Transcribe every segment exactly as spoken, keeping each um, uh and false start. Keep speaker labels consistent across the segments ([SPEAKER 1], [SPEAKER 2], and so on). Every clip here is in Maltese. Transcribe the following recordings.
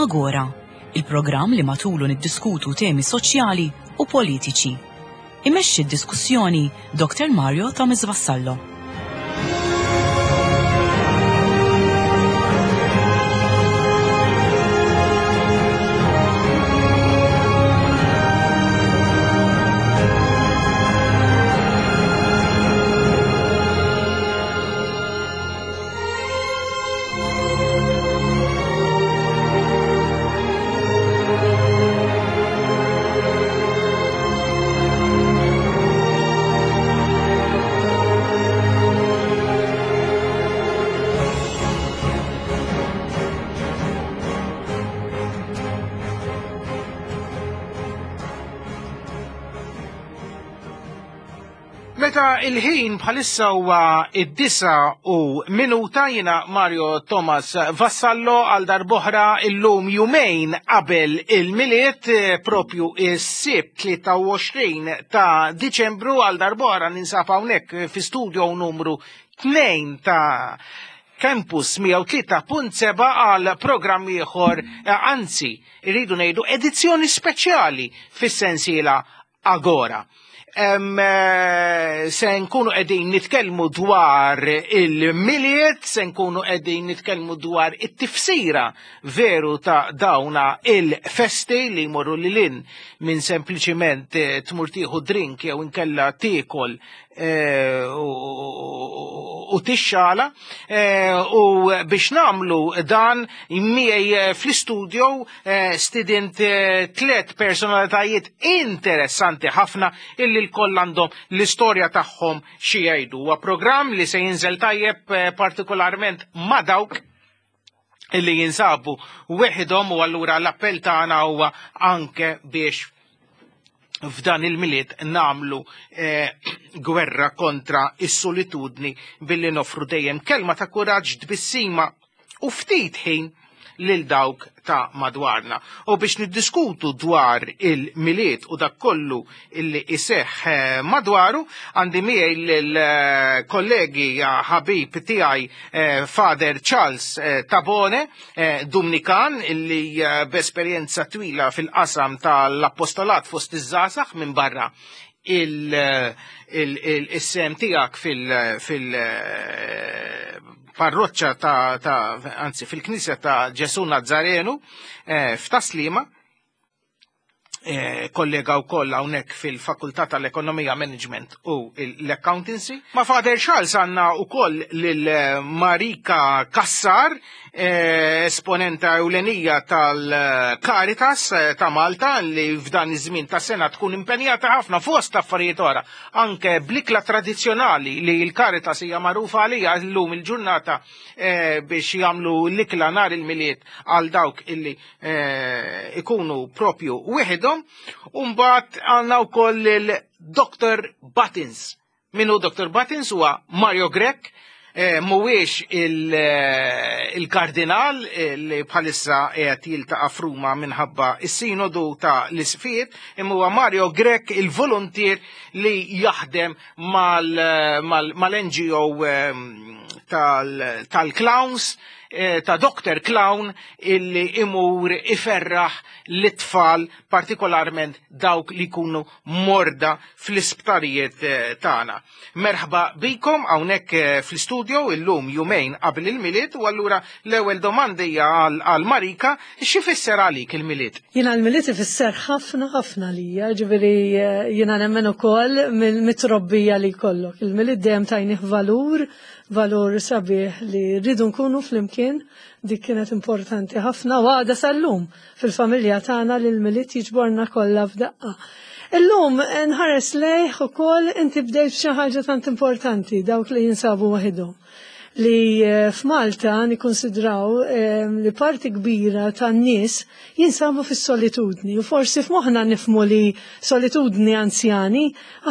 [SPEAKER 1] Agora, il-programm li matulu niddiskutu temi soċjali u politiċi. Imexxi d-diskussjoni Dr. Mario Thomas Vassallo.
[SPEAKER 2] Meta il-ħin bħalissa huwa id-disa u minuta jiena Mario Thomas Vassallo għal darb'oħra illum jumejn qabel il-Milied eh, propju is-Sibt tlieta u għoxrin ta' Diċembru għal darb'oħra ninsab hawnhekk fi studio numru tnejn ta' Campus mija u tlieta punt seba' għal programm ieħor, eh, anzi, irridu ngħidu edizzjoni speċjali fis-sensiela Agora. Em, eh, se nkunu qegħdin nitkellmu dwar il-Milied, se nkunu qegħdin nitkellmu dwar it-tifsira veru ta' dawna il-festi li jmorru lil hinn minn sempliċiment, eh, tmur tieħu drink jew inkella tiekol, eh, u, u tixxala. Eh, u biex namlu dan miegħi, eh, fl-istudio, eh, stidint, eh, tliet personalitajiet interessanti ħafna illi l-koll għandhom l-istorja tagħhom xi jgħidu. Huwa programm li se jinżel tajjeb, eh, partikolarment ma' dawk illi jinsabu weħidhom, u allura l-appell tagħna huwa anke biex f'dan il-Milied namlu, eh, gwerra kontra is-solitudni billi nofru dejjem kelma ta' kuraġġ, tbissima u ftit ħin lil dawk ta' madwarna. U biex niddiskutu dwar il-Milied u dak kollu illi iseħħ, eh, madwaru, għandi miegħi lil, eh, kollegi, eh, ħabib tiegħi, eh, Father Charles, eh, Tabone, eh, Dumnikan, illi, eh, b'esperjenza twila fil-qasam tal-appostolat fost iż-żgħażagħ minn barra il-, il, il, is-sem tiegħek fil-, fil-, eh, parroċċa ta', ta', anzi, fil-Knisja ta' Ġesu Nazzarenu, eh, f'Taslima, eh, kollega wkoll hawnhekk fil-Fakultà tal-Ekonomija, Management u l-Accountancy. Ma' Father Charles għandna wkoll lil Marika Cassar, eh, esponenta ewlenija tal-Caritas, eh, ta' Malta, li f'dan iż-żmien ta' sena tkun impenjata ħafna fost affarijiet oħra, anke bl-ikla tradizzjonali li l-Caritas hija magħrufa għalija llum il-ġurnata, eh, biex jagħmlu l-ikla nhar il-Milied għal dawk illi, eh, ikunu propju wieħedhom. U mbagħad għandna wkoll il-Doctor Buttons. Min hu Doctor Buttons? Huwa Mario Grech, eh, mhuwiex il-, eh, il-kardinal, eh, li bħalissa qiegħed jiltaqa' f'Ruma minħabba is-sinodu ta' l-isfijiet, imma huwa Mario Grech il-volontier li jaħdem mal-, mal-, mal-N G O, eh, tal-, tal-Clowns, eh, ta' Doctor Clown, illi imur iferraħ l-itfal, partikolarment dawk li jkunu morda fl-isptarijiet, eh, tagħna. Merħba bikom hawnhekk, eh, fl-istudio illum jumejn qabel il-Milied, u allura l-ewwel domanda hija għal, għal Marika, x'ifisser għalik il-Milied?
[SPEAKER 3] Jiena l-Milied ifisser ħafna ħafna lija, ġifieri, eh, jiena nemmen ukoll mill-mitrobbija li jkollok. Il-Milied dejjem tajnih valur, valur sabiħ li rridu nkunu flimkien, dik kienet importanti ħafna u għadha sal-lum fil-familja tagħna li l-Milied jiġborna kollha f'daqqa. Illum nħares lejh ukoll inti bdejt xi ħaġa tant importanti dawk li jinsabu waħedhom. Li eh, f'Malta nikkonsidraw eh, li parti kbira tan-nies jinsabu fis-solitudni u forsi f'moħħna nifhmu li solitudni anzjani,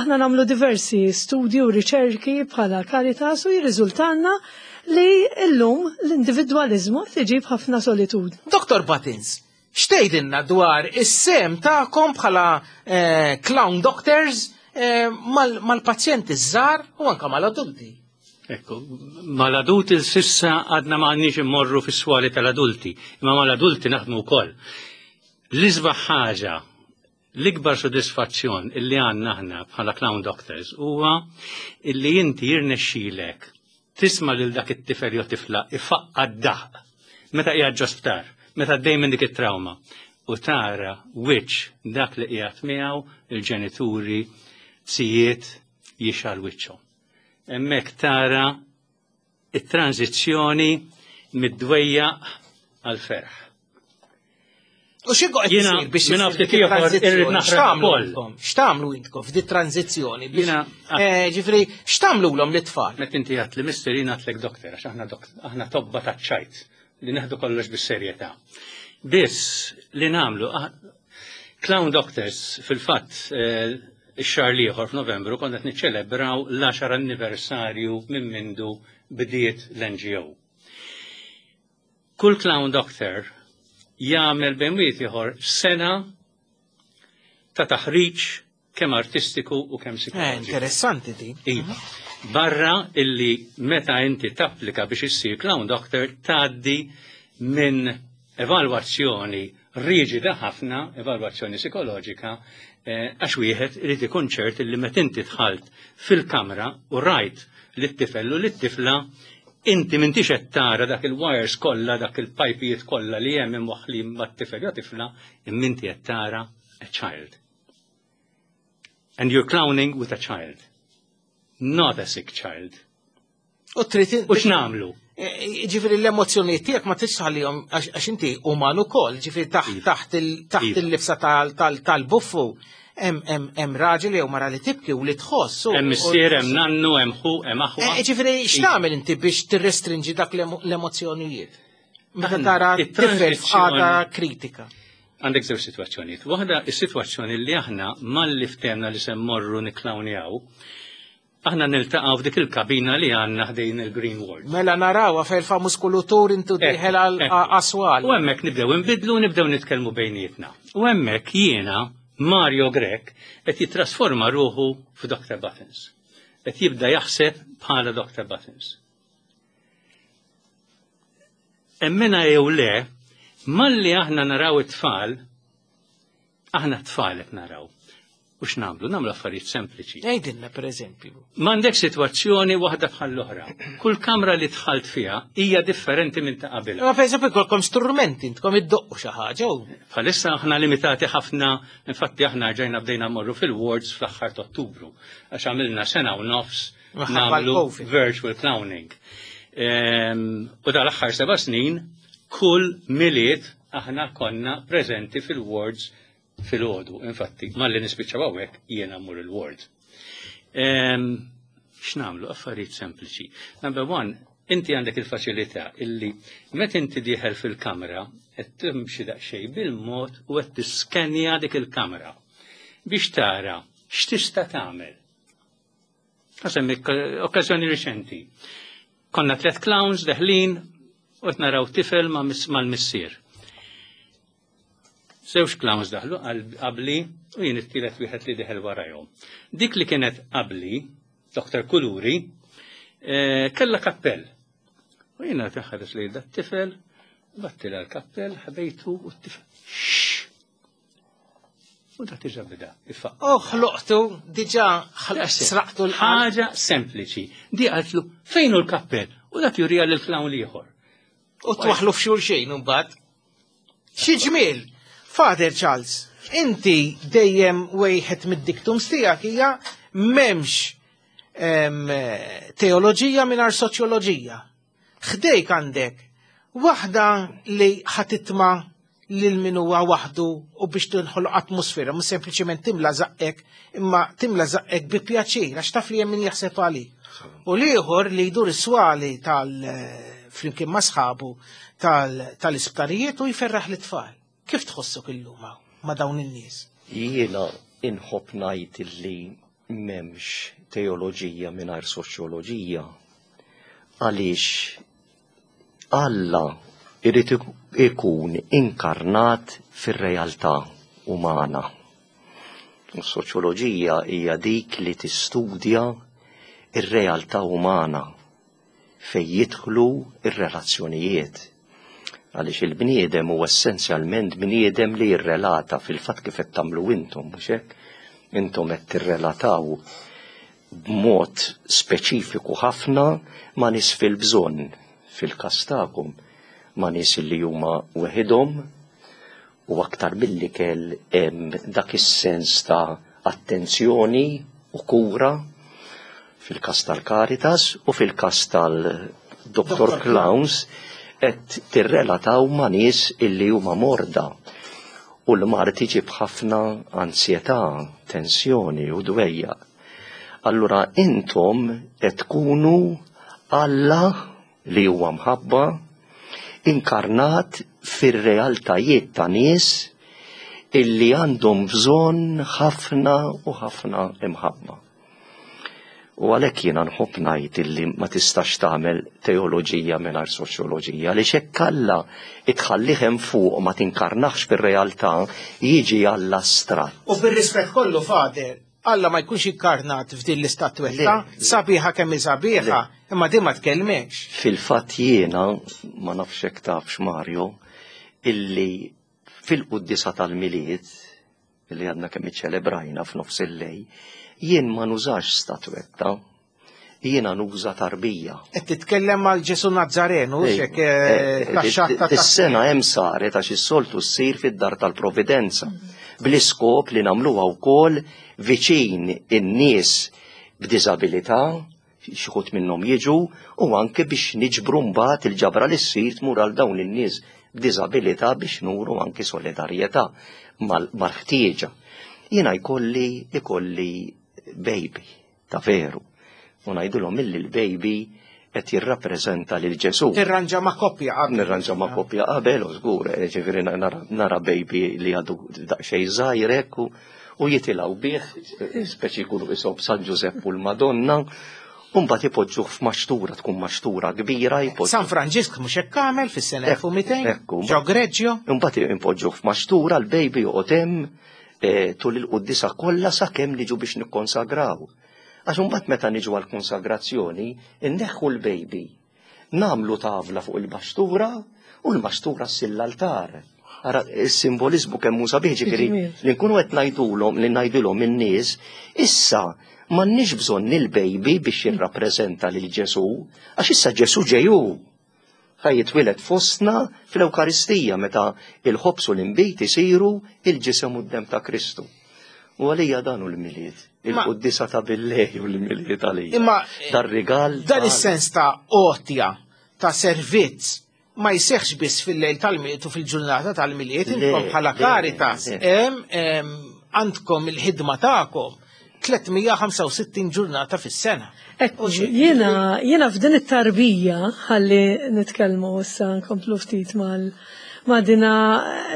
[SPEAKER 3] aħna nagħmlu diversi studji u riċerki bħala Caritas u jirriżultanna li llum l-individwaliżmu tiġib ħafna solitudni.
[SPEAKER 2] Doktor Buttons, x'tgħidilna dwar is-sehem tagħkom bħala eh, clown doctors eh, mal-pazjenti żgħar u anka mal-adulti?
[SPEAKER 4] Ekku, mal-adulti s'issa għadna ma għandniex immorru fis-swali tal-adulti, imma mal-adulti naħdmu wkoll. L-isbaħ ħaġa, l-ikbar sodisfazzjon illi għandna aħna bħala clown doctors huwa illi inti jirnexxilek tisma' lil dak it-tifel jew tifla ifaqqa d-daħq meta qiegħed ġo sptar, meta għaddej minn dik it-trauma u tara wiċċ dak li qiegħed miegħu, il-ġenituri, zijiet, jixgħel wiċċhom. Hemmhekk tara it-tranzizzjoni mid-dwejjaq għal-ferħ.
[SPEAKER 2] U xi qed
[SPEAKER 4] Jiena
[SPEAKER 2] isir biex
[SPEAKER 4] minn
[SPEAKER 2] issir
[SPEAKER 4] ftit
[SPEAKER 2] dik
[SPEAKER 4] ieħor
[SPEAKER 2] it-tranzizzjoni?
[SPEAKER 4] irrid naħrab
[SPEAKER 2] X'tagħmlu
[SPEAKER 4] ukoll.
[SPEAKER 2] intkom? X'tagħmlu intkom f'di tranzizzjoni biex
[SPEAKER 4] Jiena-
[SPEAKER 2] eh, ġifieri x'tagħmlulhom l-itfal?
[SPEAKER 4] Meta inti għedt li mister, jiena għedtlek doktor, għax aħna dok- aħna tobba taċ-ċajt li neħdu kollox bis-serjetà. Biss li nagħmlu, ah, Clown Doctors fil-fatt eh, ix-xahar l-ieħor f'Novembru konna qed niċċelebraw l-għaxar anniversarju minn mindu bdiet l-N G O. Kull clown doctor jagħmel bejn wieħed ieħor sena ta' taħriġ kemm artistiku u kemm
[SPEAKER 2] Eh,
[SPEAKER 4] psikoloġiku.
[SPEAKER 2] interessanti di.
[SPEAKER 4] Iva. Barra illi meta inti tapplika biex issir clown doctor tgħaddi minn evalwazzjoni riġida ħafna, evalwazzjoni psikoloġika, eh, għax wieħed irid ikun ċert illi meta inti dħalt fil-kamra u rajt lit-tifel u lit-tifla, inti m'intix qed tara dak il-wires kollha, dak il-pajpijiet kollha li hemm imwaħħlin mat-tifel jew tifla, imma inti qed tara a child. And you're clowning with a child, not a sick child.
[SPEAKER 2] U trid
[SPEAKER 4] U x'nagħmlu?
[SPEAKER 2] Eh, Ġifieri l-emozzjonijiet tiegħek ma tridx tħallihom għax għax inti uman ukoll, ġifieri taħt
[SPEAKER 4] Iva.
[SPEAKER 2] taħt il- taħt
[SPEAKER 4] Iva.
[SPEAKER 2] il-libsa tal- tal- tal-buffu hemm hemm hemm raġel jew mara li tibki u li tħoss. u-
[SPEAKER 4] Hemm missier, hemm nannu, hemm ħu, hemm aħwa.
[SPEAKER 2] Eh, Ġifieri x'tagħmel inti biex tirrestrinġi dak l-emo- l-emozzjonijiet? Meta
[SPEAKER 4] Aħna,
[SPEAKER 2] tara tifel
[SPEAKER 4] it-transizzjoni-
[SPEAKER 2] f'qagħda kritika.
[SPEAKER 4] Għandek żewġ sitwazzjonijiet. Waħda, is-sitwazzjoni li aħna malli ftehemna li se mmorru nikklawnjaw, aħna niltaqgħu f'dik il-kabina li għandna ħdejn il-Green Ward.
[SPEAKER 2] Mela narawha fejn il-famuż kulutur intu dieħel għal
[SPEAKER 4] Ekku.
[SPEAKER 2] aswal.
[SPEAKER 4] U hemmhekk nibdew inbidlu u nibdew nitkellmu bejnietna. U hemmhekk jiena, Mario Grech, qed jitrasforma ruħu f'Doctor Buttons. Qed jibda jaħseb bħala Doctor Buttons. Emmina jew le, malli aħna naraw it-tfal, aħna t-tfal qed naraw. U x'nagħmlu? Nagħmlu affarijiet sempliċi.
[SPEAKER 2] Għidilna per eżempju.
[SPEAKER 4] M'għandek sitwazzjoni waħda bħal l-oħra. Kull kamra li dħalt fiha hija differenti minn ta' qabilha.
[SPEAKER 2] Ma per eżempju jkollkom strumenti, intkom iddoqqu xi ħaġa u
[SPEAKER 4] Bħalissa aħna limitati ħafna, infatti aħna ġejna bdejna mmorru fil-wards fl-aħħar ta' Ottubru, għax għamilna sena u nofs
[SPEAKER 2] Minħabba
[SPEAKER 4] nagħmlu
[SPEAKER 2] l-Covid.
[SPEAKER 4] virtual clowning. Ehm, U dal-aħħar seba' snin, kull Milied aħna konna preżenti fil-wards fil-għodu. Infatti, malli nispiċċaw hawnhekk jiena mmur il-ward. Ehm, X'nagħmlu? Affarijiet sempliċi. Number one, inti għandek il-faċilità illi meta inti dieħel fil-kamra qed timxi daqsxejn bil-mod u qed tiskenja dik il-kamra biex tara x'tista' tagħmel. Ħa nsemmi okkażjoni riċenti. Konna tliet clowns deħlin u qed naraw tifel ma' mis- mal-missier. Żewġ clowns daħlu qabli u jien it-tielet wieħed li deħel warajhom. Dik li kienet qabli, Doctor Kuluri, eh, kella kappell. U jiena taħares li da tifel, battila l-kappell, ħbejtu u t-tifel. Shh! U da diġà beda. Ifaq.
[SPEAKER 2] Oh, ħloqtu, diġà sraqtu l-qalb.
[SPEAKER 4] Ħaġa sempliċi. Di qaltlu, "Fejn hu l-kappell?" U dak jurija l-clown l-ieħor.
[SPEAKER 2] U twaħlu f'xulxin mbagħad. Xi ġmiel, Father Charles, inti dejjem wieħed mid-dictums tiegħek hija m'hemmx em, teoloġija mingħajr soċjoloġija. Ħdejk għandek waħda li ħa titma' lil min huwa waħdu u biex tinħoloq atmosfera, mhux sempliċement timla żaqqek, imma timla żaqqek bi pjaċir, għax taf li hemm min jaħseb għalik. U l-ieħor li jdur is-swali tal flimkien ma' sħabu tal-isptarijiet u jferraħ l-tfal. Kif tħossok illum ma' dawn in-nies?
[SPEAKER 5] Jiena inħobb ngħid li m'hemmx teoloġija mingħajr soċjoloġija, għaliex Alla irid ikun inkarnat fir-realtà umana. Is-soċjoloġija hija dik li tistudja ir-realtà umana fejn jidħlu ir-relazzjonijiet. Għaliex il-bniedem huwa essenzjalment bniedem li jirrelata, fil-fatt kif qed tagħmlu intom, mhux hekk? Intom qed tirrelataw b'mod speċifiku ħafna ma' nies fil-bżonn, fil-każ tagħkom, ma' nies li huma weħidhom, u aktar milli kell hemm dak is-sens ta' attenzjoni u kura fil-każ tal-Caritas u fil-każ tal-Doctor Clowns qed tirrelataw ma' nies illi huma morda. U l-mard iġib ħafna ansjetà, tensjoni u dwejja. Allura intom qed tkunu Alla li huwa mħabba inkarnat fir-realtajiet ta' nies illi għandhom bżonn ħafna u ħafna imħabba. U għalhekk jiena nħobb ngħid illi ma tistax tagħmel teoloġija mingħajr soċjoloġija, għaliex hekk Alla itħallih hemm fuq ma tinkarnax fir-realtà, jiġi Alla astratt.
[SPEAKER 2] U bir-rispett kollu, Fader, Alla ma jkunx inkarnat f'din l-istatwetta, sabiħa kemm hi sabiħa, imma din ma tkellmekx.
[SPEAKER 5] Fil-fatt jiena, ma nafx hekk tafx Mario, illi fil-quddisa tal-Milied, illi għadna kemm iċċelebrajna f'nofs il-lejl, jien ma nużax statwetta, jiena nuża tarbija.
[SPEAKER 2] Qed titkellem għal Ġesu Nazzarenu, xek tax-xatta ta'
[SPEAKER 5] Is-sena hemm saret għax is-soltu ssir fid-dar tal-Providenza, bl-iskop li nagħmluha wkoll viċin in-nies b'diżabilità, xi wħud minnhom jiġu, u anke biex niġbru mbagħad il-ġabra li ssir tmur għal dawn in-nies b'diżabilità biex nuru anke solidarjetà mal-ħtieġa. Jiena jkolli ikolli baby ta' veru. U ngħidulhom illi l-baby qed jirrappreżenta lil Ġesu.
[SPEAKER 2] Tirranġa ma' koppja qabel.
[SPEAKER 5] Nirranġa ma' koppja qabel, u żgur, ġifieri nara, nara baby li għadu daqsxejn żgħir hekk u, u jitilgħu bih, speċi jkunu isob San Ġużepp u l-Madonna, u mbagħad ipoġġuh f'maxtura, tkun maxtura kbira, jpoġġuh.
[SPEAKER 2] San Franġisk mhux hekk għamel fis-sena elf u mitejn?
[SPEAKER 5] Ekku.
[SPEAKER 2] Ġo Greġġjo?
[SPEAKER 5] Imbagħad impoġġuh f'maxtura, l-baby joqgħod hemm, eh, tul il-quddisa kollha sakemm niġu biex nikkonsagraw. Għax imbagħad meta niġu għall-konsagrazzjoni, inneħħu l-baby, nagħmlu tavla fuq il-maxtura u l-maxtura ssir l-altar. Ara, il-simbolizmu kemm hu sabiħ, ġifieri li nkunu qed ngħidulhom, li ngħidulhom in-nies, issa m'għandniex bżonn il-baby biex jirrappreżenta lil Ġesu, għax issa Ġesu ġej hu. Ħa jitwieled fostna fl-Ewkaristija meta il-ħobż u l-inbid isiru il-ġisem u d-dem ta' Kristu. U għalija dan hu l-Milied, il-quddisa ta' billejl u l-Milied għalija.
[SPEAKER 2] Imma
[SPEAKER 5] dar-rigal
[SPEAKER 2] dan
[SPEAKER 5] ta'
[SPEAKER 2] is-sens ta' għotja, ta' servizz, ma jseħħx biss fil-lejl tal-Milied u fil-ġurnata tal-Milied,
[SPEAKER 5] Le,
[SPEAKER 2] intom bħala
[SPEAKER 5] le,
[SPEAKER 2] Caritas,
[SPEAKER 5] le.
[SPEAKER 2] hemm, hemm, għandkom il-ħidma tagħkom tliet mija ħamsa u sittin ġurnata fis-sena.
[SPEAKER 3] Ekku, jiena, jiena f'din it-tarbija, ħalli nitkellmu issa nkomplu ftit mal ma dina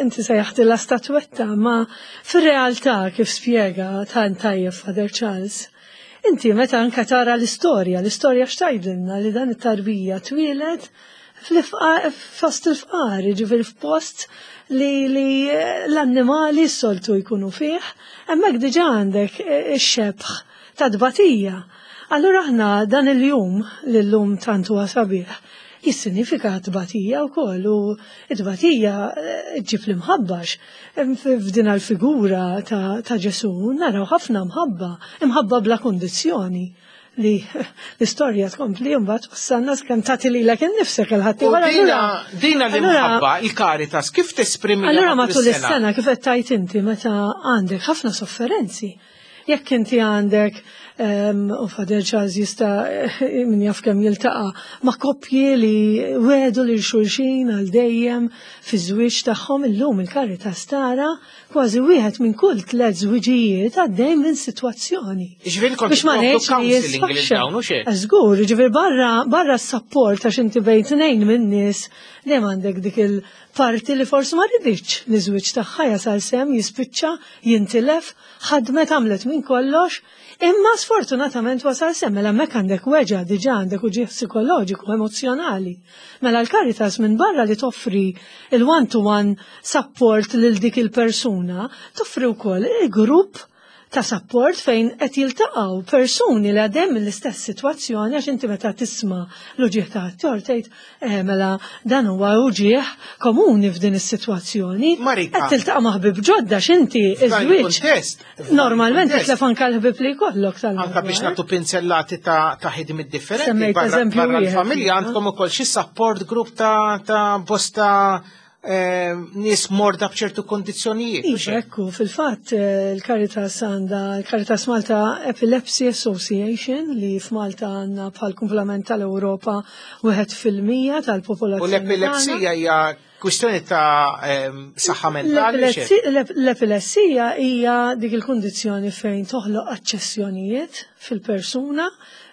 [SPEAKER 3] inti sejjaħtilha statwetta, ma fir-realtà kif spjega tant tajjeb Father Charles, inti meta anka tara l-istorja, l-istorja x'tgħidilna li dan it-tarbija twieled fl-ifqa-, fost il-fqar, ġifieri f'post li, li l-annimali s-soltu jkunu fih, hemmhekk diġà għandek ix-xebħ ta' tbatija. Allura aħna dan il-jum, li l-lum tant huwa sabiħ, jissinifika tbatija wkoll, u t-tbatija ġġib l-imħabbax. F'din l-figura ta', ta' Ġesu naraw ħafna mħabba, imħabba bla kondizzjoni, li l-istorja tkompli mbagħad wassalna kemm tagħti lilek innifsek il-ħadd
[SPEAKER 2] U
[SPEAKER 3] ieħor.
[SPEAKER 2] dina,
[SPEAKER 3] Allura-
[SPEAKER 2] dina
[SPEAKER 3] allura-
[SPEAKER 2] l-imħabba, il-Caritas, kif tesprimi
[SPEAKER 3] Allura matul is-sena kif qed tgħid inti meta għandek ħafna sofferenzi, jekk inti għandek U Father Charles jista' min jaf kemm jiltaqa' ma' koppji li wedu lil xulxin għal dejjem fiż-żwieġ tagħhom. Illum il-Caritas tara kważi wieħed minn kull tliet żwiġijiet għaddej minn sitwazzjoni.
[SPEAKER 2] Ġifieri kont
[SPEAKER 3] Biex ma ngħidx li
[SPEAKER 2] counseling lil
[SPEAKER 3] jisfaxxa.
[SPEAKER 2] dawn u xejn.
[SPEAKER 3] Żgur, ġifieri barra barra s-support, għax inti bejn tnejn minn nies dejjem għandek dik il-parti li forsi ma riditx li żwieġ tagħha jasal s'hemm, jispiċċa, jintilef, ħadmet, għamlet minn kollox, imma sfortunatament wasal s'hemm. Mela hemmhekk għandek weġgħa diġà, għandek uġigħ psikoloġiku, emozjonali. Mela l-Caritas minn barra li toffri il-one-to-one support lil dik il-persuna, toffri wkoll il-grupp ta' support fejn qed jiltaqgħu persuni li għaddejjin mill-istess sitwazzjoni, għax inti meta tisma' l-uġigħ ta' ħaddieħor tgħid, eh, mela dan huwa uġigħ komuni f'din is-sitwazzjoni.
[SPEAKER 2] Marika.
[SPEAKER 3] Qed tiltaqa' ma' ħbieb ġodda x'inti
[SPEAKER 2] F'dan
[SPEAKER 3] iż-żwieġ.
[SPEAKER 2] il-kuntest, f'dan
[SPEAKER 3] Normalment
[SPEAKER 2] il-kuntest,
[SPEAKER 3] titlef anke l-ħbieb li jkollok tal
[SPEAKER 2] Anka biex nagħtu pinzellati ta' ta' ħidmiet differenti.
[SPEAKER 3] Semmejt
[SPEAKER 2] Barra
[SPEAKER 3] eżempju
[SPEAKER 2] barra
[SPEAKER 3] wieħed,
[SPEAKER 2] l-familja
[SPEAKER 3] iva.
[SPEAKER 2] għandkom ukoll xi support group ta' ta' bosta eh, nies morda b'ċertu kondizzjonijiet. u
[SPEAKER 3] Iva,
[SPEAKER 2] xejn.
[SPEAKER 3] ekku, fil-fatt eh, il-Caritas għandha il-Caritas Malta Epilepsy Association, li f'Malta għandna bħal kumplament tal-Ewropa wieħed fil-mija
[SPEAKER 2] U
[SPEAKER 3] tal-popolazzjoni.
[SPEAKER 2] l-epilepsija hija kwistjoni ta' em, saħħa mentali. u xejn.
[SPEAKER 3] L-epilepsi- l- L-epilessija hija dik il-kundizzjoni fejn toħloq aċċessjonijiet fil-persuna,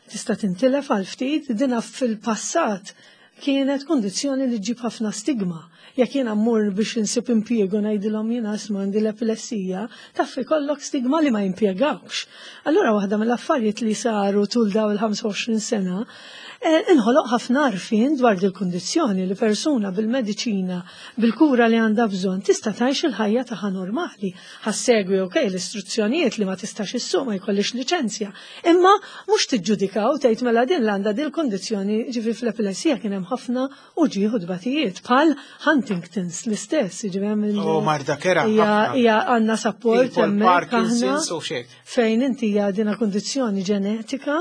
[SPEAKER 3] tista' tintilef għal ftit. Dina fil-passat kienet kundizzjoni li ġġib ħafna stigma. Jekk jiena mmur biex insib impjiegu ngħidilhom jiena isma' għandi l-epilessija, taf ikollok stigma li ma jimpjegawx. Allura waħda mill-affarijiet li saru tul daw il-ħamsa u għoxrin sena, eh, inħoloq ħafna għarfien dwar dil kundizzjoni li persuna bil-mediċina, bil-kura li għandha bżonn, tista' tgħix il-ħajja tagħha normali. Ħa ssegwi, okej, l-istruzzjonijiet li ma tistax issuq, ma jkollix liċenzja. Imma mhux tiġġudikaw, tgħid mela din l għandha dil kundizzjoni. Ġifi fl-epilessija kien hemm ħafna uġigħ u tbatijiet bħal Huntington's l-istess, ġifi hemm il-
[SPEAKER 2] Oh, marda kerha
[SPEAKER 3] Hija
[SPEAKER 2] ħafna.
[SPEAKER 3] hija għandna support
[SPEAKER 2] Tipo
[SPEAKER 3] hemmhekk aħna
[SPEAKER 2] l-Parkinson's u xejn.
[SPEAKER 3] fejn inti hija dina kondizzjoni ġenetika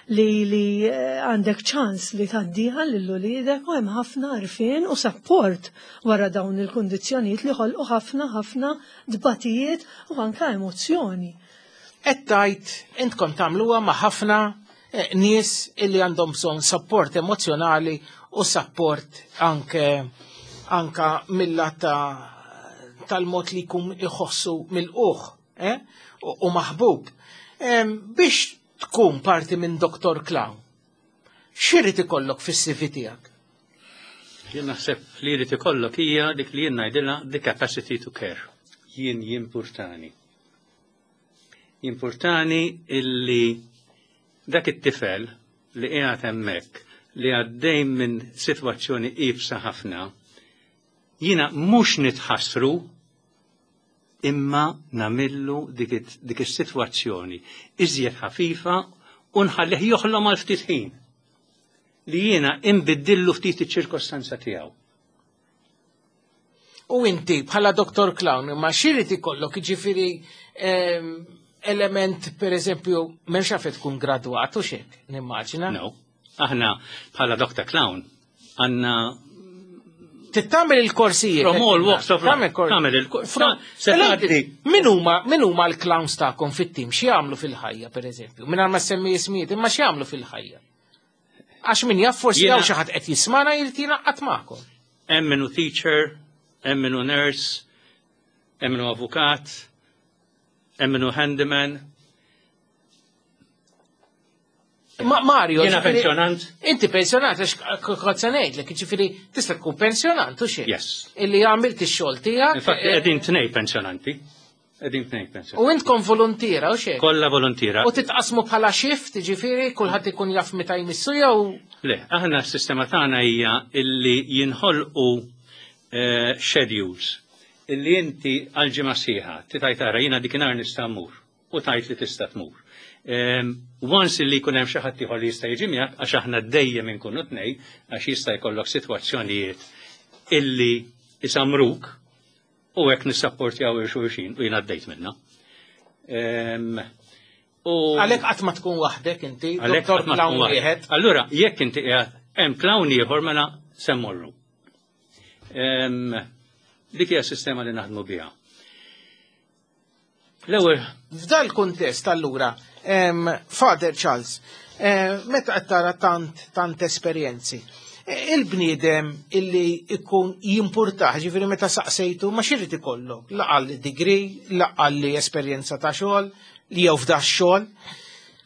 [SPEAKER 3] li li eh, għandek ċans li tgħaddiha lil uliedek, u hemm ħafna għarfien u support wara dawn il-kundizzjonijiet li ħolqu ħafna ħafna dbatijiet u anka emozzjoni.
[SPEAKER 2] Qed tgħid intkom tagħmluha ma' ħafna eh, nies illi għandhom bżonn support emozjonali u support anke anka mill ta' tal-mod li jkun iħossu mill-uħ eh? u, u maħbub. Em, biex tkun parti minn Doctor Clown, x'irid ikollok fis-C V tiegħek?
[SPEAKER 4] Jien naħseb li jrid ikollok hija dik li jien ngħidilha the capacity to care. Jien jimpurtani. Jimpurtani illi dak it-tifel li qiegħed hemmhekk li għaddej minn sitwazzjoni iebsa ħafna, jiena mhux nitħassru imma nagħmillu dik it- dik is-sitwazzjoni iżjed ħafifa u nħallih joħlom għal ftit ħin li jiena imbiddillu ftit iċ-ċirkostanza tiegħu.
[SPEAKER 2] U inti bħala Doctor Clown, ma x'irid ikollok, ġifieri em, element, per eżempju, m'hemmx għalfejn tkun gradwat u xek, nimmaġina.
[SPEAKER 4] No. Aħna bħala Doctor Clown għandna
[SPEAKER 2] Tittamel il-korsijiet.
[SPEAKER 4] From all walks of life.
[SPEAKER 2] Tagħmel kor-
[SPEAKER 4] Tagħmel il-kor-
[SPEAKER 2] From-
[SPEAKER 4] Se
[SPEAKER 2] Mela,
[SPEAKER 4] tgħaddi.
[SPEAKER 2] Min huma min huma l-clowns tagħkom fit-tim? X'jagħmlu fil-ħajja, pereżempju? Mingħajr ma semmi ismijiet, imma x'jagħmlu fil-ħajja? Għax min jaf, forsi
[SPEAKER 4] Jiena-
[SPEAKER 2] hawn xi ħadd qed jismana jrid jingħaqad magħkom.
[SPEAKER 4] Hemm minnu teacher, hemm minnu nurse, hemm minnu avukat, hemm minnu handyman.
[SPEAKER 2] Ma Mario,
[SPEAKER 4] Jiena
[SPEAKER 2] ġifieri-
[SPEAKER 4] pensjonant.
[SPEAKER 2] Inti pensjonant, għax kont se ngħidlek, ġifieri tista' tkun pensjonant u xejn.
[SPEAKER 4] Yes.
[SPEAKER 2] Illi għamilt ix-xogħol tiegħek.
[SPEAKER 4] Infatti
[SPEAKER 2] eh,
[SPEAKER 4] qegħdin tnej pensjonanti. Qegħdin tnej pensjonanti.
[SPEAKER 2] U intkom volontiera u xejn.
[SPEAKER 4] Kollha volontiera.
[SPEAKER 2] U titqasmu bħala shift, ġifieri kulħadd ikun jaf meta jmissu jew
[SPEAKER 4] Le, aħna s-sistema tagħna hija illi jinħolqu eh, schedules illi inti għal ġimgħa sħiħa titaj tara jiena dikinhar nista' mmur u tajt li tista' tmur. Em, Once illi jkun hemm xi ħadd ieħor li jista' jiġi miegħek, għax aħna dejjem inkunu tnej, għax jista' jkollok sitwazzjonijiet illi isamruk u hekk nissapportjaw lil xulxin u jiena għaddejt minna. Em, U
[SPEAKER 2] għalhekk qatt ma tkun waħdek inti,
[SPEAKER 4] Għalhekk
[SPEAKER 2] Doktor
[SPEAKER 4] qatt ma
[SPEAKER 2] Clown
[SPEAKER 4] tkun waħdek.
[SPEAKER 2] wieħed.
[SPEAKER 4] Allura, jekk inti qiegħed hemm clown ieħor, mela se mmorru. Em, Dik hija s-sistema li naħdmu biha. L-ewwel
[SPEAKER 2] F'dal kuntest allura, Father Charles, eh, meta qed tara tant tant esperjenzi, eh, il-bniedem illi ikun jimpurtah, ġifieri meta saqsejtu ma xirrid ikollok, laqal li degree, laqal li esperjenza ta' xogħol, li jew f'da xogħol.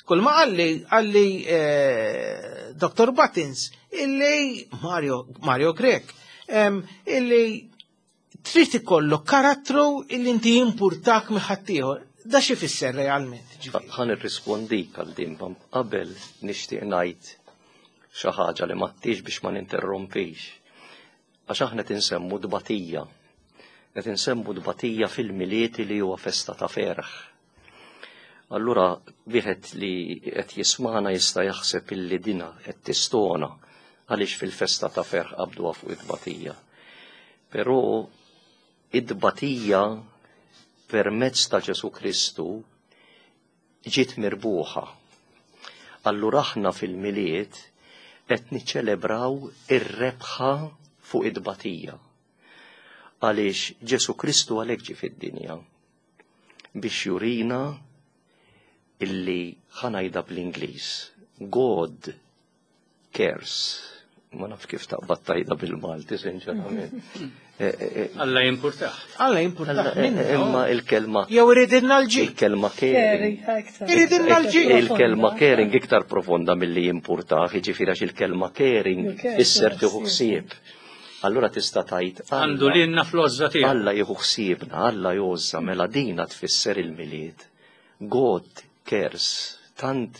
[SPEAKER 2] Kull ma qalli, qalli eh, Dottor Buttons, illi Mario, Mario Grech, illi trid ikollok karattru illi inti jimpurtak minn ħaddieħor. Da xi fisser realment?
[SPEAKER 5] Ħa nirrispondik għal din, qabel nixtieq ngħid xi ħaġa li m'għedtix biex ma ninterrompix. Għax aħna tinsemmu dbatija. Qed insemmu dbatija fil-Milied li huwa festa ta' ferħ. Allura wieħed li qed jismana jista' jaħseb illi dina qed tistona għaliex fil-festa ta' ferħ qabduha fuq id-tbatija. Però id-tbatija permezz ta' Ġesu Kristu ġiet mirbuħa. Allura aħna fil-Milied qed niċċelebraw ir-rebħa fuq id-tbatija. Għaliex Ġesu Kristu għalhekk ġie fid-dinja biex jurina illi ħa ngħidha bl-Ingliż. God cares. Ma naf kif taqbad tgħidha bil-Malti, sinċerament. Eh, eh, eh,
[SPEAKER 4] Alla jimpurtah.
[SPEAKER 2] Alla jimpurtah.
[SPEAKER 5] Imma il-kelma.
[SPEAKER 2] Jew iridilna l-ġid.
[SPEAKER 5] Il-kelma caring.
[SPEAKER 2] Iridilna l-ġid.
[SPEAKER 5] Il-kelma caring iktar profonda milli jimpurtah, jiġifieri għax il-kelma caring isser tieħu ħsieb. Allura tista' tgħid
[SPEAKER 4] Għandu lilna fl-għożża tiegħu.
[SPEAKER 5] Alla jieħu ħsiebna, Alla jgħożża, mela dina tfisser il-Milied. God cares, tant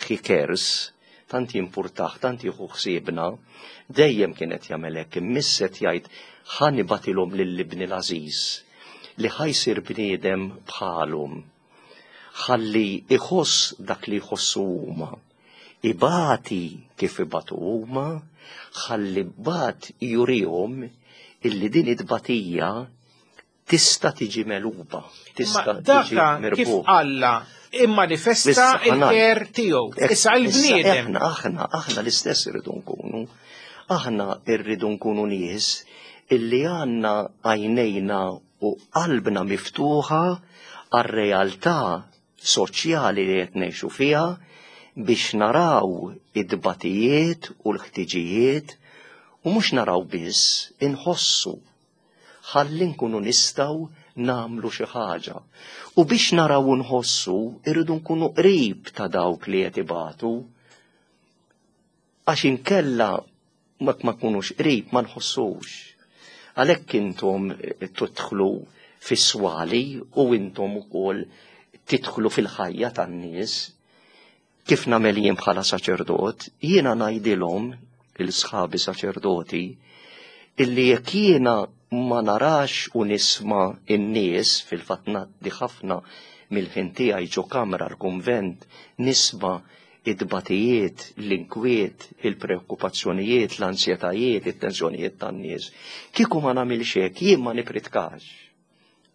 [SPEAKER 5] he cares, tant jimpurtah, tant jieħu ħsiebna, dejjem kienet jagħmel hekk, immisset jgħid ħa nibgħatilhom lil ibni l-għażiż li ħa jsir bniedem bħalhom. Ħalli iħoss dak li jħossu huma. Ibati kif ibatu huma, ħalli bat jurihom illi din it-tbatija tista' tiġi megħluba, tista' tiġi
[SPEAKER 2] Daka kif
[SPEAKER 5] mirbuħa.
[SPEAKER 2] Alla immanifesta
[SPEAKER 5] Issa,
[SPEAKER 2] il-care tiegħu. Issa il-bniedem.
[SPEAKER 5] Aħna, aħna, aħna l-istess irridu nkunu. Aħna irridu nkunu nies illi għandna għajnejna u qalbna miftuħa għar-realtà soċjali li qed ngħixu fiha biex naraw id-batijiet u l-ħtiġijiet u mhux naraw biss inħossu ħalli nkunu nistgħu nagħmlu xi ħaġa. U biex naraw u nħossu irridu nkunu qrib ta' dawk li qed ibatu. Għax inkella ma ma nkunux qrib ma nħossux. Għalhekk intom tidħlu fis-swali u intom ukoll tidħlu fil-ħajja tan-nies. Kif nagħmel jien bħala saċerdot, jiena ngħidilhom il-sħabi saċerdoti illi jekk jiena ma narax u nisma' in-nies, fil-fatt ngħaddi ħafna mill-ħin tiegħi ġo kamra l-kunvent nisma' id-batijiet, l-inkwiet, il-preokkupazzjonijiet, l-ansjetajiet, it-tensjonijiet tan-nies. Kieku ma nagħmilx hekk, jien ma nipritkax.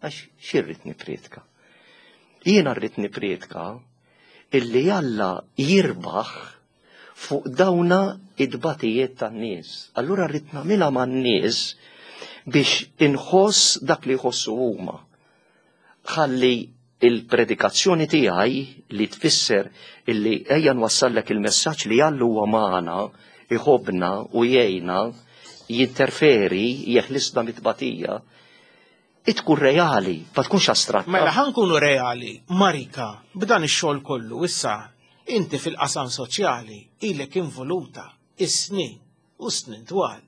[SPEAKER 5] Għax x'irrid nipritka? Jiena rrid nipritka illi Alla jirbaħ fuq dawna id-batijiet tan-nies. Allura rrid nagħmilha man-nies biex inħoss dak li jħossu huma. Ħalli il-predikazzjoni tiegħi li tfisser illi ejja nwassallek il-messaġġ li Alla huwa magħna, iħobbna u jgħinna, jinterferi, jeħlisna mit-tbatija, tkun reali, ma tkunx astratta.
[SPEAKER 2] Mela ħa nkunu reali, Marika, b'dan ix-xogħol kollu issa inti fil-qasam soċjali ilek involuta is-snin u snin twal.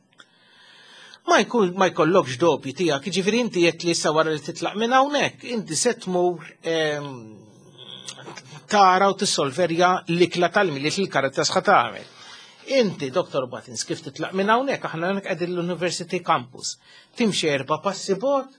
[SPEAKER 2] Ma jkun ma jkollokx dubji tiegħek, jiġifieri inti qed li issa wara li titlaq minn hawnhekk, inti se tmur ehm, tara u tissolverja l-ikla tal-Milied li l-Caritas ħa tagħmel. Inti, Dottor Buttons, kif titlaq minn hawnhekk, aħna hawnhekk qegħdin l-University Campus. Timxi erba' passi bogħod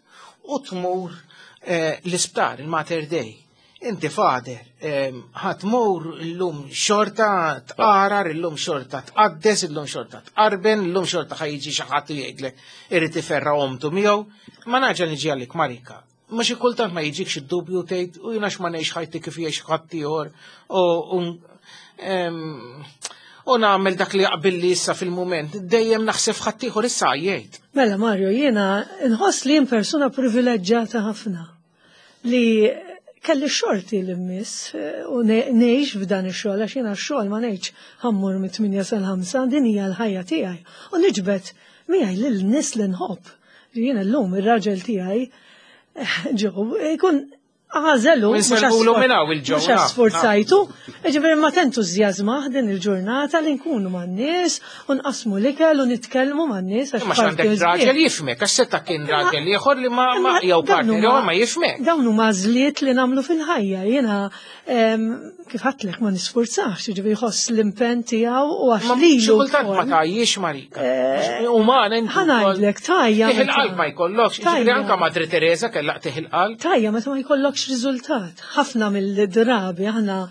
[SPEAKER 2] u tmur eh, l-isptar, il-Mater Dei. Inti father, ehm, ħa tmur illum xorta tqarar, illum xorta tqaddes, illum xorta tqarben, illum xorta ħa jiġi xi ħadd u jgħidlek irid iferra omtu miegħu. Ma naġa niġi għalik Marika. Ma xi kultant ma jiġikx id-dubju tgħid u jiena x'ma ngħix ħajti kif jgħix ħadd ieħor u u, u nagħmel dak li jaqbilli issa fil-mument. Dejjem naħseb ħadd ieħor issa jgħid.
[SPEAKER 3] Mela Mario, jiena nħoss li jien persuna privileġġjata ħafna li Kelli xorti li mmiss eh, u ngħix f'dan ix-xogħol, għax jiena x-xogħol ma ngħidx ħa mmur mit-tmienja sal-ħamsa, din hija l-ħajja tiegħi. U niġbed miegħi lil nies li nħobb. Jiena llum ir-raġel tiegħi eh, ġew ikun għażelu.
[SPEAKER 2] Insellmulu minn hawn il-ġew.
[SPEAKER 3] Mhux sforzajtu, ġifieri ma tentużjażma din il-ġurnata li nkunu man-nies u nqasmu l-ikel u nitkellmu man-nies.
[SPEAKER 2] Għax għandek raġel jifhmek, għax seta' kien raġel ieħor li ma jew partner jew ma jifhmek.
[SPEAKER 3] Dawn huma għażliet li nagħmlu fil-ħajja. Jiena kif għedtlek ma nisforzax, ġifieri jħoss l-impenn tiegħu u għax lilu.
[SPEAKER 2] Xi kultant ma tgħajjix, Marika. Umana inti.
[SPEAKER 3] Ħa ngħidlek tgħajja.
[SPEAKER 2] Tih il-qalb ma jkollokx, ġifieri anke Madre Teresa kellha tih il-qalb.
[SPEAKER 3] Tgħajja meta ma jkollokx riżultat. Ħafna mill-drabi aħna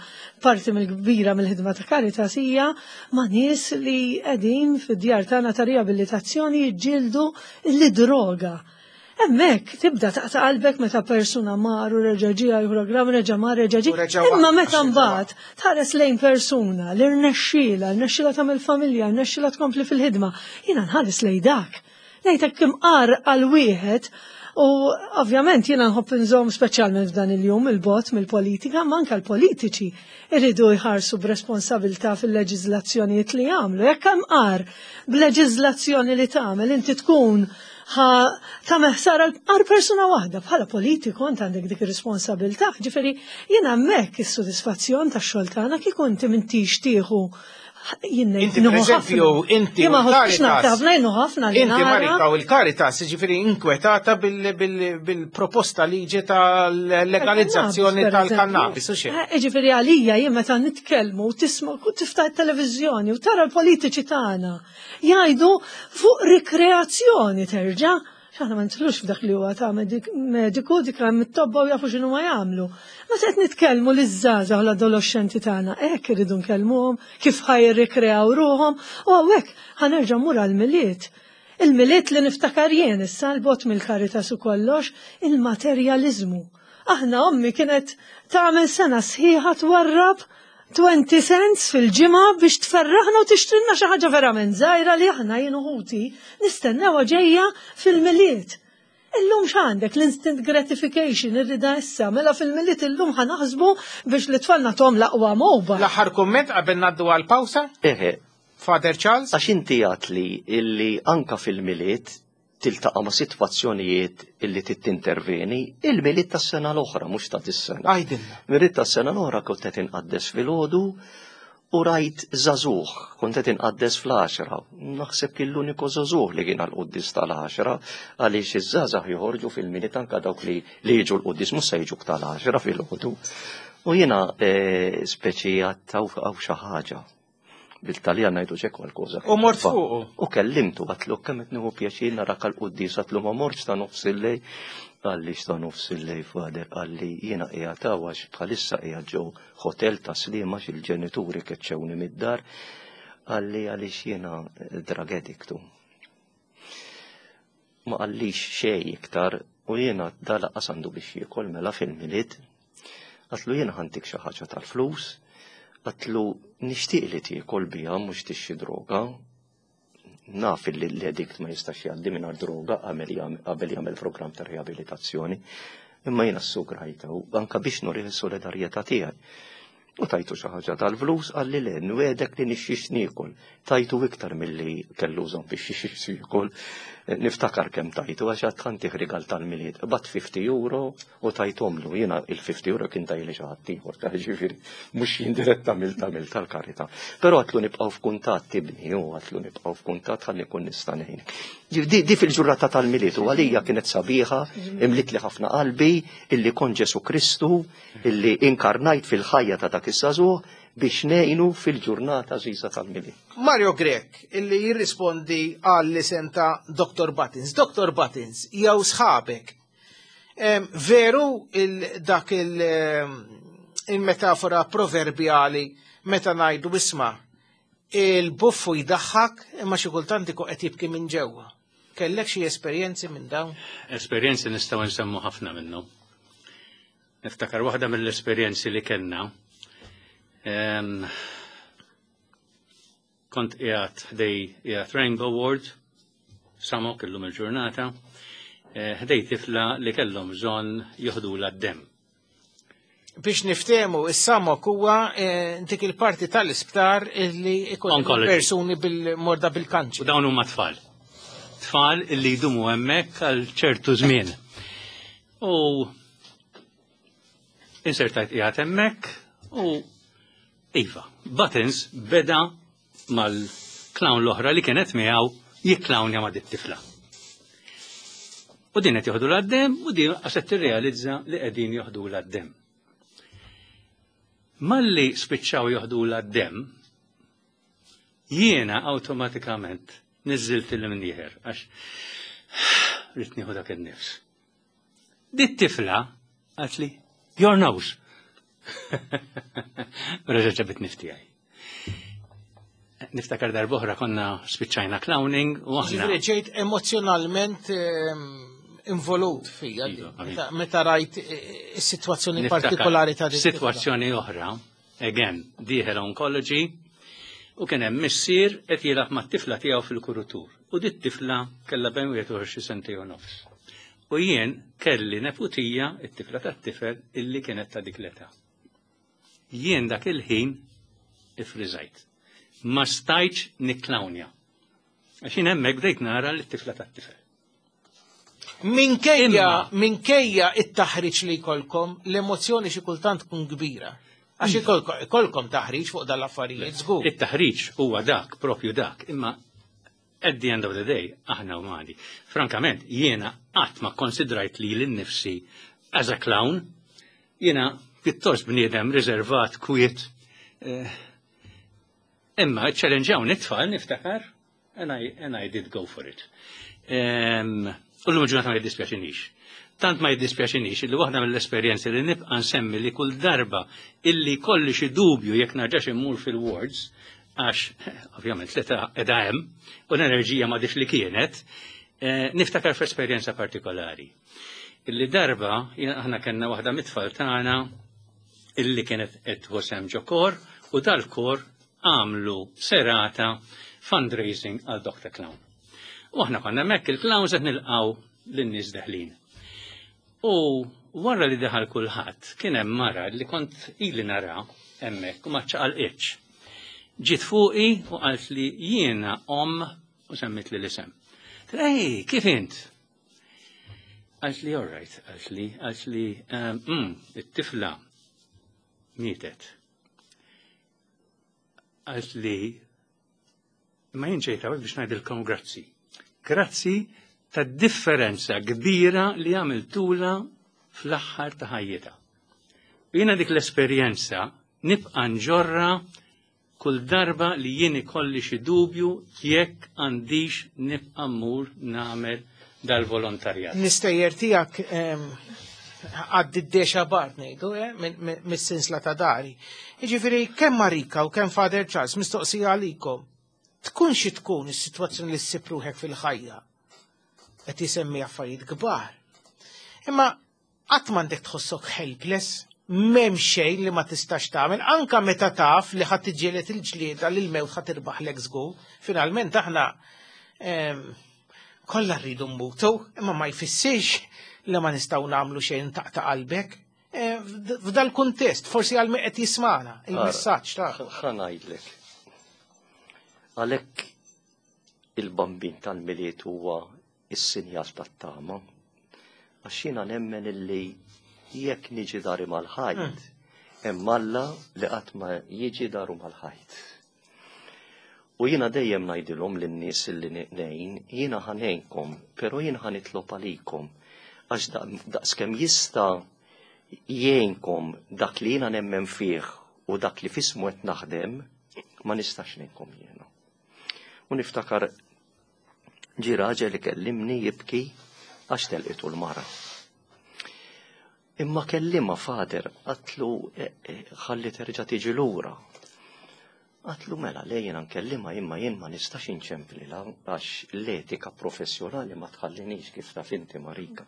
[SPEAKER 3] parti mill-kbira mill-ħidma ta' Caritas hija ma' nies li qegħdin fid-djar tagħna ta' riabilitazzjoni jiġġieldu l-droga. Hemmhekk tibda taqta' qalbek meta persuna mar u reġa' ġie għal programm, reġa' mar, reġa' ġie. Imma meta mbagħad tħares lejn persuna li rnexxiela, rnexxiela tagħmel familja, rnexxiela tkompli fil-ħidma, jiena nħares lejn dak. Ngħidlek kemm qar għal wieħed. U ovvjament jiena nħobb nżomm, speċjalment f'dan il-jum, il-bogħod mill-politika, ma anke l-politiċi irridu jħarsu b'responsabilità fil-leġiżlazzjonijiet li jagħmlu. Jekk hemm qar b'leġiżlazzjoni li tagħmel inti tkun tagħmel ħsara għal persuna waħda, bħala politiku int għandek dik ir-responsabilità. Ġifieri jiena hemmhekk is-sodisfazzjon tax-xogħol tagħna kieku inti m'intix tieħu.
[SPEAKER 2] Inti, per eżempju, inti
[SPEAKER 3] u Caritas. Ħafna.
[SPEAKER 2] Inti, Marika, u l-Caritas, ġifieri inkwetata bil-proposta liġi tal-legalizzazzjoni tal-kannabis, u xejn.
[SPEAKER 3] Eh, ġifieri għalija jien meta nitkellmu u tisma' u tiftaħ it-televiżjoni u tara l-politiċi tagħna jgħidu fuq rikreazzjoni terġa', aħna ma nidħlux f'dak li huwa ta' mediku, dik hemm it-tobba u jafu x'inhu ma jagħmlu. Ma qed nitkellmu liż-żgħażagħ u l-adolescenti tagħna, hekk iridu nkellmuhom kif ħa jirrikreaw ruħhom, u hawnhekk ħa nerġa' mmur għall-Milied. Il-Milied li niftakar jien issa l-bogħod mill-Caritas u kollox, il-materjalizmu. Aħna ommi kienet tagħmel sena sħiħa twarrab twenty cents fil-ġimgħa biex tferraħna u tixtrilna xi ħaġa verament żgħira li aħna jien u ħuti nistennewha ġejja fil-Milied. Illum x'għandek, l-instant gratification, irrida issa, mela fil-Milied illum ħa naħsbu biex l-tfal nagħtuhom l-aqwa mobile.
[SPEAKER 2] L-aħħar kumment qabel ngħaddu għal-pawsa?
[SPEAKER 5] Eħe.
[SPEAKER 2] Father Charles?
[SPEAKER 5] Għax inti għedt li illi anka fil-Milied tiltaqa' ma' sitwazzjonijiet illi tinterveni, il-Milied tas-sena l-oħra, mhux ta' dis-sena.
[SPEAKER 2] Għidilna.
[SPEAKER 5] Milied tas-sena l-oħra kont qed inqaddes filgħodu u rajt żagħżugħ, kont qed inqaddes fl-għaxra. Naħseb kien l-uniku żagħżugħ li kien għall-quddies tal-għaxra, għaliex iż-żgħażagħ joħorġu fil-Milied, anka dawk li li jiġu l-quddies mhux se jiġu tal-għaxra filgħodu. U jiena eh, speċi għedt hawn xi ħaġa. Bil-Taljan ngħidu c'è qualcosa.
[SPEAKER 2] U mort fuqu.
[SPEAKER 5] U kellimtu, għedtlu kemm qed nieħu pjaċir narak għal-quddies, għedtlu ma mortx ta' nofs il-lejl. Qalli x'ta' nofs il-lejl, Father? Qalli jiena qiegħed għax bħalissa qiegħed ġo hotel ta' Sliema, il-ġenituri keċċewni mid-dar. Qalli għaliex jiena drug addictu. Ma qallix xejn iktar u jiena da lanqas għandu biex jiekol mela fil-Milied. Għedtlu jiena ħa ntik xi ħaġa tal-flus, għedtlu nixtieq li tiekol biha, mhux tixtri droga. Naf li l-addict ma jistax jgħaddi mingħajr droga qabel jagħmel programm ta' riabilitazzjoni, imma jiena s-sugrajta u anka biex nurih is-solidarjetà tiegħi. U tajtu xi ħaġa tal-flus, qalli le, nwegħdek li nixtri niekol. Tajtu iktar milli kellu bżonn biex jixtri jiekol. Niftakar kemm tajtu, għax għedt ħa ntih rigal tal-Milied. Bat fifty euro u tajthomlu. Jiena il-fifty euro kien tajli xi ħadd ieħor, ta' ġifieri mhux jien diretta mill tagħmel tal-karità. Però għedtlu nibqgħu f'kuntatt, ibni, u għedtlu nibqgħu f'kuntatt ħalli nkun nista' ngħinek. Di, di fil-ġurnata tal-Milied u għalija kienet sabiħa, imlitli ħafna qalbi illi kon Ġesu Kristu illi inkarnajt fil-ħajja ta' dak iż-żagħżugħ biex ngħinu fil-ġurnata għażiża tal-Milied.
[SPEAKER 2] Mario Grech, illi jirrispondi għall-isem ta' Doctor Buttons. Doctor Buttons, jew sħabek, em, veru il dak il- em, il-metafora proverbjali meta ngħidu isma' il-buffu jdaħħak imma xi kultant ikun qed jibki minn ġewwa? Kellek xi esperjenzi minn dawn?
[SPEAKER 4] Esperjenzi nistgħu nsemmu ħafna minnhom. Niftakar waħda mill-esperjenzi li kellna. Em, Kont qiegħed ħdej qiegħed Rainbow Ward, Samok illum il-ġurnata, eh, ħdej tifla li kellhom bżonn joħdula d-dem.
[SPEAKER 2] Biex niftehmu, is-SAMOC huwa eh, dik il-parti tal-isptar li ikun
[SPEAKER 4] Oncology.
[SPEAKER 2] Persuni bil-morda bil-kanċer.
[SPEAKER 4] U dawn huma tfal. Tfal illi jdumu hemmhekk għal ċertu żmien. U insertajt qiegħed hemmhekk u iva, Buttons beda mal-clown l-oħra li kienet miegħu jikklawnja ma' dit-tifla. U din qed joħdu d-demm u din qed tirrealizza li qegħdin joħdu d-demm. Malli spiċċaw joħdu d-demm, jiena awtomatikament niżżilt il-mnieħer għax ridt nieħu dak in-nifs. Dit tifla qaltli, "Your nose." Reġa' ġabit nifs tiegħi. Niftakar darb'oħra konna spiċċajna clowning u aħna.
[SPEAKER 2] Ġifieri ġejt emozjonalment ehm, involut fija
[SPEAKER 4] Iva,
[SPEAKER 2] meta- meta rajt eh, is-sitwazzjoni
[SPEAKER 4] Niftakar
[SPEAKER 2] partikolari ta' din it-tifla.
[SPEAKER 4] Sitwazzjoni oħra, again, dieħel oncology, u kien hemm missier qed jilgħab mat-tifla tiegħu fil-kuritur. U dit tifla kellha bejn wieħed u xi sentejn u nofs. U jien kelli neputija, it-tifla tat-tifel, illi kienet ta' dik l-età. Jien dak il-ħin ifriżajt. Ma stajtx nikklawnja. Għax jien hemmhekk bdejt nara l-tifla tat-tifel.
[SPEAKER 2] Minkejja,
[SPEAKER 4] Imma-
[SPEAKER 2] minkejja it-taħriġ li jkollkom, l-emozjoni xi kultant tkun kbira. Għax ikolkom ikolkom taħriġ fuq dal-affarijiet, żgur.
[SPEAKER 4] It-taħriġ huwa dak, propju dak, imma at the end of the day, aħna umani. Frankament, jiena qatt ma konsidrajt li lili nnifsi as a clown, jiena pjuttost bniedem riservat, kwiet. Eh, imma challenge it-tfal niftakar, and I, and I did go for it. Um, u l-lum ġurnata ma jiddispjaċinix. Tant ma jiddispjaċinix illi waħda mill-esperjenzi li nibqa' nsemmi li kull darba illi kolli xi dubju jekk narġax immur fil-wards, għax ovvjament l-età qiegħda hemm u l-enerġija m'għadhiex li kienet, eh, niftakar f'esperjenza partikolari. Illi darba jien- aħna kellna waħda mit-tfal tagħna illi kienet qed tħossem ġo kor u dal-kor għamlu serata fundraising għal Doctor Clown. U aħna konna hemmhekk il-clowns qed nilqgħu lin-nies deħlin. U wara li daħal kulħadd kien hemm mara li kont ili nara hemmhekk u ma ċaqalqitx. Ġiet fuqi u qalt li jiena om u semmit li l-isem. Ej, kif int? Qalt li all right, qalt li, qalt li, um, mm, it-tifla mietet. Qalt li, ma jien ġejt hawnhekk biex ngħidilkom grazzi. Grazzi ta' differenza kbira li għamiltula fl-aħħar ta' ħajjitha. U jiena dik l-esperjenza nibqa' nġorra kull darba li jien ikolli xi dubju jekk għandix nibqa' mmur nagħmel dal-volontarjat.
[SPEAKER 2] L-istejjer tiegħek ehm, għaddi d-dexa bart ngħidu, eh, minn- minn- mis-sinsla ta' dari. Jiġifieri kemm Marika u kemm Father Charles, mistoqsija għalikom. Tkun xi tkun is-sitwazzjoni li ssib ruħek fil-ħajja. Qed jisemmi affarijiet kbar. Imma qatt m'għandek tħossok helpless, m'hemm xejn li ma tistax tagħmel, anka meta taf li ħadd tiġġieled il-ġlieda li l-mewt ħadd tirbaħlek żgur. Finalment aħna ehm, kollha rridu mmutu, imma ma jfissirx li ma nistgħu nagħmlu xejn taqta' qalbek. Eh, f'd- F'dal kuntest, forsi għal min qed jismana, il-messaġġ ta'
[SPEAKER 5] ħa ngħidlek. Għalhekk il-Bambin tal-Milied huwa is-sinjal tat-tama. Għax jiena nemmen illi jekk niġi dari mal-ħajt, hemm Alla li qatt ma jiġi daru mal-ħajt. U jiena dejjem ngħidilhom lin-nies illi ngħin, jiena ħa ngħinkom, però jiena ħa nitlob għalikom. Għax daqskemm jista' jgħinkom dak li jiena nemmen fih u dak li f'ismu qed naħdem, ma nistax ngħinkom jiena. U niftakar ġi raġel li kellimni jibki għax telqitu l-mara. Imma kellimha, Father, għedtlu eh, eh, ħalli terġa' tiġi lura. Għedtlu mela le, jiena nkellimha, imma jien ma nistax inċemplilha għax l-etika professjonali ma tħallinix, kif taf inti, Marika.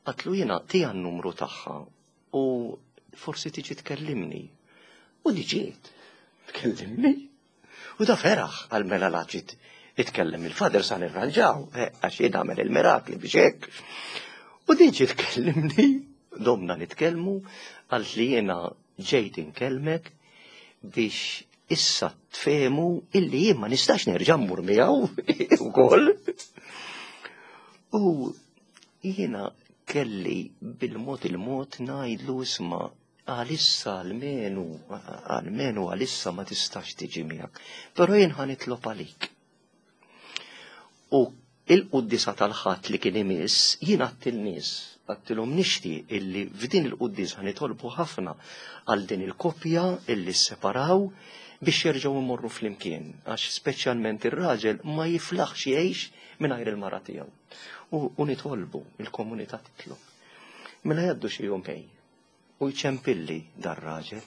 [SPEAKER 5] Għedtlu jiena tija n-numru tagħha u forsi tiġi tkellimni. U ġiet tkellimni. U da feraħ, għal mela la ġiet itkellem il-Father sa nirranġaw, eh, għax jien għamel il-mirakli biex hekk. U din ġiet tkellimni Domna nitkellmu, għalt li jiena ġejt inkellmek biex issa tfehmu illi jien ma nistax nerġa' mmur miegħu ukoll. U jiena kelli bil-mod il-mod ngħidlu, "Isma', għalissa almenu, almenu għalissa ma tistax tiġi miegħek. Però jien ħa nitlob għalik." U il-quddisa tal-Ħadd li kien imiss, jien għedt lin-nies, għedtilhom, "Nixtieq illi f'din il-quddisa nitolbu ħafna għal din il-koppja illi separaw biex jerġgħu imorru flimkien, għax speċjalment ir-raġel ma jiflaħx jgħix mingħajr il-mara tiegħu. U, u nitolbu, il-komunità titlob." Mela jgħaddu xi jumejn u jċempilli dar-raġel,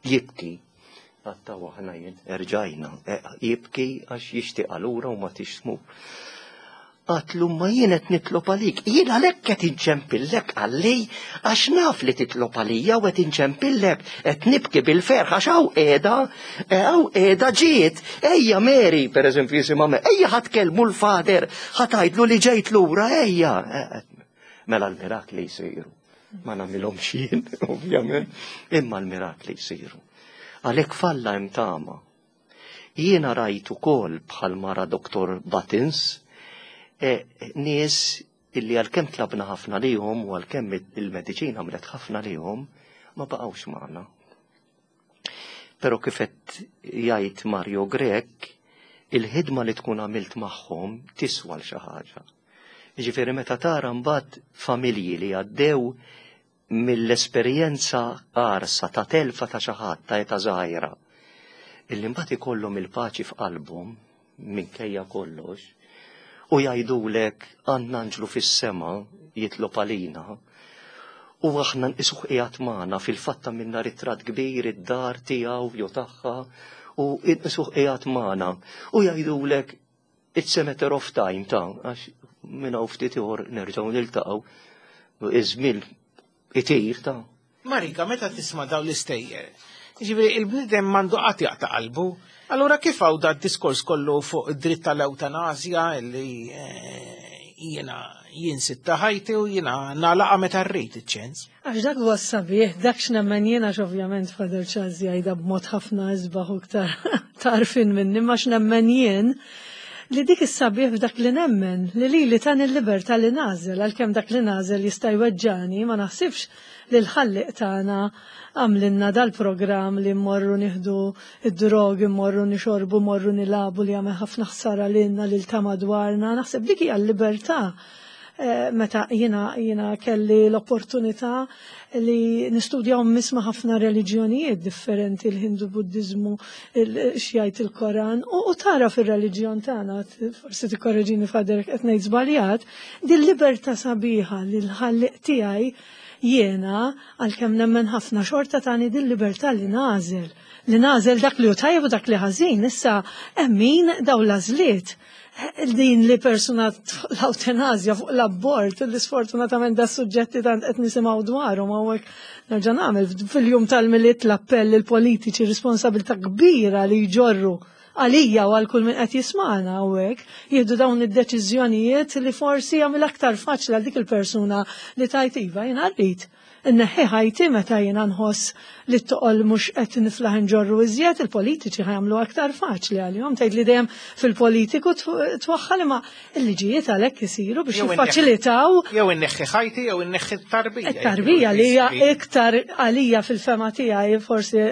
[SPEAKER 5] jibki, għatta aħna jien, erġajna, e, jibki għax jixtieq allura u ma tixtmu. Għedtlu, "Ma jien qed nitlob għalik." "Jien għalhekk qed inċempillek," qalli, "għax naf li titlob għalija u qed inċempillek, qed nibki bil-ferħ għax hawn qiegħda, hawn qiegħda ġiet, ejja Mary," per eżempju jisimha, "ejja ħa tkellmu l-father, ħa tgħidlu li ġejt lura, ejja." Mela l-mirakli jsiru. Ma nagħmilhomx jien, ovvjament, imma l-mirakli jsiru. Għalhekk f'Alla hemm tama. Jiena rajt ukoll bħal mara Doktor Buttons, e, nies illi għalkemm tlabna ħafna lihom u għalkemm il-mediċina għamlet ħafna lihom, ma baqgħux magħna. Però kif qed jgħid Mario Grech, il-ħidma li tkun għamilt magħhom tiswa l xi ħaġa. Ġifieri meta tara mbagħad familji li għaddew mill-esperjenza qarsa ta' telfa ta' xi ħadd ta' età żgħira, illi mbagħad ikollhom il-paċi f'qalbhom minkejja kollox, u jgħidulek, "Għandna anġlu fis-sema jitlob għalina u aħna nqisuh qiegħed magħna." Fil-fatt minna ritratt kbir id-dar tiegħu jew tagħha u nqisuh qiegħed magħna u jgħidulek, "It's a matter of time ta' għax minn hawn ftit ieħor nerġgħu niltaqgħu." Iż-żmien itir ta'
[SPEAKER 2] Marika, meta tisma' dawn l-istejjer, ġifieri il-bniedem m'għandu qatt jaqta' qalbu. Allura kif hawn da diskors kollu fuq id-dritt tal-ewtanasja li eh, jiena jien sitta ħajti u jiena nagħlaqha meta rrid iċ-ċens?
[SPEAKER 3] Għax dak huwa sabiħ, dak x'nemmen jiena, ovvjament Father Charles jgħidha b'mod ħafna isbaħ u iktar tarfin minni, ma x'nemmen jien li dik is-sabiħ f'dak li nemmen, li li li tan il-libertà li nagħżel, għalkemm dak li nagħżel jista' jweġġani, ma naħsibx li l-Ħallieq tagħna għamlilna dal-programm li mmorru nieħdu id-drogi, mmorru nixorbu, mmorru nilagħbu li għamel ħafna ħsara lilna, lil ta' madwarna. Naħseb dik hija l-libertà. Eh, meta jiena jiena kelli l-opportunità li nistudja u nisma' ħafna reliġjonijiet differenti, il-Hindu, Buddizmu, x'jgħid il-Koran, u, u tara fir-reliġjon tagħna, forsi tikkorreġini Father qed ngħid żbaljat, din libertà sabiħa li l-Ħallieq tiegħi jiena għalkemm nemmen ħafna xorta tani din libertà li nagħżel li nagħżel dak li hu tajjeb u dak li ħażin. Issa hemm min daw l-għażliet din li persuna l-ewtanasja, fuq l-abort, li sfortunatament da suġġetti tant qed nisimgħu dwarhom hawnhekk, nerġa' nagħmel fil-jum tal-Milied l-appell il-politiċi, responsabilità kbira li jġorru għalija u għal kull min qed jismagħna hawnhekk, jieħdu dawn id-deċiżjonijiet li forsi jagħmel aktar faċli għal dik il-persuna li tgħid, "Iva, jiena rrid inneħħi ħajti meta jiena nħoss li t-toqol mhux qed niflaħ nġorru iżjed." Il-politiċi ħa jagħmlu aktar faċli għalihom. Tgħid li dejjem fil-politiku twaħħal, imma il-liġijiet għalhekk isiru biex jiffaċilitaw.
[SPEAKER 2] Jew inneħħi ħajti jew inneħħi t-tarbija.
[SPEAKER 3] It-tarbija li hija iktar għalija fil-fehma tiegħi, forsi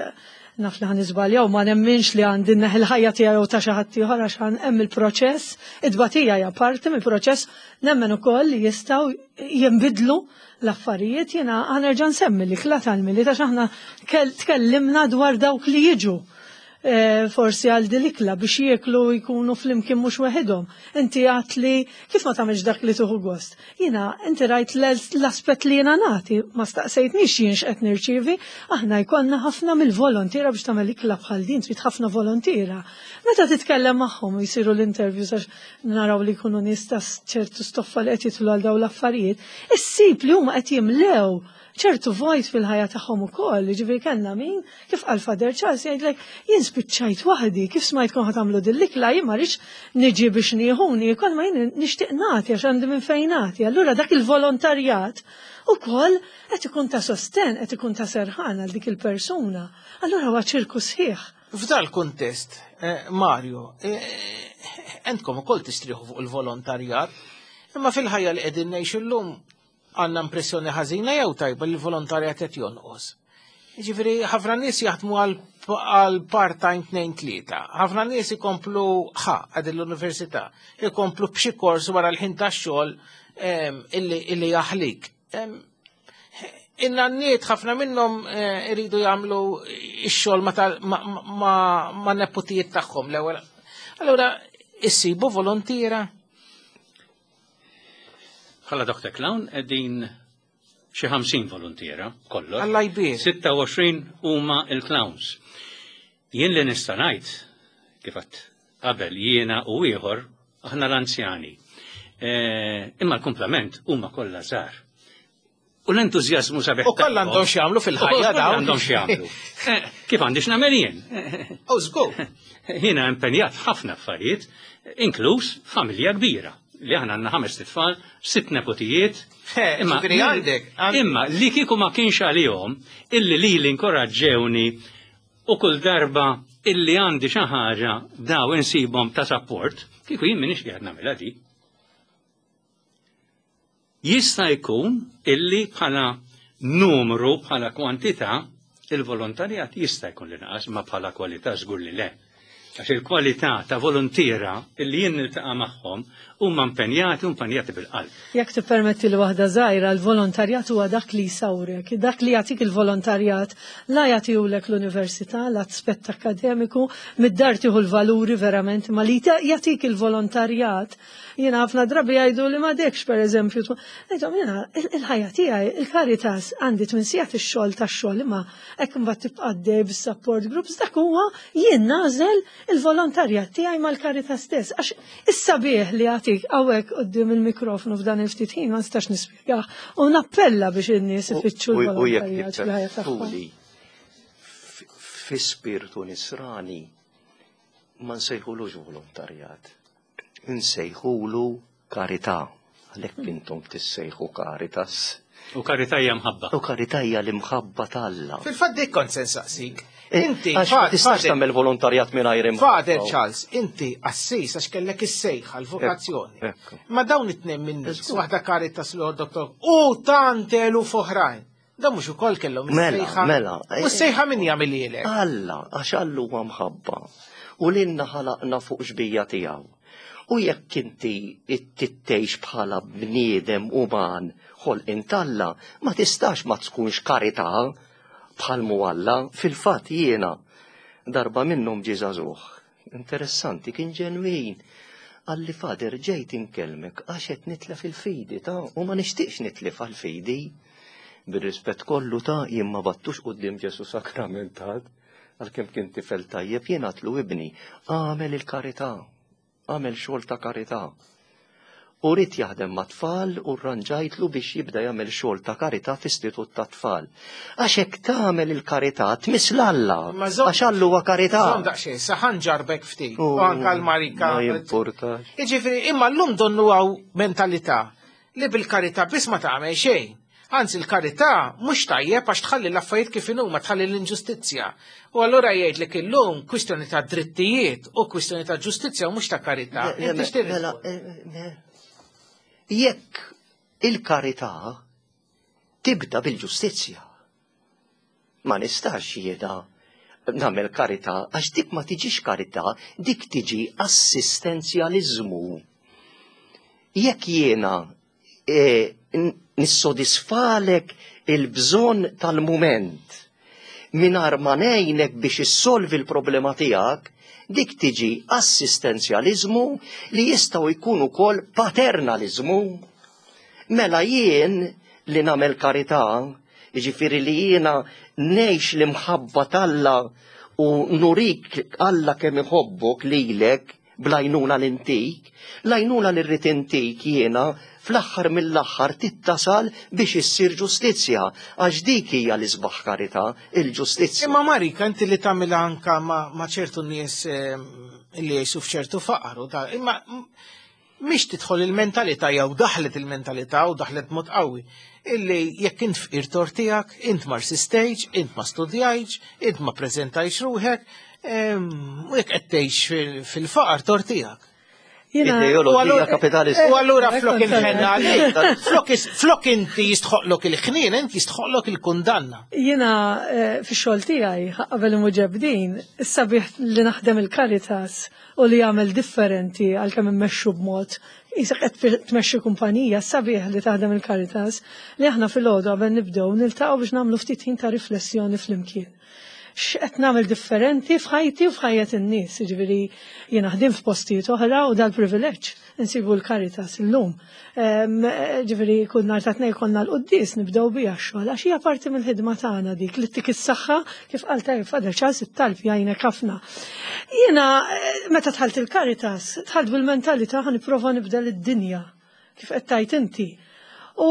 [SPEAKER 3] naf li ħa niżbaljaw, ma nemminx li għandi nneħħi l-ħajja tiegħi jew ta' xi ħadd ieħor għax hemm il-proċess, id-tbatija hija parti mill-proċess, nemmen ukoll li jistgħu jinbidlu l-affarijiet. Jiena ħa nerġa' nsemmi l-ikla tal-Milied għax aħna tkellimna dwar dawk li jiġu eh, forsi għal dil-ikla biex jieklu, jkunu flimkien mhux weħidhom. Inti għat li kif ma tagħmilx dak li tuħu gost. Jiena inti rajt l-aspett li jiena nagħti, ma staqsejtnix jien x'qed nirċievi, aħna jkollna ħafna mill-volontiera. Biex tagħmel ikla bħal din trid ħafna volontiera. Meta titkellem magħhom u jsiru l-interviews għax naraw li jkunu nies ta' ċertu stoffa li qed jidħlu għal dawn l-affarijiet, issib li huma qed jimlew ċertu vojt fil-ħajja tagħhom ukoll, ġifieri kellna min, kif qal Father Charles, jgħidlek, "Jien spiċċajt waħdi, kif smajtkom ħa tagħmlu dil-ikla, jien ma rridx niġi biex nieħu niekol, ma jien nixtieq nagħti għax għandi minn fejn nagħti." Allura dak il-volontarjat Ukoll qed ikun ta' sosten, qed ikun ta' serħan għal dik il-persuna. Allura huwa ċirku sħiħ.
[SPEAKER 2] F'dal kuntest, eh, Mario, eh, entkom ukoll tistrieħu fuq il-volontarjat, imma fil-ħajja li qegħdin ngħixu llum għandna impressjoni ħażina jew tajba li l-volontarjat qed jonqos. Ġifieri ħafna nies jaħdmu għal part-time tnejn tlieta. Ħafna nies ikomplu ħa għad l-università, ikomplu b'xi kors wara l-ħin tax-xogħol illi jaħlik. In-nanniet ħafna minnhom eh, iridu jagħmlu x-xogħol ma' neputijiet tagħhom l-ewwel. Allura issibu volontiera?
[SPEAKER 4] Bħala Doctor Clown qegħdin xi ħamsin volontiera kollox.
[SPEAKER 2] Alla jbierek.
[SPEAKER 4] sitta u għoxrin huma il-clowns. Jien li nista' ngħid kif għedt qabel jiena u ieħor aħna l-anzjani. Eh, imma l-kumplament huma kollha żgħar. U l-entużjażmu sabiħ.
[SPEAKER 2] U kollha għandhom x'jagħmlu fil-ħajja dawn.
[SPEAKER 4] Għandhom x'jagħmlu. Eh, kif għandi x'nagħmel jien?
[SPEAKER 2] U żgur.
[SPEAKER 4] Jiena impenjat f'ħafna affarijiet, inkluż familja kbira. Li aħna għandna ħames tfal, sitt nepotijiet.
[SPEAKER 2] Imma għandek.
[SPEAKER 4] Imma li kieku ma kienx għalihom illi li li inkoraġġewni u kull darba illi għandi xi ħaġa daw insibhom ta' support, kieku jien m'iniex qiegħed nagħmilha di. Jista' jkun illi bħala numru, bħala kwantità, il-volontarjat jista' jkun li naqas, ma bħala kwalità żgur li le. Għax il-kwalità ta' volontiera illi jien niltaqa' magħhom huma impenjati u impenjati bil-qalb.
[SPEAKER 3] Jekk tippermetti li waħda żgħira, l-volontarjat huwa dak li jsawrek, dak li jagħtik il-volontarjat, la jagħtihulek l-università, l-aspett akkademiku, mid-dar tieħu l-valuri verament, ma li jagħtik il-volontarjat. Jiena ħafna drabi jgħidu li m'għadekx pereżempju, ngħidhom jiena il-ħajja tiegħi, il-Caritas għandi tmien sigħat ix-xogħol tax-xogħol, imma hekk imbagħad tibqa' għaddej bis-support groups, dak huwa jien nagħżel il-volontarjat tiegħi mal-Caritas stess, għax is-sabiħ li jagħtik hawnhekk quddiem il-mikrofonu f'dan il-ftit ħin ma nistax nispjegah u nappella biex in-nies ifittxu l-volontarjat fil-ħajja tagħhom.
[SPEAKER 5] Fi spirtu nisrani ma nsejħulux volontarjat, nsejħulu karità, għalhekk intom tissejħu Caritas.
[SPEAKER 4] U karità hija mħabba.
[SPEAKER 5] U karità hija l-imħabba t'Alla.
[SPEAKER 2] Fil-fatt dik kont se nsaqsik. Inti,
[SPEAKER 5] Għax ma tistax tagħmel volontarjat mingħajr imħabba.
[SPEAKER 2] Father Charles, inti assis għax kellek is-sejħa l-vokazzjoni. Ma dawn it-tnejn minn nies, waħda Caritas l doktor, u tant eluf oħrajn. Dan mhux ukoll kellhom is-sejħa.
[SPEAKER 5] Mela,
[SPEAKER 2] U s-sejħa min jagħmilhielek?
[SPEAKER 5] Alla, għax Alla huwa mħabba. U lilna ħalaqna fuq xbija tiegħu. U jekk inti tittejx bħala bniedem uman ħolqien t'Alla, ma tistax ma tkunx karità bħal mu Alla. Fil-fatt jiena darba minnhom ġie żagħżugħ. Interessanti, kien ġenwin. Qalli Fader ġejt inkellmek għax qed nitlef il-fidi ta' u ma nixtieqx nitlef għall-fidi. Bir-rispett kollu ta' jien ma battux quddiem Ġesu sakramentat, għalkemm kien tifel tajjeb, jien għatlu ibni, għamel il-karità, għamel xogħol ta' karità. U rrid jaħdem ma' tfal u rranġajtlu biex jibda jagħmel xogħol ta' karità f'istitut ta' tfal. Għax hekk tagħmel il-karità tmiss l-Alla, għax Alla huwa karità.
[SPEAKER 2] Żomm daqsxejn, saħan ġarbek ftit, u anke l-Marika.
[SPEAKER 5] Ma jimpurtax.
[SPEAKER 2] Jiġifieri, imma llum donnu hawn mentalità li bil-karità biss ma tagħmel xejn. Anzi, il-karità mhux tajjeb għax tħalli l-affarijiet kif inhuma, tħalli l-inġustizzja. U allura jgħidlek illum kwistjoni ta' drittijiet u kwistjoni ta' ġustizzja u mhux ta' karità. Inti x'tirrid?
[SPEAKER 5] Mela, jekk il-karità tibda bil-ġustizzja, ma nistax jiena nagħmel karità għax dik ma tiġix karità, dik tiġi assistenzjaliżmu. Jekk jiena e, nissodisfalek il-bżonn tal-mument mingħajr ma ngħinek biex issolvi l-problema tiegħek, dik tiġi assistenzjaliżmu li jistgħu jkunu wkoll paternaliżmu. Mela jien li nagħmel karità, jiġifieri li jiena ngħix l-imħabba t'Alla u nurik Alla kemm iħobbok lilek bl-għajnuna l-intik, l-għajnuna li rrid intik jiena fl-aħħar mill-aħħar tittasal biex issir ġustizzja, għax dik hija l-isbaħ karità, il-ġustizzja.
[SPEAKER 2] Imma Marika, inti li tagħmilha anka ma' ċertu nies li jgħixu f'ċertu faqar u da, imma Mhix tidħol il-mentalità jew daħlet il-mentalità u daħlet mod qawwi illi jekk int fqir tort tiegħek, int ma rsistejtx, int ma studjajtx, int ma preżentajtx ruħek, u jekk qed tgħix fil-faqar tort tiegħek.
[SPEAKER 5] Ideoloġija kapitalista.
[SPEAKER 2] U allura flok inħenna għalik, flok inti jistħoqlok il-ħnien, inti jistħoqlok il-kundanna.
[SPEAKER 3] Jiena fix-xogħol tiegħi qabel imġebbdin, is-sabiħ li naħdem il-Caritas u li jagħmel differenti għalkemm immexxu b'mod qisek qed tmexxi kumpanija, sabiħ li taħdem il-Caritas li aħna filgħodu qabel nibdew niltaqgħu biex nagħmlu ftit ħin ta' riflessjoni flimkien. X'qed nagħmel differenti f'ħajti u f'ħajjet in-nies, jiġifieri jiena ħdim f'postijiet oħra u dal-privileġġ insibu l-Caritas illum. Ġifieri kull nhar ta' tnejn konna l-quddies nibdew biha x-xogħol għax hija parti mill-ħidma tagħna dik li ttik is-saħħa kif qal tajjeb Father Charles it-talb jgħinek ħafna. Jiena meta dħalt il-Caritas, dħalt bil-mentalità ħa nipprova nibdel id-dinja kif qed tgħid inti. U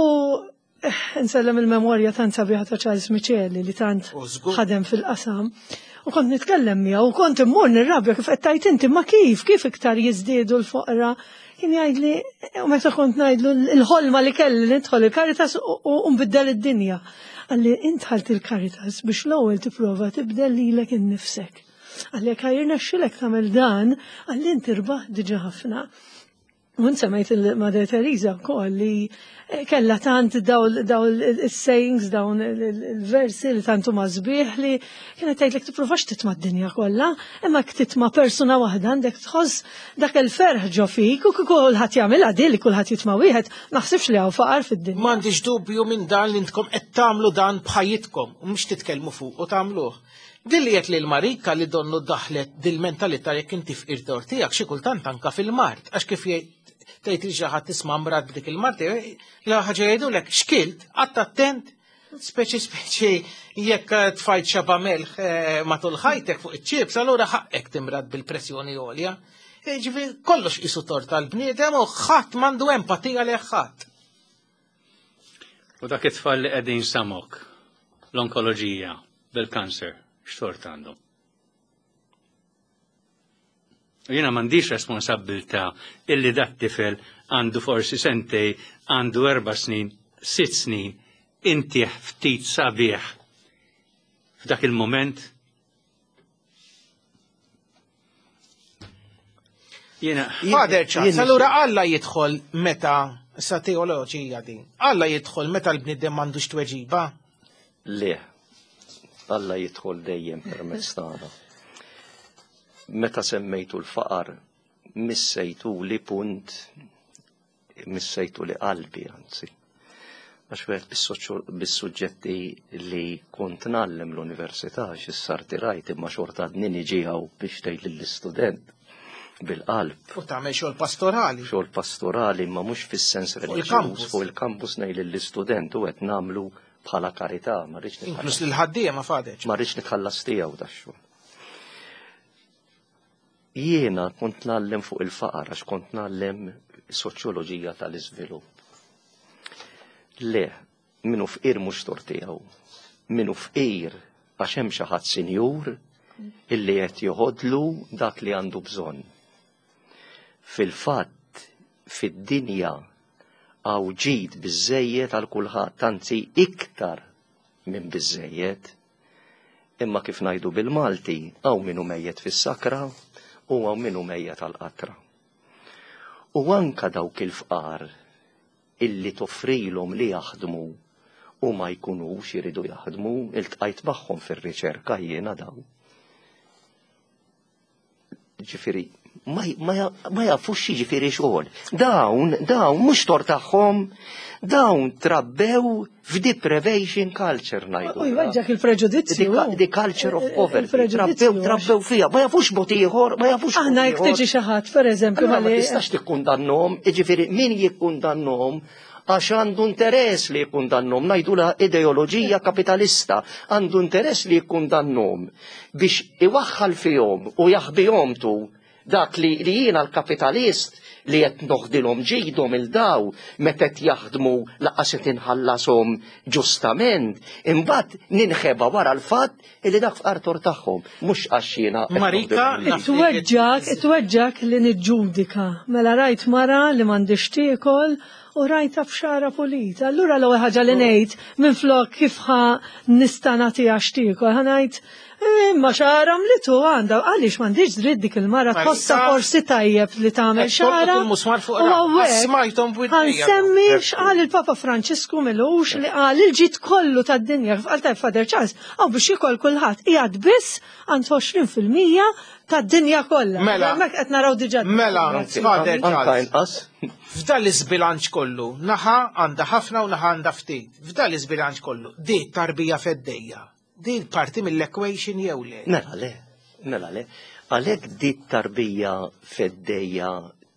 [SPEAKER 3] nsellem il-memorja tant sabiħa ta' Charles Miceli li tant ħadem fil-qasam. U kont nitkellem miegħu u kont immur nirrabja kif qed tgħid inti, ma kif, kif iktar jiżdiedu l-foqra. Kien jgħidli, u meta kont ngħidlu l-ħolma li kelli nidħol il-Caritas u nbiddel id-dinja. Qalli int dħalt il-Caritas biex l-ewwel tipprova tibdel lilek innifsek. Qalli jekk jirnexxilek tagħmel dan, qalli int irbaħ diġà ħafna. U semmejt il-Mother Teresa wkoll li kella tant dawn il-sayings, dawn il-versi li tant huma sbieħ li kienet tgħidlek tipprovax titma' d-dinja kollha, imma jekk titma' persuna waħda għandek tħoss dak il-ferħ ġo fik u kieku kulħadd jagħmilha din li kulħadd jitma' wieħed, naħsibx li hawn faqar fid-dinja.
[SPEAKER 2] M'għandix dubju minn dan li intkom qed tagħmlu dan b'ħajjitkom u mhux titkellmu fuq u tagħmluh. Din li qed lil Marika li donnu daħlet dil-mentalità jekk inti fqir tort tiegħek xi kultant anka fil-mard, għax kif jgħid tgħid li xi ħadd tisma' mrad b'dik il-mard, la ħaġa jgħidulek xkilt, qatt attent, speċi speċi jekk tfajt xaba melħ matul ħajtek fuq iċ-ċips, allura ħaqek timrad bil-pressjoni għolja. Ġifieri kollox qisu tort tal-bniedem u ħadd m'għandu empatija lejn ħadd.
[SPEAKER 4] U dak it-tfal li qegħdin samok, l-onkoloġija, bil-kanser, x'tort għandhom? U jiena m'għandix responsabbiltà illi dat tifel għandu forsi sentej, għandu erba' snin, sitt snin, intih ftit sabiħ f'dak il-moment. Jiena.
[SPEAKER 2] Father Charles, allura Alla jidħol meta sa teoloġija din. Alla jidħol meta l-bniedem m'għandux tweġiba?
[SPEAKER 5] Le, Alla jidħol dejjem permezz tagħna. Meta semmejtu l-faqar, missejtu li punt, missejtu li qalbi, anzi. Għax wieħed bis-suġġetti li kont ngħallem l-università, x'issa rtirajt imma xorta għadni niġi hawn biex tgħid lill-istudent bil-qalb.
[SPEAKER 2] U tagħmel xogħol pastorali.
[SPEAKER 5] Xogħol pastorali, imma mhux fis-sens reliġjuż, fuq il-kampus ngħid lill-istudent u qed nagħmlu bħala karità, ma rridx nitħallas.
[SPEAKER 2] Inkluż lil ħaddiema Father.
[SPEAKER 5] Ma rridx nitħallas tiegħu dax-xogħol. Jiena kont ngħallem fuq il-faqar għax kont ngħallem soċjoloġija tal-iżvilupp. Le, minnu fqir mhux tort tiegħu. Minnu fqir għax hemm xi ħadd sinjur illi qed joħodlu dak li għandu bżonn. Fil-fatt, fid-dinja hawn ġid biżżejjed għal kulħadd, anzi iktar minn biżżejjed. Imma kif ngħidu bil-Malti, hawn minnu mejjet fis-sakra u hawn minnu mejjet għall-qatra. U anka dawk il-fqar illi toffrilhom li jaħdmu u ma jkunux jiridu jaħdmu, iltqajt magħhom fir-riċerka jiena daw. Ġifieri, ma, ma, ma jafux jiġifieri xogħol. Dawn, dawn mhux tort tagħhom, dawn trabbew f'deprivation culture ngħidu.
[SPEAKER 3] U jweġġak il-preġudizzju.
[SPEAKER 5] The culture of poverty. Trabbew, trabbew fiha, ma jafux mod ieħor, ma jafux.
[SPEAKER 3] Aħna jekk tiġi xi ħadd, pereżempju,
[SPEAKER 5] ma tistax tikkundannhom, jiġifieri min jikkundannhom għax għandu interess li jikkundannhom, ngħidulha ideoloġija kapitalista, għandu interess li jikkundannhom biex iwaħħal fihom u jaħbihom tu Dak li, li jiena l-kapitalist li qed noħdilhom ġidhom lil daw meta qed jaħdmu lanqas qed inħallashom ġustament, imbagħad ninħeba wara l-fatt li dak fqar tort tagħhom, mhux għax jiena qed
[SPEAKER 2] Marika,
[SPEAKER 5] noħdilhom il-ġid.
[SPEAKER 3] Tweġġak, tweġġak li niġġudika. Mela rajt mara li m'għandix tiekol u rajta b'xagħarha pulita. Allura l-ewwel ħaġa li ngħid minflok kif ħa nista' nagħtiha x'tiekol, ħa ngħid imma xagħarha mlitu għandha, għaliex m'għandix dritt dik il-mara
[SPEAKER 2] Marika,
[SPEAKER 3] tħossha forsi tajjeb li tagħmel
[SPEAKER 2] qed tolqot
[SPEAKER 3] xagħarha.
[SPEAKER 2] il-musmar fuq
[SPEAKER 3] U
[SPEAKER 2] ra-
[SPEAKER 3] hawnhekk
[SPEAKER 2] Smajthom b'widnejja.
[SPEAKER 3] Ħansemmi x'qal il-Papa Franċisku m'ilux li qal il-ġid kollu tad-dinja kif qal tajb Father Charles, għaw biex jikol kulħadd qiegħed biss għand għoxrin fil-mija tad-dinja kollha.
[SPEAKER 2] Mela.
[SPEAKER 3] Hemmhekk qed naraw diġà.
[SPEAKER 2] Mela,
[SPEAKER 5] Anzi,
[SPEAKER 2] Father
[SPEAKER 5] anka
[SPEAKER 2] Charles.
[SPEAKER 5] inqas.
[SPEAKER 2] F'dan l-iżbilanċ kollu, naħa għandha ħafna u naħa għandha ftit. F'dan l-iżbilanċ kollu, di tarbija feddejja. Di parti mill-equation jew le?
[SPEAKER 5] Mela le, mela le. Għalhekk di tarbija feddejja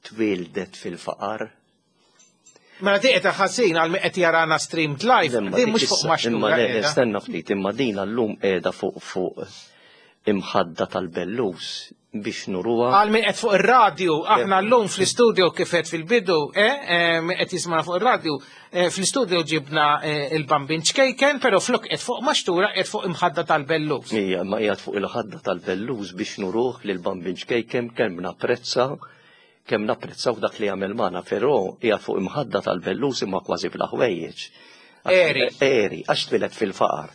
[SPEAKER 5] twildet fil-faqar.
[SPEAKER 2] Mela di qed ħażin għal min qed jarana streamed live,
[SPEAKER 5] Imma
[SPEAKER 2] di
[SPEAKER 5] dik
[SPEAKER 2] mhux fuq
[SPEAKER 5] issa-
[SPEAKER 2] maxtura.
[SPEAKER 5] Imma le,
[SPEAKER 2] qiegħda.
[SPEAKER 5] stenna ftit, imma din llum qiegħda fuq fuq imħadda tal-bellus biex nuruha.
[SPEAKER 2] Għal min qed fuq ir-radju, aħna llum fl-istudio kif qed fil-bidu, eh, eh, min qed jismana fuq ir-radju, eh, fl-istudio ġibna eh, il-bambin ċkejken, però flok qed fuq maxtura qed fuq imħadda tal-bellus.
[SPEAKER 5] Ija, ma qiegħed fuq il-ħadda tal-bellus biex nuruh li l-bambin ċkejken kemm napprezza kemm napprezzaw dak li għamel magħna, però qiegħed fuq imħadda tal-bellus imma kważi bla ħwejjeġ.
[SPEAKER 2] Eri.
[SPEAKER 5] Eri, għax twieled fil-faqar.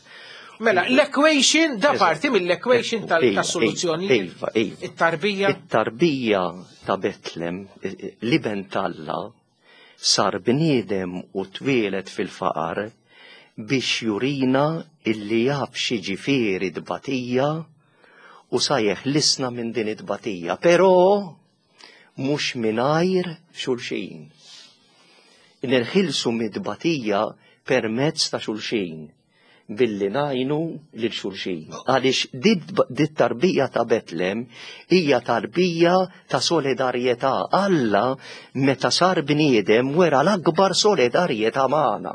[SPEAKER 2] Mela, l-equation, da
[SPEAKER 5] Eżatt.
[SPEAKER 2] parti mill-equation
[SPEAKER 5] Iva,
[SPEAKER 2] tal-soluzzjoni.
[SPEAKER 5] Iva, iva.
[SPEAKER 2] It-tarbija.
[SPEAKER 5] It-tarbija ta' Betlem, l-iben t'Alla, sar bniedem u twieled fil-faqar biex jurina illi jaf x'jiġifieri tbatija u sa jeħlisna minn din it-tbatija. Però mhux mingħajr xulxin. Nirħilsu mid-tbatija permezz ta' xulxin billi ngħinu lil xulxin. Għaliex dit tarbija ta' Betlem hija tarbija ta' solidarjetà. Alla meta sar bniedem wera l-akbar solidarjetà magħna.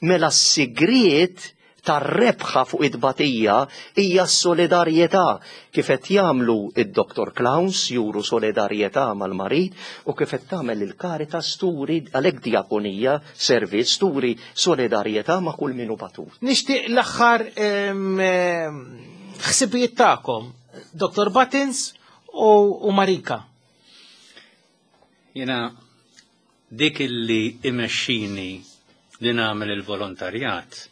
[SPEAKER 5] Mela s-sigriet tar-rebħa fuq it-tbatija hija s-solidarjetà kif qed jagħmlu id-Doctor Clowns juru solidarjetà mal-marid u kif qed tagħmel il-Caritas turi għalhekk diakonija servizz turi solidarjetà ma' kull min hu batut.
[SPEAKER 2] Nixtieq l-aħħar em, em, ħsibijiet tagħkom, Doctor Buttons u, u Marika.
[SPEAKER 4] Jena dik illi imexxini li nagħmel il-volontarjat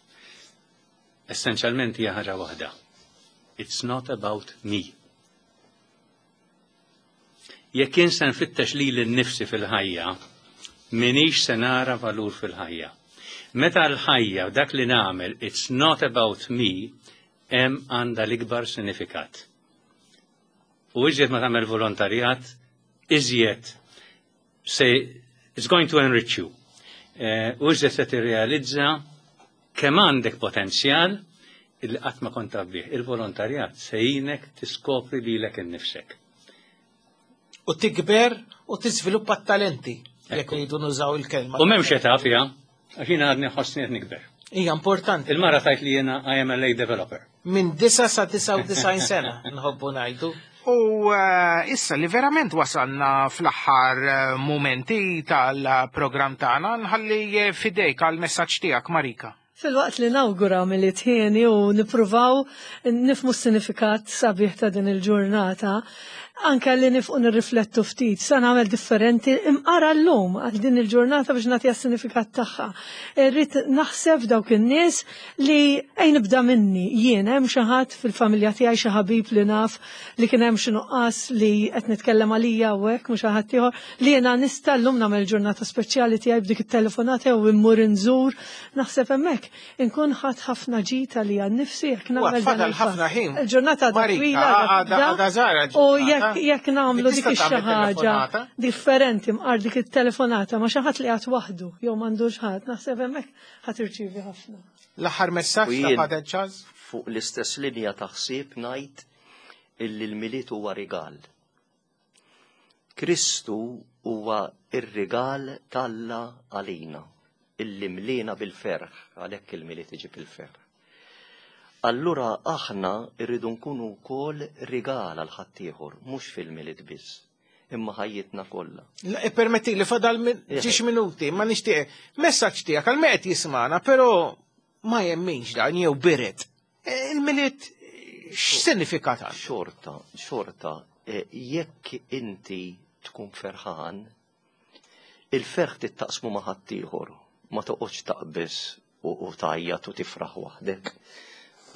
[SPEAKER 4] essenzjalment hija ħaġa waħda. It's not about me. Jekk jien se nfittex lili nnifsi fil-ħajja, minix se nara valur fil-ħajja. Meta l-ħajja u dak li nagħmel it's not about me, hemm għandha l-ikbar sinifikat. U iżjed ma tagħmel volontarjat, iżjed se it's going to enrich you. Eh, U iżjed se tirrealizza kemm għandek potenzjal illi qatt ma kont taf bih. Il-volontarjat se jgħinek tiskopri lilek innifsek.
[SPEAKER 2] U tikber u tiżviluppa t-talenti, jekk jridu nużaw il-kelma.
[SPEAKER 4] U m'hemmx età fiha, għax jiena għadni ħossni qed nikber.
[SPEAKER 2] Hija importanti.
[SPEAKER 4] Il-mara tgħid li jiena I am a late developer.
[SPEAKER 2] Minn disa sa disgħa u disgħin sena nħobbu ngħidu. U eh, issa li verament wasalna fl-aħħar eh, momenti tal-programm tagħna, nħalli eh, fidejk għal messaġġ tiegħek, Marika.
[SPEAKER 3] Fil-waqt li nawgura Milied hieni u nipruvaw nifhmu s-sinifikat sabiħ ta' din il-ġurnata, anka li nifqu nirriflettu ftit, sa nagħmel differenti imqara llum għal din il-ġurnata biex nagħtiha s-sinifikat tagħha. Irrid naħseb dawk in-nies li ejn nibda minni jien hemm xi ħadd fil-familja tiegħi, xi ħabib li naf li kien hemm xi nuqqas li qed nitkellem għalija u hekk mhux xi ħadd ieħor li jiena nista' llum nagħmel ġurnata speċjali tiegħi b'dik it-telefonata jew immur inżur naħseb hemmhekk inkun ħadd ħafna ġita li għan nifsi jekk nagħmel dan
[SPEAKER 2] fadal
[SPEAKER 3] il-pass.
[SPEAKER 2] ħafna ħin.
[SPEAKER 3] Il-ġurnata għadha
[SPEAKER 2] Marika,
[SPEAKER 3] twila, għadha
[SPEAKER 2] għadha-
[SPEAKER 3] tibda,
[SPEAKER 2] għadha żgħira
[SPEAKER 3] U
[SPEAKER 2] l-ġurnata.
[SPEAKER 3] jekk jekk nagħmlu dik
[SPEAKER 2] Tista'
[SPEAKER 3] ix-xi
[SPEAKER 2] tagħmel
[SPEAKER 3] ħaġa
[SPEAKER 2] telefonata?
[SPEAKER 3] differenti mqar dik it-telefonata ma xi ħadd li qagħad waħdu jew m'għandux ħadd, naħseb hemmhekk ħadd irċievi ħafna.
[SPEAKER 2] L-aħħar messaġġ
[SPEAKER 5] U
[SPEAKER 2] ta'
[SPEAKER 5] jien-
[SPEAKER 2] Father Charles?
[SPEAKER 5] Fuq l-istess linja ta' ħsieb ngħid illi l-Milied huwa rigal. Kristu huwa ir-rigal t'Alla għalina, illi mlina bil-ferħ, għalhekk il-Milied iġib il-ferħ. Allura aħna rridu nkunu wkoll rigal għal ħaddieħor, mhux fil-Milied biss. imma ħajjitna kollha.
[SPEAKER 2] Permetti li fadal ġiex minuti, ma nixtieq messaġġ tiegħek għal qed jismana, però ma jemminx dan jew biret. Il-Milied x'sinifikat għandu?
[SPEAKER 5] Xorta, xorta, jekk inti tkun ferħan, il-ferħ tittaqsmu ma' ħaddieħor, ma toqgħodx taqbeż u tgħajjat u tifraħ waħdek.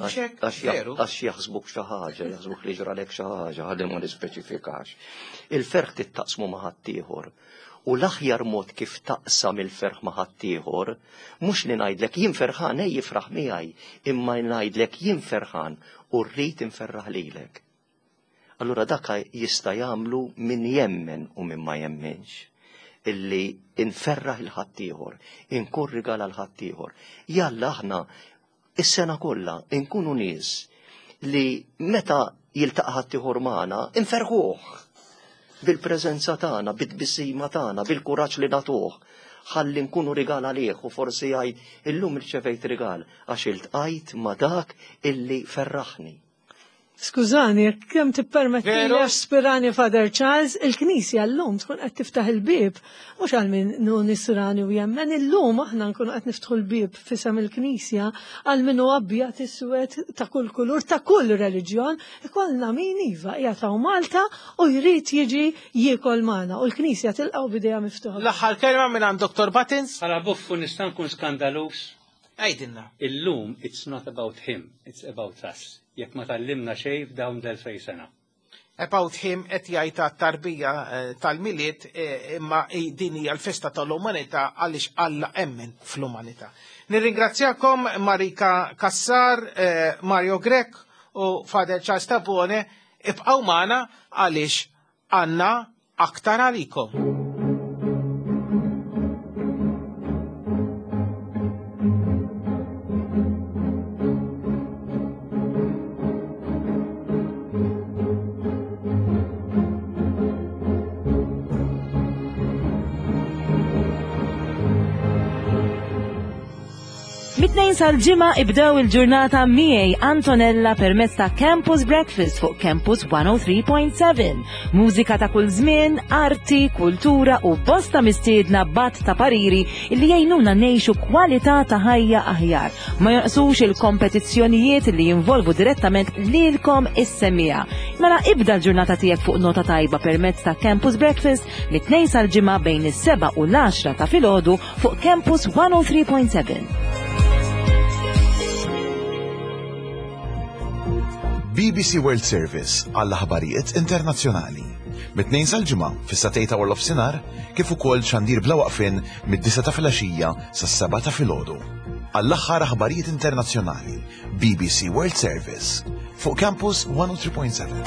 [SPEAKER 5] Għax jaħsbuk xi ħaġa, jaħsbuk li ġralek xi ħaġa, ħalli ma nispeċifikax. Il-ferħ tittaqsmu ma' ħaddieħor. U l-aħjar mod kif taqsam il-ferħ ma' ħaddieħor, mhux li ngħidlek jien ferħan ej jifraħ miegħi, imma ngħidlek jien ferħan u rrid inferraħ lilek. Allura dak jista' jagħmlu min jemmen u min ma jemmenx. Illi inferraħ il-ħaddieħor, inkun rigal għal ħaddieħor. Jalla aħna is-sena kollha inkunu nies li meta jiltaqa' ħaddieħor magħna inferħuh bil-preżenza tagħna, bit-tbissima tagħna, bil-kuraġġ li nagħtuh, ħalli nkunu rigal għalih u forsi jgħid illum irċevejt rigal għax iltqajt ma' dak illi ferraħni.
[SPEAKER 3] Skużani, kemm tippermetti li aspirani Father Charles, il-Knisja llum tkun qed tiftaħ il-bieb, mhux għal min hu nisrani u jemmen, illum aħna nkunu qed niftħu l-bieb fisem il-Knisja għal min hu abjad iswed ta' kull kulur, ta' kull reliġjon, ikollna min iva qiegħed hawn Malta u jrid jiġi jiekol magħna u l-Knisja tilqgħu b'idejha miftuħa.
[SPEAKER 2] L-aħħar kelma minn għand Doktor Buttons.
[SPEAKER 4] Bħala buffu nista' nkun skandalus.
[SPEAKER 2] Għidilna.
[SPEAKER 4] Illum it's not about him, it's about us. Jekk ma tallimna xejn f'dawn l-elfej sena.
[SPEAKER 2] About him qed jgħid tarbija tal-Milied, imma din hija l-festa tal-umanità għaliex Alla emmen fl-umanità. Nirringrazzjakom Marika Cassar, Mario Grech u Father Charles Tabone, ibqgħu magħna għaliex għandna aktar għalikom.
[SPEAKER 6] Mit-tnejn sal-ġimgħa ibdew il-ġurnata miegħi Antonella permezz ta' Campus Breakfast fuq Campus one oh three point seven. Mużika ta' kull żmien, arti, kultura u bosta mistiedna bat ta' pariri li jgħinuna ngħixu kwalità ta' ħajja aħjar. Ma jonqsux il-kompetizzjonijiet li jinvolvu direttament lilkom is-semmiegħa. Mela ibda l-ġurnata tiegħek fuq nota tajba permezz ta' Campus Breakfast mit-tnejn sal-ġimgħa bejn is-seba' u l-għaxra ta' filgħodu fuq Campus one oh three point seven.
[SPEAKER 7] B B C World Service għall-aħbarijiet internazzjonali. Mit-tnejn sal-ġimgħa fis-satej ta' warlof sinar kif ukoll xandir bla waqfien mid-disa ta' filgħaxija sas-seba' ta' filgħodu. Għall-aħħar aħbarijiet internazzjonali, B B C World Service fuq Campus one oh three point seven.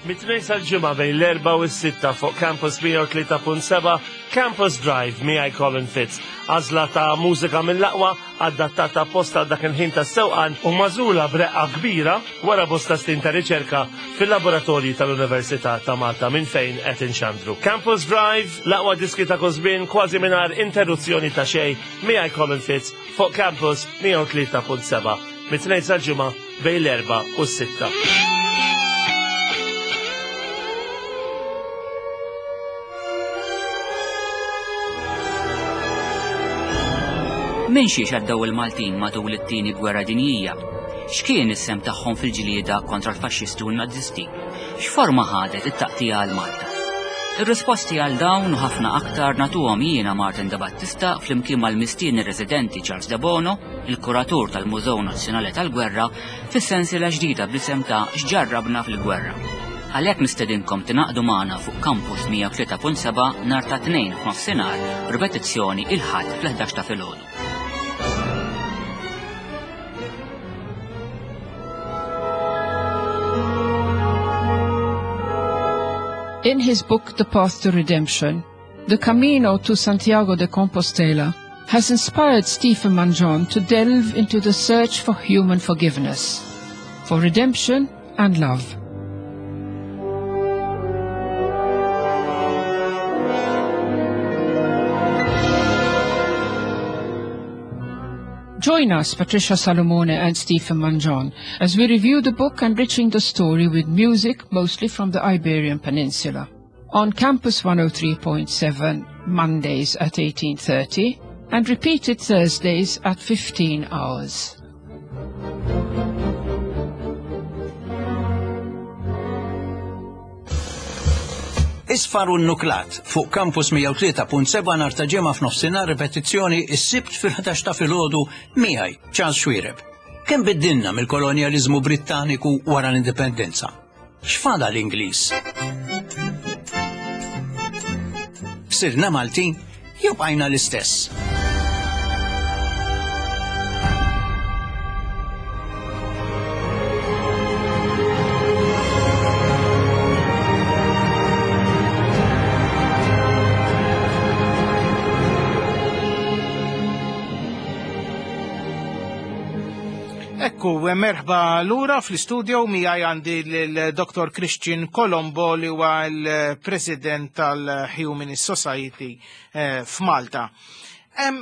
[SPEAKER 8] Mit-tnejn sal-ġimgħa bejn l-erba' u s-sitta fuq Campus mija u tlieta punt seba' Campus Drive miegħi Colin Fitz. Għażla ta' mużika mill-aqwa adattata apposta dak il-ħin tas-sewqan u magħżula b'reqqa kbira wara bosta snin ta' riċerka fil-laboratorji tal-Università ta' Malta minn fejn qed inxandru. Campus Drive, l-aqwa diski ta' kull żmien kważi mingħajr interruzzjoni ta' xejn miegħi Colin Fitz fuq Campus mija u tlieta punt seba' mit-tnejn sal-ġimgħa bejn l-erba' u s-sitta.
[SPEAKER 9] Minn xiex għaddew il-Maltin matul it-tieni gwerra dinjija? X'kien is-sem tagħhom fil-ġlieda kontra l-faxxisti u n-Nazisti? X'forma ħadet it-taqtija għal Malta? Ir-risposti għal dawn u ħafna aktar nagħtuhom jiena Martin De Battista flimkien mal-mistieni residenti Charles De Bono, il-kuratur tal-Mużew Nazzjonali tal-Gwerra, fis-sensiela ġdida bl-isem ta' X'ġarrabna fil-Gwerra. Għalhekk nistedinkom tingħaqdu magħna fuq Campus mija u tlieta punt seba' nhar ta' tnejn f'nofsinhar, ripetizzjoni il-Ħadd fl-ħdax ta' filgħodu.
[SPEAKER 10] In his book, The Path to Redemption, The Camino to Santiago de Compostela has inspired Stephen Mangion to delve into the search for human forgiveness, for redemption and love. Join us, Patricia Salomone and Stephen Mangion, as we review the book enriching the story with music mostly from the Iberian Peninsula. On Campus one oh three point seven, Mondays at eighteen thirty, and repeated Thursdays at fifteen hours.
[SPEAKER 11] Isfar u n-nuklat fuq Campus mija u tlieta punt seba' nhar ta' ġimgħa f'nofsinhar ripetizzjoni is-Sibt fil-ħdax ta' filgħodu miegħi Charles Xuereb. Kemm biddilna mill-kolonjaliżmu Brittaniku wara l-Indipendenza? X'fada l-Ingliż? Sirna Maltin jew bqajna l-istess?
[SPEAKER 2] Ekku, merħba lura fl-istudio miegħi għandi l-Doktor Christian Colombo li huwa l-President tal-Humanist Society eh, f'Malta. Em,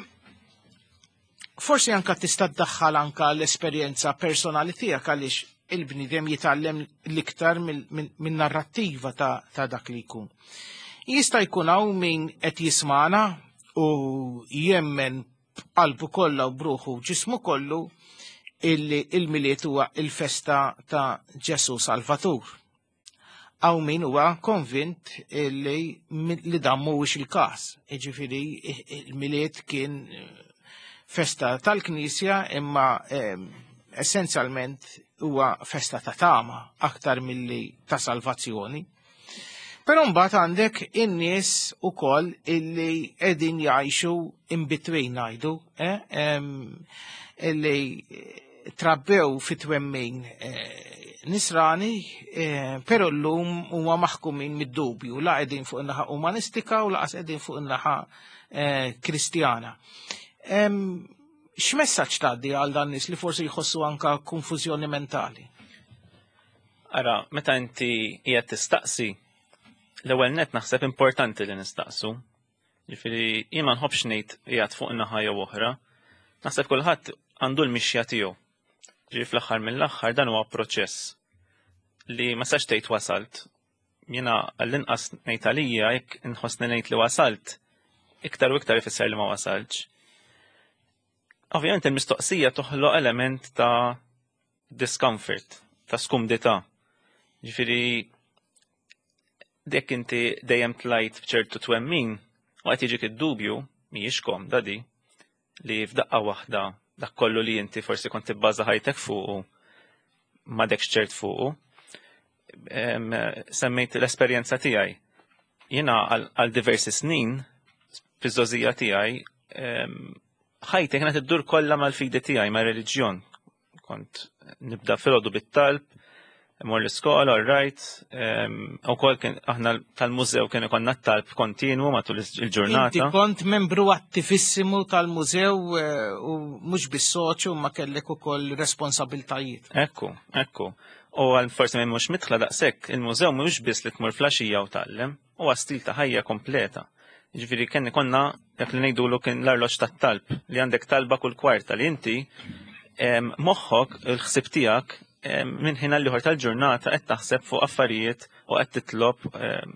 [SPEAKER 2] forsi anka tista' tdaħħal anka l-esperjenza personali tiegħek għaliex il-bniedem jitgħallem l-iktar min-narrattiva ta', ta' dak li jkun. Jista' jkun hawn min qed jismana u jemmen b'qalbu kollha u bruħu ġismu kollu illi il-Milied huwa il-festa ta' Ġesu Salvatur. Hawn min huwa konvint illi li dan mhuwiex il-każ. Jiġifieri il-Milied kien festa tal-Knisja imma eh, essenzjalment huwa festa ta' tama aktar milli ta' salvazzjoni. Però mbagħad għandek in-nies ukoll illi qegħdin jgħixu in between ngħidu, eh, em, illi trabbew fit-twemmin eh, nisrani, eh, però llum huma maħkumin mid-dubju, la qegħdin fuq in-naħa umanistika u laqas qegħdin fuq in-naħa eh, Kristjana. Em, x'messaġġ tgħaddi għal dan nies li forsi jħossu anka konfużjoni mentali?
[SPEAKER 12] Ara, meta inti qiegħed tistaqsi, l-ewwel net naħseb importanti li nistaqsu. Ġifieri jien ma nħobbx ngħid qiegħed fuq naħa jew oħra. Naħseb kulħadd għandu l-mixja tiegħu. Ġifieri fl-aħħar mill-aħħar dan huwa proċess li ma sax tgħid wasalt. Jiena għall-inqas ngħid għalija jekk inħossni ngħid li wasalt, iktar u iktar ifisser li ma wasaltx. Ovvjament il-mistoqsija toħloq element ta' discomfort, ta' skumdità. Ġifieri dek inti dejjem tlajt b'ċertu twemmin u qed jiġik id-dubju mhijiex komda di li f'daqqa waħda dak kollu li inti forsi kont tibbaża ħajtek fuqu m'għadekx ċert fuqu. Em, semmejt l-esperjenza tiegħi. Jiena għal, għal diversi snin fiż-żgħożija tiegħi em, ħajti kienet iddur kollha mal-fidi tiegħi, mar-reliġjon. Kont nibda filgħodu bit-talb, mor l-iskola, all right, u kol kien aħna tal-mużew kien ikollna t-talb kontinwu matul il-ġurnata.
[SPEAKER 2] Inti kont membru attivissimu tal-mużew eh, u mhux bis-soċju ma kellek ukoll responsabiltajiet.
[SPEAKER 12] Ekku, ekku. U għal forsi minn mhux mitħla daqshekk, il-mużew mhux biss li tmur flaxija u tgħallem, huwa stil ta' ħajja kompleta. Ġifieri kien konna dak li ngħidulu kien l-arloġġ tat-talb li għandek talba kull kwarta li inti em, moħħok il-ħsieb tiegħek em, minn ħin għal ieħor tal-ġurnata qed taħseb fuq affarijiet u qed titlob em,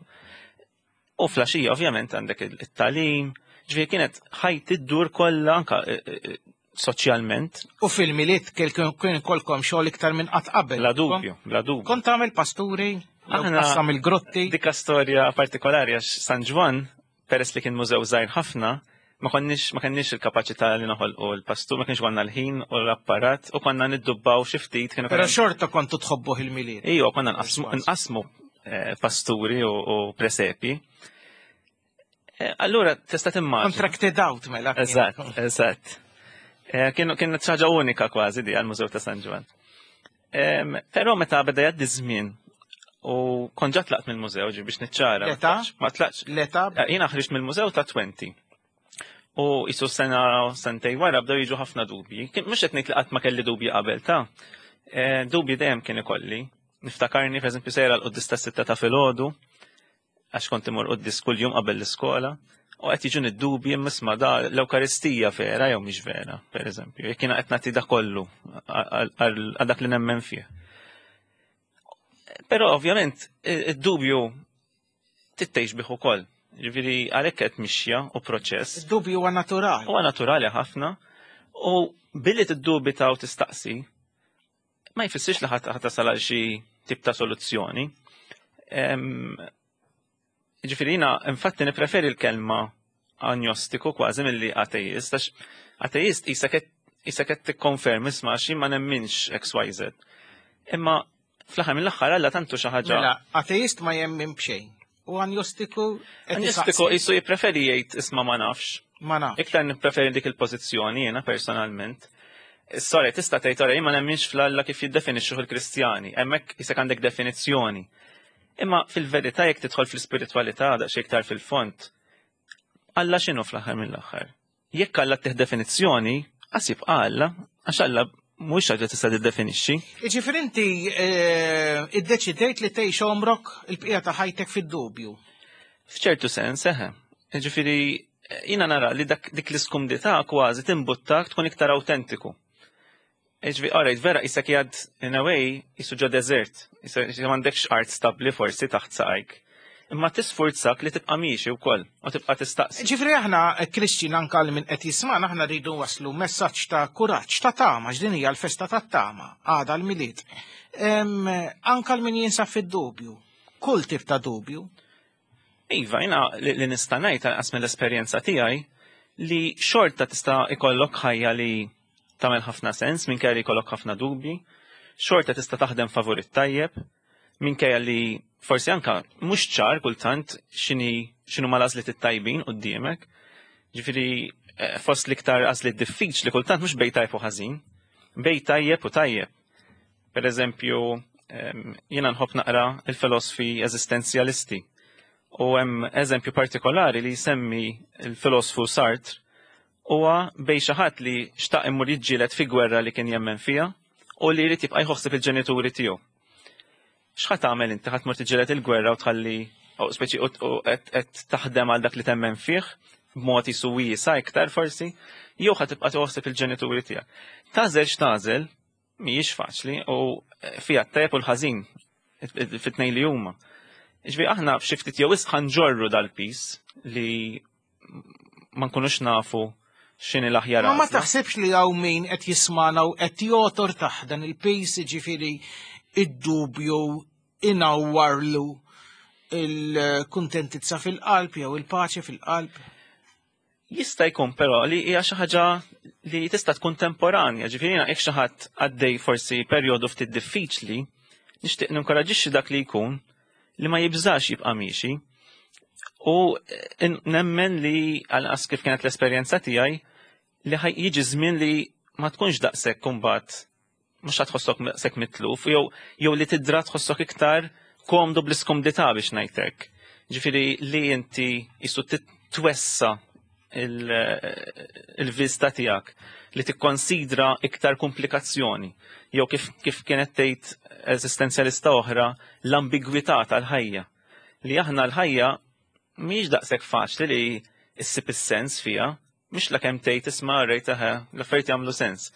[SPEAKER 12] u flaxija ovvjament għandek it-tagħlim. Ġifieri kienet ħajti ddur kollha anka eh, eh, soċjalment.
[SPEAKER 2] U fil-Milied kien kolkom xogħol iktar minn qatt qabel.
[SPEAKER 12] Bla dubju, bla dubju.
[SPEAKER 2] Kont tagħmel pasturi,
[SPEAKER 12] Aħna
[SPEAKER 2] qassam il-grotti.
[SPEAKER 12] Dika storja partikolari għax San Ġwann, peress li kien mużew żgħir ħafna, ma konniex ma kenniex il-kapaċità li noħolqu l-pastur, ma kienx għandna l-ħin u l-apparat u konna niddubbaw xi ftit kienu
[SPEAKER 2] Però xorta kontu tħobbuh il-Milied.
[SPEAKER 12] Ejwa, konna nqasmu nqasmu eh, pasturi u, u presepi. Eh, Allura tista' timmaġina.
[SPEAKER 2] Contracted out mela. kien.
[SPEAKER 12] Eżatt, eżatt. Eh, Kienu kienet xi ħaġa unika kważi di għall-Mużew ta' San Ġwann. Em, Però meta beda jgħaddi żmien u kont ġa tlaqt mill-mużew ġi biex niċċara.
[SPEAKER 2] L-età?
[SPEAKER 12] Ma tlaqtx.
[SPEAKER 2] L-età?
[SPEAKER 12] Eh, Jiena ħriġt mill-mużew ta' twenty. U jisu sena sentej wara bdew jiġu ħafna dubji. Kien mhux qed ngħid li qatt ma kelli dubji qabel ta' Eh, dubji dejjem kien ikolli. Niftakarni pereżempju sejra l-quddis ta' sitta ta' filgħodu għax kont imur quddis kuljum qabel l-iskola U qed jiġu id-dubji imma isma' da l-Ewkaristija vera jew mhix vera, pereżempju, jekk jiena qed nagħti da kollu għal dak li nemmen fih. Però ovvjament id-dubju tittejx bih ukoll. Ġifieri għalhekk qed mixja u proċess.
[SPEAKER 2] Id-dubju huwa naturali.
[SPEAKER 12] Huwa naturali ħafna. U billi tiddubita u tistaqsi, ma jfissirx li ħadd tasal għal xi tip ta' soluzzjoni. Ġifieri jiena infatti nippreferi l-kelma agnostiku kważi milli ateist, għax ateist qisek qed tikkonfermi isma' għax jien ma nemminx X Y Z. Imma fl-aħħar mill-aħħar Alla tantu xi ħaġa.
[SPEAKER 2] Mela, ateist ma jemmin b'xejn. U agnostiku qed
[SPEAKER 12] Agnostiku
[SPEAKER 2] isaqsi.
[SPEAKER 12] qisu jippreferi jgħid isma' ma nafx.
[SPEAKER 2] Ma nafx.
[SPEAKER 12] Iktar nippreferi dik il-pożizzjoni jiena personalment. Sorry, tista' tgħid ora jien ma nemminx fl-Alla kif jiddefinixxuh il-Kristjani. Hemmhekk qisek għandek definizzjoni. Imma fil-verità jekk tidħol fl-ispiritwalità daqsxejn iktar fil-fond, Alla x'inhu fl-aħħar mill-aħħar? Jekk Alla ttih definizzjoni, għas jibqa' Alla, għax Alla mhuwiex ħaġa tista' tiddefinixxi.
[SPEAKER 2] Jiġifieri inti eh, iddeċidejt li tgħix għomrok il-bqija ta' ħajtek fid-dubju.
[SPEAKER 12] F'ċertu sens, eħe. Ġifieri, jiena nara li dak dik l-iskumdità kważi timbuttak tkun iktar autentiku. Ġifieri, alright, vera, qisek jad, in a way, qisu ġo desert. Qisek m'għandekx art stabli forsi taħt saqajk. Imma tisfurzak li tibqa' miexi wkoll u tibqa' tistaqsi.
[SPEAKER 2] Ġifieri aħna, Christian, anka li min qed jisma'na, aħna rridu waslu messaġġ ta' kuraġġ, ta' tama, x'din hija l-festa ta' tama, għada l-Milied. Em, Anka l min jinsab fid-dubju, kull tip ta' dubju.
[SPEAKER 12] Iva, jiena li, li nista' ngħid għas mill-esperjenza tiegħi li xorta tista' ikollok ħajja li tagħmel ħafna sens minkejja li jkollok ħafna dubji, xorta tista' taħdem favur it-tajjeb, minkejja li forsi anka mhux ċar kultant x'inhi x'inhu ma l-għażliet it-tajbin quddiemek. Ġifieri eh, fost l-iktar għażliet diffiċli kultant mhux bejn tajjeb u ħażin, bejn tajjeb u tajjeb. Per eżempju, em, jiena nħobb naqra il-filosfi eżistenzjalisti. U hemm eżempju partikolari li jsemmi il-filosfu Sartre, huwa bejn xi ħadd li xtaq imur jiġġieled fi gwerra li kien jemmen fiha u li jrid jibqa' jħossib il-ġenituri tiegħu. X'ħa tagħmel inti? Ħadd tmur tiġġieled il-gwerra u tħalli u speċi u u qed qed taħdem għal dak li temmen fih b'mod qisu wiesa' iktar forsi, jew ħa tibqa' tħossib il-ġenituri tiegħek? Tagħżel x'tagħżel mhijiex faċli u fiha t-tajjeb u l-ħażin fit-tnejn li huma. Ġifieri aħna f'xi ftit jew wisq ġorru dal-piż li ma nkunux nafu x'inhi l-aħjar
[SPEAKER 2] Ma ma
[SPEAKER 12] għażla.
[SPEAKER 2] taħsibx li hawn min qed jismana u qed jotor taħt dan il-piż, ġifieri id-dubju inawwarlu il-kuntentizza fil-qalb jew il-paċi fil-qalb?
[SPEAKER 12] Jista' jkun però li hija xi ħaġa li tista' tkun temporanja, ġifieri jiena jekk xi ħadd għaddej forsi perjodu ftit diffiċli, nixtieq ninkoraġixxi dak li jkun li ma jibżax jibqa' miexi. U eh, nemmen li għal kif kienet l-esperjenza tiegħi li ħaj jiġi żmien li ma tkunx daqshekk kumbat mhux ħa tħossok daqshekk mitluf jew jew li tidra tħossok iktar komdu bl-iskumdità biex ngħidlek. Ġifieri li inti qisu twessa il-vista tiegħek li tikkonsidra iktar komplikazzjoni jew kif, kif kienet tgħid eżistenzjalista oħra, l-ambigwità tal-ħajja. Li aħna l-ħajja mhijiex daqshekk faċli li issib is-sens fiha, mhux la kemm tgħid isma' rejt eħe l-affarijiet jagħmlu sens.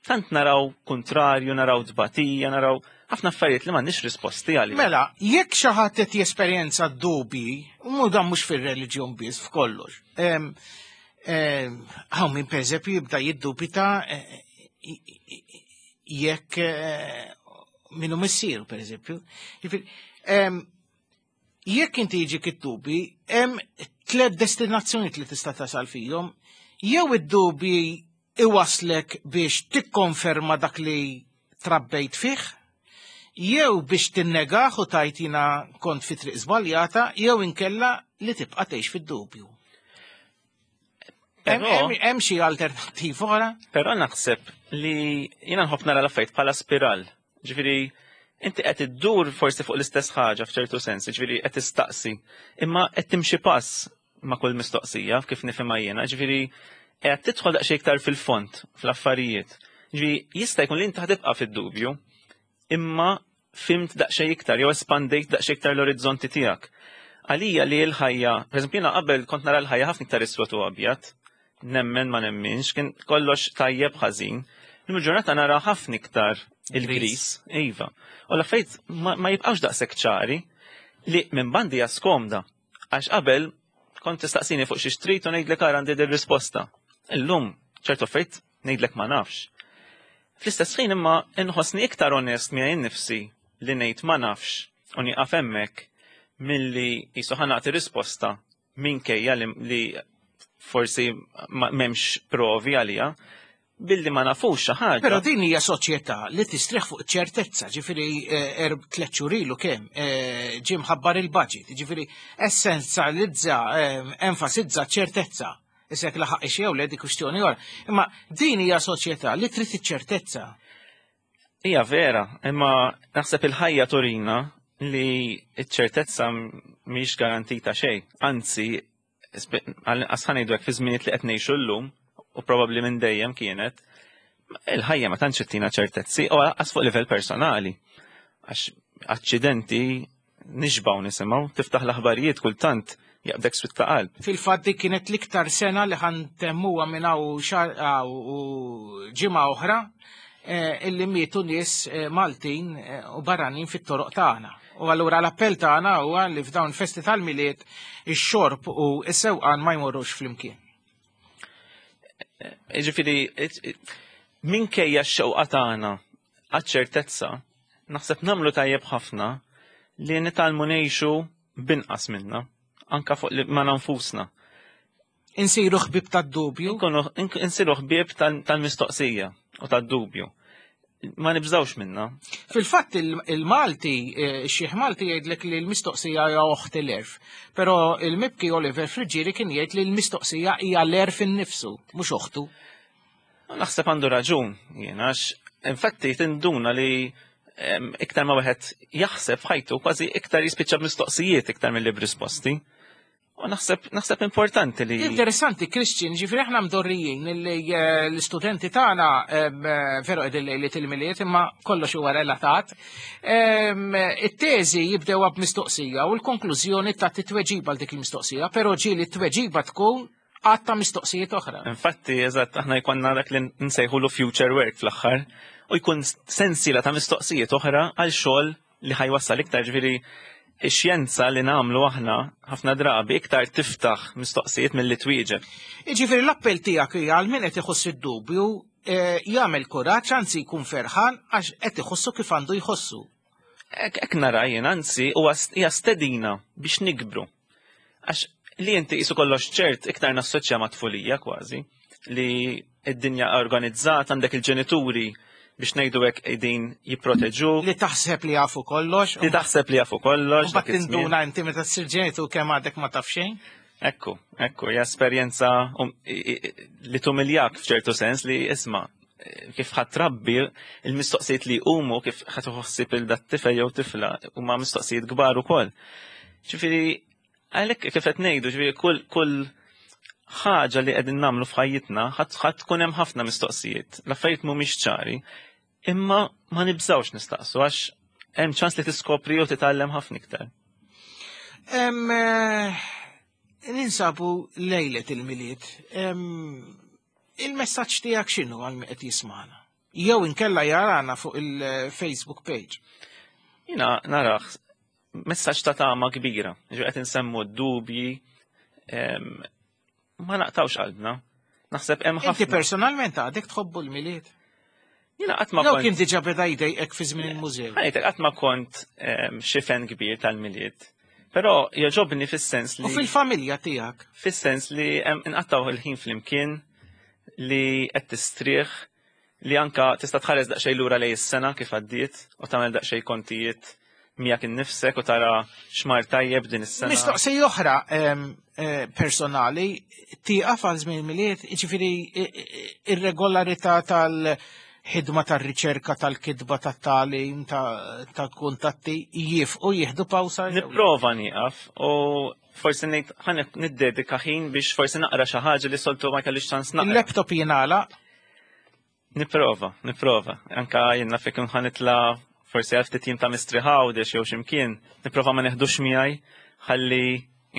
[SPEAKER 12] Tant naraw kontrarju, naraw tbatija, naraw ħafna affarijiet li m'għandniex risposti għalihom.
[SPEAKER 2] Mela, jekk xi ħadd qed jesperjenza dubji, u dan mhux fir-reliġjon biss, f'kollox. Em, em, Hawn min pereżempju jibda jiddubita eh, jekk eh, minnu missieru pereżempju. Jiġifieri, em, Jekk inti jiġik id-dubi, hemm tliet destinazzjonijiet li tista' tasal fihom. Jew id-dubi iwaslek biex tikkonferma dak li trabbejt fih, jew biex tinnegaħ u tgħid jiena kont fi triq żbaljata, jew inkella li tibqa' tgħix fid-dubju. Hemm
[SPEAKER 12] Però-
[SPEAKER 2] hemm- hemm xi alternattiva oħra?
[SPEAKER 12] Però naħseb li jiena nħobb nara l-affarijiet bħala spiral. Ġifieri, inti qed iddur forsi fuq l-istess ħaġa f'ċertu sens, ġifieri qed tistaqsi, imma qed timxi pass ma' kull mistoqsija kif nifhimha jiena, ġifieri qed tidħol daqsxejn iktar fil-fond fl-affarijiet. Ġifieri jista' jkun li inti ħatibqa' fid-dubju, imma fhimt daqsxejn iktar jew espandejt daqsxejn iktar l-orizzonti tiegħek. Għalija li l-ħajja, per eżempju, jiena qabel kont nara l-ħajja ħafna iktar iswed u abjad, nemmen ma nemminx, kien kollox tajjeb ħażin. Il-ġurnata nara ħafna iktar il-gris, iva. U l-affarijiet ma, ma jibqgħux daqshekk ċari li minn bandi hija skomda. Għax qabel kont tistaqsini fuq xi trid u ngħidlek ara għandi din risposta. Illum ċertu affarijiet ngħidlek ma nafx. Fl-istess ħin imma inħossni iktar onest miegħi nnifsi li ngħid ma nafx u nieqaf hemmhekk milli qisu ħa nagħti risposta minkejja li, li forsi ma- m'hemmx provi għalija billi ma nafux xi ħaġa.
[SPEAKER 2] Però din hija soċjetà li tistrieħ fuq ċertezza, ġifieri eh, erb tliet xhur ilu kemm eh, ġie mħabbar il-budget, ġifieri essenzjalizza, eh, enfasizza ċertezza. Issa jekk laħaq jew le di kwistjoni oħra. Imma din hija soċjetà li trid iċ-ċertezza.
[SPEAKER 12] Hija vera, imma naħseb il-ħajja turina li ċ-ċertezza mhix garantita xejn. Anzi, għal ngħidu hekk fi żminijiet li qed ngħixu llum, u probabbli minn dejjem kienet, il-ħajja ma tantx ittina ċertezzi u għas fuq livell personali. Għax aċċidenti nixbaw nisimgħu, tiftaħ l-aħbarijiet kultant jaqbdek swied ta' qalb.
[SPEAKER 2] Fil-fatt dik kienet l-iktar sena li ħa ntemmuha minn hawn xahar u ġimgħa oħra eh, illi mietu nies eh, Maltin eh, u barranin fit-toroq tagħna. U allura l-appell tagħna huwa li f'dawn festi tal-Milied ix-xorb u s-sewqan ma jmorrux flimkien.
[SPEAKER 12] Ġifieri, minkejja x-xewqa tagħna għaċ-ċertezza, naħseb nagħmlu tajjeb ħafna li nitgħallmu ngħixu binqas minna, anka fuq li ma nfusna.
[SPEAKER 2] Insiru ħbib tad-dubju.
[SPEAKER 12] Nkunu insiru ħbieb tal-mistoqsija u tad-dubju. Ma nibżawx minna.
[SPEAKER 2] Fil-fatt il-Malti, ix-Xiħ Malti jgħidlek li l-mistoqsija hija oħt l-għerf. Però il-mibki Oliver Friggieri kien jgħid li l-mistoqsija hija l-għerf innifsu, mhux oħtu.
[SPEAKER 12] Naħseb għandu raġun, jien għax infatti tinduna li em, iktar ma wieħed jaħseb f'ħajtu kważi iktar jispiċċa b'mistoqsijiet iktar milli b'risposti. U naħseb naħseb importanti li
[SPEAKER 2] Interessanti, Christian, ġifieri aħna mdorrijin li eh, l-istudenti tagħna em, eh, veru qegħdin lejliet il-Milied imma kollox huwa relatat. Em, It-teżi jibdew b'mistoqsija u l-konklużjoni ta' titweġiba għal dik il-mistoqsija, però ġieli t-tweġiba tkun għadd ta' mistoqsijiet oħra.
[SPEAKER 12] Infatti, eżatt, aħna jkollna dak li nsejħulu future work fl-aħħar u jkun sensiela ta' mistoqsijiet oħra għal xogħol li ħa jwassal iktar ġifieri ix-xjenza li nagħmlu aħna ħafna drabi iktar tiftaħ mistoqsijiet milli twieġeb.
[SPEAKER 2] Ġifieri l-appell tiegħek hija għal min qed iħoss id-dubju eh, jagħmel kuraġġ anzi jkun ferħan għax qed iħossu kif għandu jħossu.
[SPEAKER 12] Ek, ek nara jien, anzi, huwa hija stedina biex nikbru. Għax li inti qisu kollox ċert iktar nassoċja ma' tfulija kważi, li id-dinja organizzata għandek il-ġenituri biex ngħidu hekk qegħdin jipproteġu.
[SPEAKER 2] Li taħseb li jafu kollox.
[SPEAKER 12] Li taħseb li jafu kollox.
[SPEAKER 2] U bat
[SPEAKER 12] dak iż-żmien.
[SPEAKER 2] tinduna inti meta tsir ġenitur kemm għadek ma taf xejn.
[SPEAKER 12] Ekku, ekku, hija esperjenza um, i- i- li tumiljak f'ċertu sens li isma' kif ħa trabbi il-mistoqsijiet li jqumu kif ħa tħossib il dat tifel jew tifla huma mistoqsijiet kbar ukoll. Ġifieri għalhekk kif qed ngħidu, ġifieri kull kull ħaġa li qegħdin nagħmlu f'ħajjitna ħadd ħadd tkun hemm ħafna mistoqsijiet. L-affarijiet mhumiex ċari, imma ma nibżawx nistaqsu għax hemm ċans li tiskopri u titgħallem ħafna iktar.
[SPEAKER 2] Em, eh, Ninsabu lejlet il-Milied. Em, Il-messaġġ tiegħek x'inhu għal min qed jismagħna? Jew inkella jarana fuq il-Facebook page.
[SPEAKER 12] Jiena narax messaġġ ta' tama kbira. Ġi qed insemmu d-dubji, em, ma naqtawx qalbna. Naħseb hemm
[SPEAKER 2] Inti
[SPEAKER 12] ħafna.
[SPEAKER 2] personalment għadek tħobbu l-Milied?
[SPEAKER 12] Jiena qatt ma
[SPEAKER 2] Jew
[SPEAKER 12] kont
[SPEAKER 2] kien diġà beda jdejqek fi żmien il-mużew.
[SPEAKER 12] Ħa ngħidlek qatt ma kont em, xi fan kbir tal-Milied. Però jogħġobni fis-sens
[SPEAKER 2] U
[SPEAKER 12] li
[SPEAKER 2] fil-familja tiegħek.
[SPEAKER 12] fis-sens li hemm inqattaw il-ħin flimkien li qed tistrieħ li anka tista' tħares daqsxejn lura lejn is-sena kif għaddiet u tagħmel daqsxejn kontijiet miegħek innifsek u tara x'mar tajjeb din is-sena.
[SPEAKER 2] Mistoqsija oħra em, eh, personali, tieqaf għal żmien il-Milied, jiġifieri i- i- ir-regolarità tal-ħidma tar-riċerka, tal-kitba, tat-tagħlim, tal-kuntatti jieqfu jieħdu pawsa. jew le?
[SPEAKER 12] Nipprova nieqaf u forsi ngħid ħa niddedika ħin biex forsi naqra xi ħaġa li soltu ma kellix ċans naqra.
[SPEAKER 2] Il-laptop jingħalaq,
[SPEAKER 12] Nipprova, nipprova. Anka jien naf jekk ħa nitla' forsi għal ftit jiem ta' mistrieħ Għawdex jew x'imkien, nipprova ma neħdux miegħi Ħalli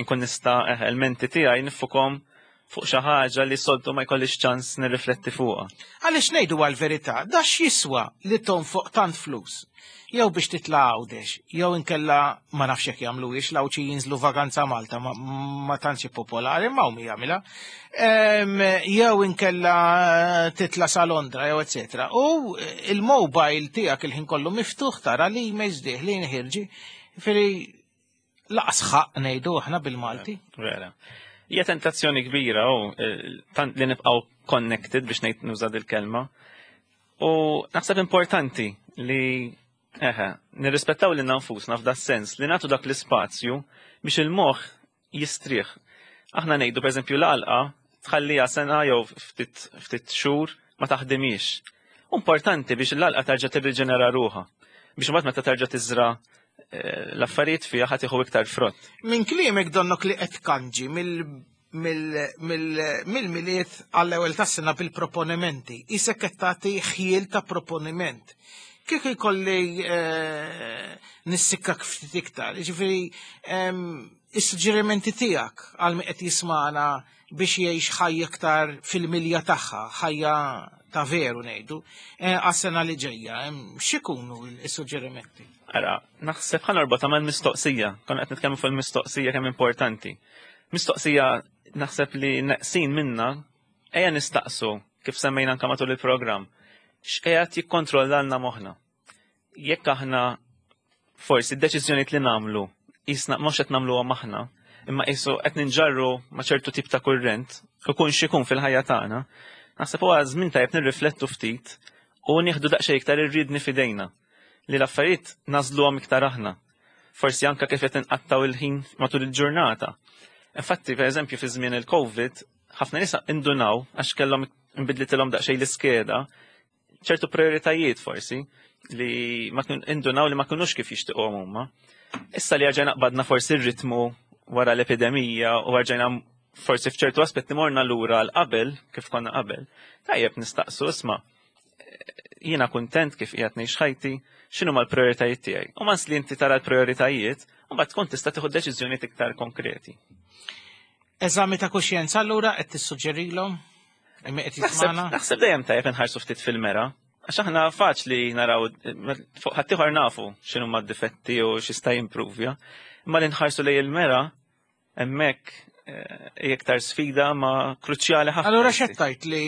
[SPEAKER 12] nkun nista' eh, il-menti tiegħi niffukom fuq xi ħaġa li soltu ma jkollix ċans nirrifletti fuqha.
[SPEAKER 2] Għaliex ngħidu għal-verità, da x'jiswa li tonfoq tant flus? Jew biex titla' Għawdex, jew inkella ma nafx jekk jagħmluhiex l-Għawdxi jinżlu vaganza Malta, ma, ma tantx popolari, ma hum jagħmilha. Em, Jew inkella titla' sa Londra, jew eċetera. U il-mobile tiegħek il-ħin kollu miftuħ tara li emails dieħlin ħierġin. Ġifieri lanqas ħaqq ngħidu aħna bil-Malti.
[SPEAKER 12] Vera. Hija tentazzjoni kbira u eh, tant li nibqgħu connected biex ngħid nuża il-kelma. U naħseb importanti li eħe, nirrispettaw lil nfusna f'da sens li nagħtu dak l-ispazju biex il-moħħ jistrieħ. Aħna ngħidu pereżempju l-għalqa tħallija sena jew ftit ftit xhur ma taħdimix. Importanti biex l-għalqa terġa' tirriġenera ruħha. Biex imbagħad meta terġa' tiżra eh, l-affarijiet fiha ħa tieħu iktar frott.
[SPEAKER 2] Minn kliemek donnok li qed tkanġi mill-Milied għall-ewwel tas-sena bil-proponimenti. Isek qed tagħti ħjiel ta' proponiment. Kieku jkolli eh, nissikkak ftit iktar, jiġifieri em, is-suġġerimenti tiegħek għal min qed jismana biex jgħix ħajja iktar fil-milja tagħha, ħajja ta' veru ngħidu, eh, għas-sena li ġejja, em, x'ikunu is-suġġerimenti?
[SPEAKER 12] Ara, naħseb ħa norbotha mal-mistoqsija, konna qed nitkellmu fuq il-mistoqsija kemm importanti. Mistoqsija naħseb li neqsin minna, ejja nistaqsu kif semmejna anka matul il-programm, x'qiegħed jikkontrollalna moħħna. Jekk aħna forsi d-deċiżjonijiet li nagħmlu jisna mhux qed nagħmluhom aħna, imma qisu qed ninġarru ma' ċertu tip ta' kurrent, ikun x'ikun fil-ħajja tagħna, naħseb huwa żmien tajjeb nirriflettu ftit u nieħdu daqsxejn iktar ir-riedni f'idejna li l-affarijiet nagħżluhom iktar aħna. Forsi anka kif qed inqattaw il-ħin matul il-ġurnata. Infatti, per eżempju, fi żmien il-Covid, ħafna nies indunaw għax kellhom inbidlitilhom daqsxejn l-iskeda, ċertu prioritajiet forsi li ma kien indunaw li ma kinux kif jixtiequhom huma. Issa li rġajna qbadna forsi r-ritmu wara l-epidemija u rġajna forsi f'ċertu aspetti morna lura għal qabel kif konna qabel. Tajjeb nistaqsu isma' jiena kuntent kif qiegħed ngħix ħajti, x'inhu l-prioritajiet tiegħi. U once li inti tara l-prioritajiet, u mbagħad tkun tista' tieħu deċiżjonijiet iktar konkreti.
[SPEAKER 2] Eżami ta' kuxjenza allura qed tissuġġerilhom? Imma qed
[SPEAKER 12] Naħseb
[SPEAKER 2] jismana?
[SPEAKER 12] naħseb dejjem tajjeb inħarsu ftit fil-mera. Għax aħna faċli naraw fuq ħaddieħor nafu x'inhu ma d-difetti u x'jista' jimprovja. Imma li nħarsu lejn il-mera hemmhekk eh, hija iktar sfida ma kruċjali ħafna.
[SPEAKER 2] Allura x'qed tgħid li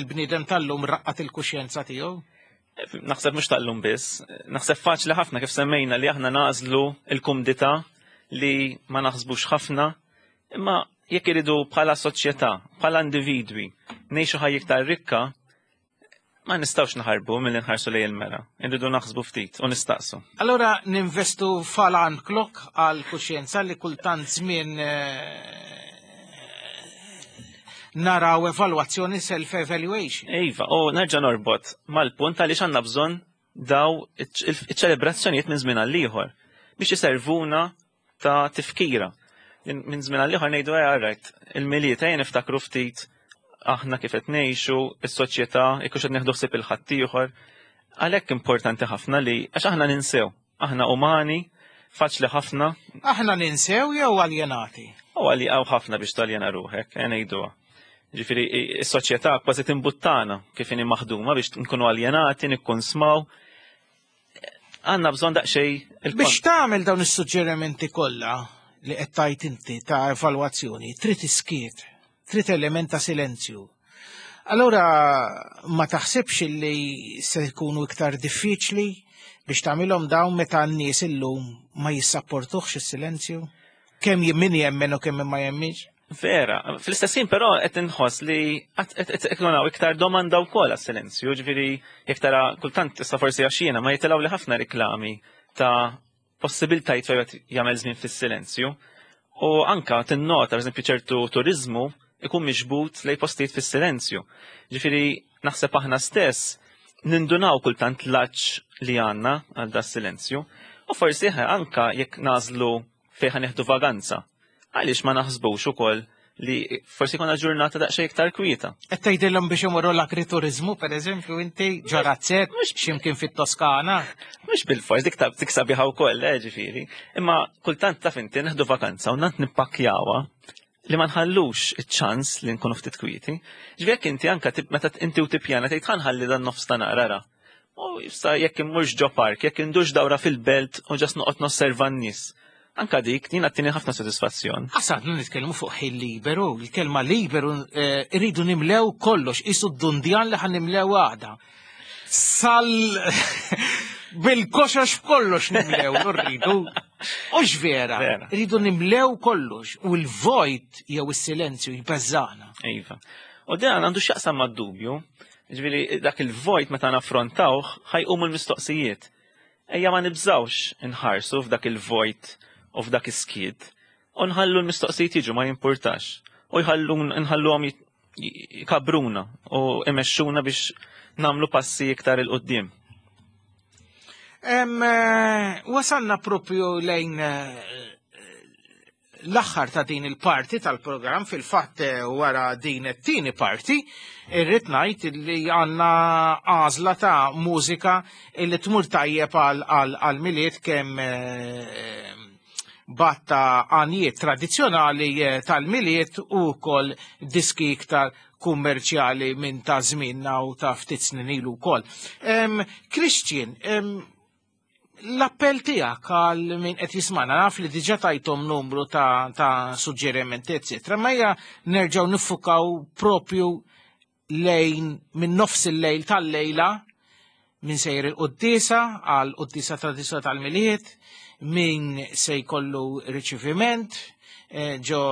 [SPEAKER 2] l-bniedem tal-lum raqqat il-kuxjenza tiegħu?
[SPEAKER 12] Naħseb mhux tal-lum biss, naħseb faċli ħafna kif semmejna li aħna nagħżlu il-kumdità li ma naħsbux ħafna, imma jekk iridu bħala soċjetà, bħala individwi, ngħixu ħajja iktar rikka, ma nistgħux naħarbu milli nħarsu lejn il-mera. Irridu naħsbu ftit u nistaqsu.
[SPEAKER 2] Allura ninvestu f'alarm clock għal kuxjenza li kultant żmien eh, naraw evalwazzjoni self-evaluation.
[SPEAKER 12] Iva, u nerġa' norbot mal-punt għaliex għandna bżonn daw iċ-ċelebrazzjonijiet minn żmien għal ieħor biex iservuna ta' tifkira. Minn żmien għal ieħor ngħidu ejja right, il-Milied ejja niftakru ftit aħna kif qed ngħixu, is-soċjetà, jekk qed nieħdu ħsieb il-ħaddieħor. Għalhekk importanti ħafna li għax aħna ninsew, aħna umani, faċli ħafna,
[SPEAKER 2] Aħna ninsew jew aljenati?
[SPEAKER 12] u għalli għaw ħafna biex taljena ruħek, eh, ngħiduha. Ġifieri, is-soċjetà kważi timbuttana kif inhi maħduma biex nkunu aljenati, nikkonsmaw. Għandna bżonn daqsxejn il
[SPEAKER 2] Biex tagħmel dawn is-suġġerimenti kollha li qed tajt inti ta' evalwazzjoni, trid iskiet, trid element ta' silenzju. Allura ma taħsibx li se jkunu iktar diffiċli biex tagħmilhom dawn meta n-nies illum ma jissapportuhx is-silenzju? Kemm min jemmen u kemm ma jemminx?
[SPEAKER 12] Vera, fl-istess ħin però qed inħoss li qed ikun hawn iktar domanda wkoll għas-silenzju, ġifieri jekk tara kultant issa forsi għax jiena ma jitilgħu li ħafna riklami ta' possibiltajiet fejn wieħed jagħmel żmien fis-silenzju. U anka tinnota, pereżempju, ċertu turizmu ikun miġbut lej postijiet fis-silenzju. Ġifieri naħseb aħna stess nindunaw kultant l-għatx li għandna għal da silenzju. U forsi eħe, anka jekk nagħżlu fejn ħa nieħdu vaganza. Għaliex ma naħsbux ukoll Li forsi jkollna ġurnata daqsxejn iktar kwieta.
[SPEAKER 2] Qed tgħidilhom biex imorru l-agrituriżmu, pereżempju, inti ġo razzett, x'imkien fit-Toskana.
[SPEAKER 12] Mhux bil-fors, dik dik sabiħa wkoll, eh, ġifieri. Imma kultant taf inti neħdu vakanza u nant nippakkjawha li ma nħallux iċ-ċans li nkunu ftit kwieti. Ġifieri jekk inti anke meta inti u tippjana tgħid ħa nħalli dan nofs ta' naqra. U issa jekk immurx ġo park, jekk indux dawra fil-belt u just noqgħod nosserva n-nies. Anka dik, din għattini ħafna sodisfazzjon.
[SPEAKER 2] Għasadna nitkellmu fuq ħin liberu, il-kelma liberu rridu nimlew kollox, isu d-dundjan li ħan nimlew għada. Sal bil-koxox kollox nimlew, rridu. Ux vera, rridu nimlew kollox, u l-vojt jew is-silenzju jbeżżana.
[SPEAKER 12] Iva. U dan għandu x'jaqsam mad-dubju, ġifieri dak il-vojt meta naffrontawh ħajqumu l-mistoqsijiet. Ejja ma nibżawx inħarsu f'dak il-vojt u f'dak is-skiet, u nħallu l-mistoqsijiet jiġu ma jimpurtax. U jħallu nħalluhom jkabruna u imexxuna biex nagħmlu passi iktar 'il quddiem.
[SPEAKER 2] Wasalna propju lejn l-aħħar ta' din il-parti tal-programm, fil-fatt wara din it-tieni parti, irrid ngħid li għandna għażla ta' mużika li tmur tajjeb għal-Milied kemm batta għanijiet tradizzjonali tal-Milied u wkoll diski iktar kummerċjali minn ta' żmienna u ta' ftit snin ilu wkoll. Christian, l-appell tiegħek għal min qed jismana, naf li diġà tajthom numru ta', ta' suġġerimenti, eċetera, ma hija nerġgħu niffukaw propju lejn minn nofs il-lejl tal-lejla min sejjer il-quddiesa għal quddiesa tradizzjonali tal-Milied, min se jkollu riċeviment ġo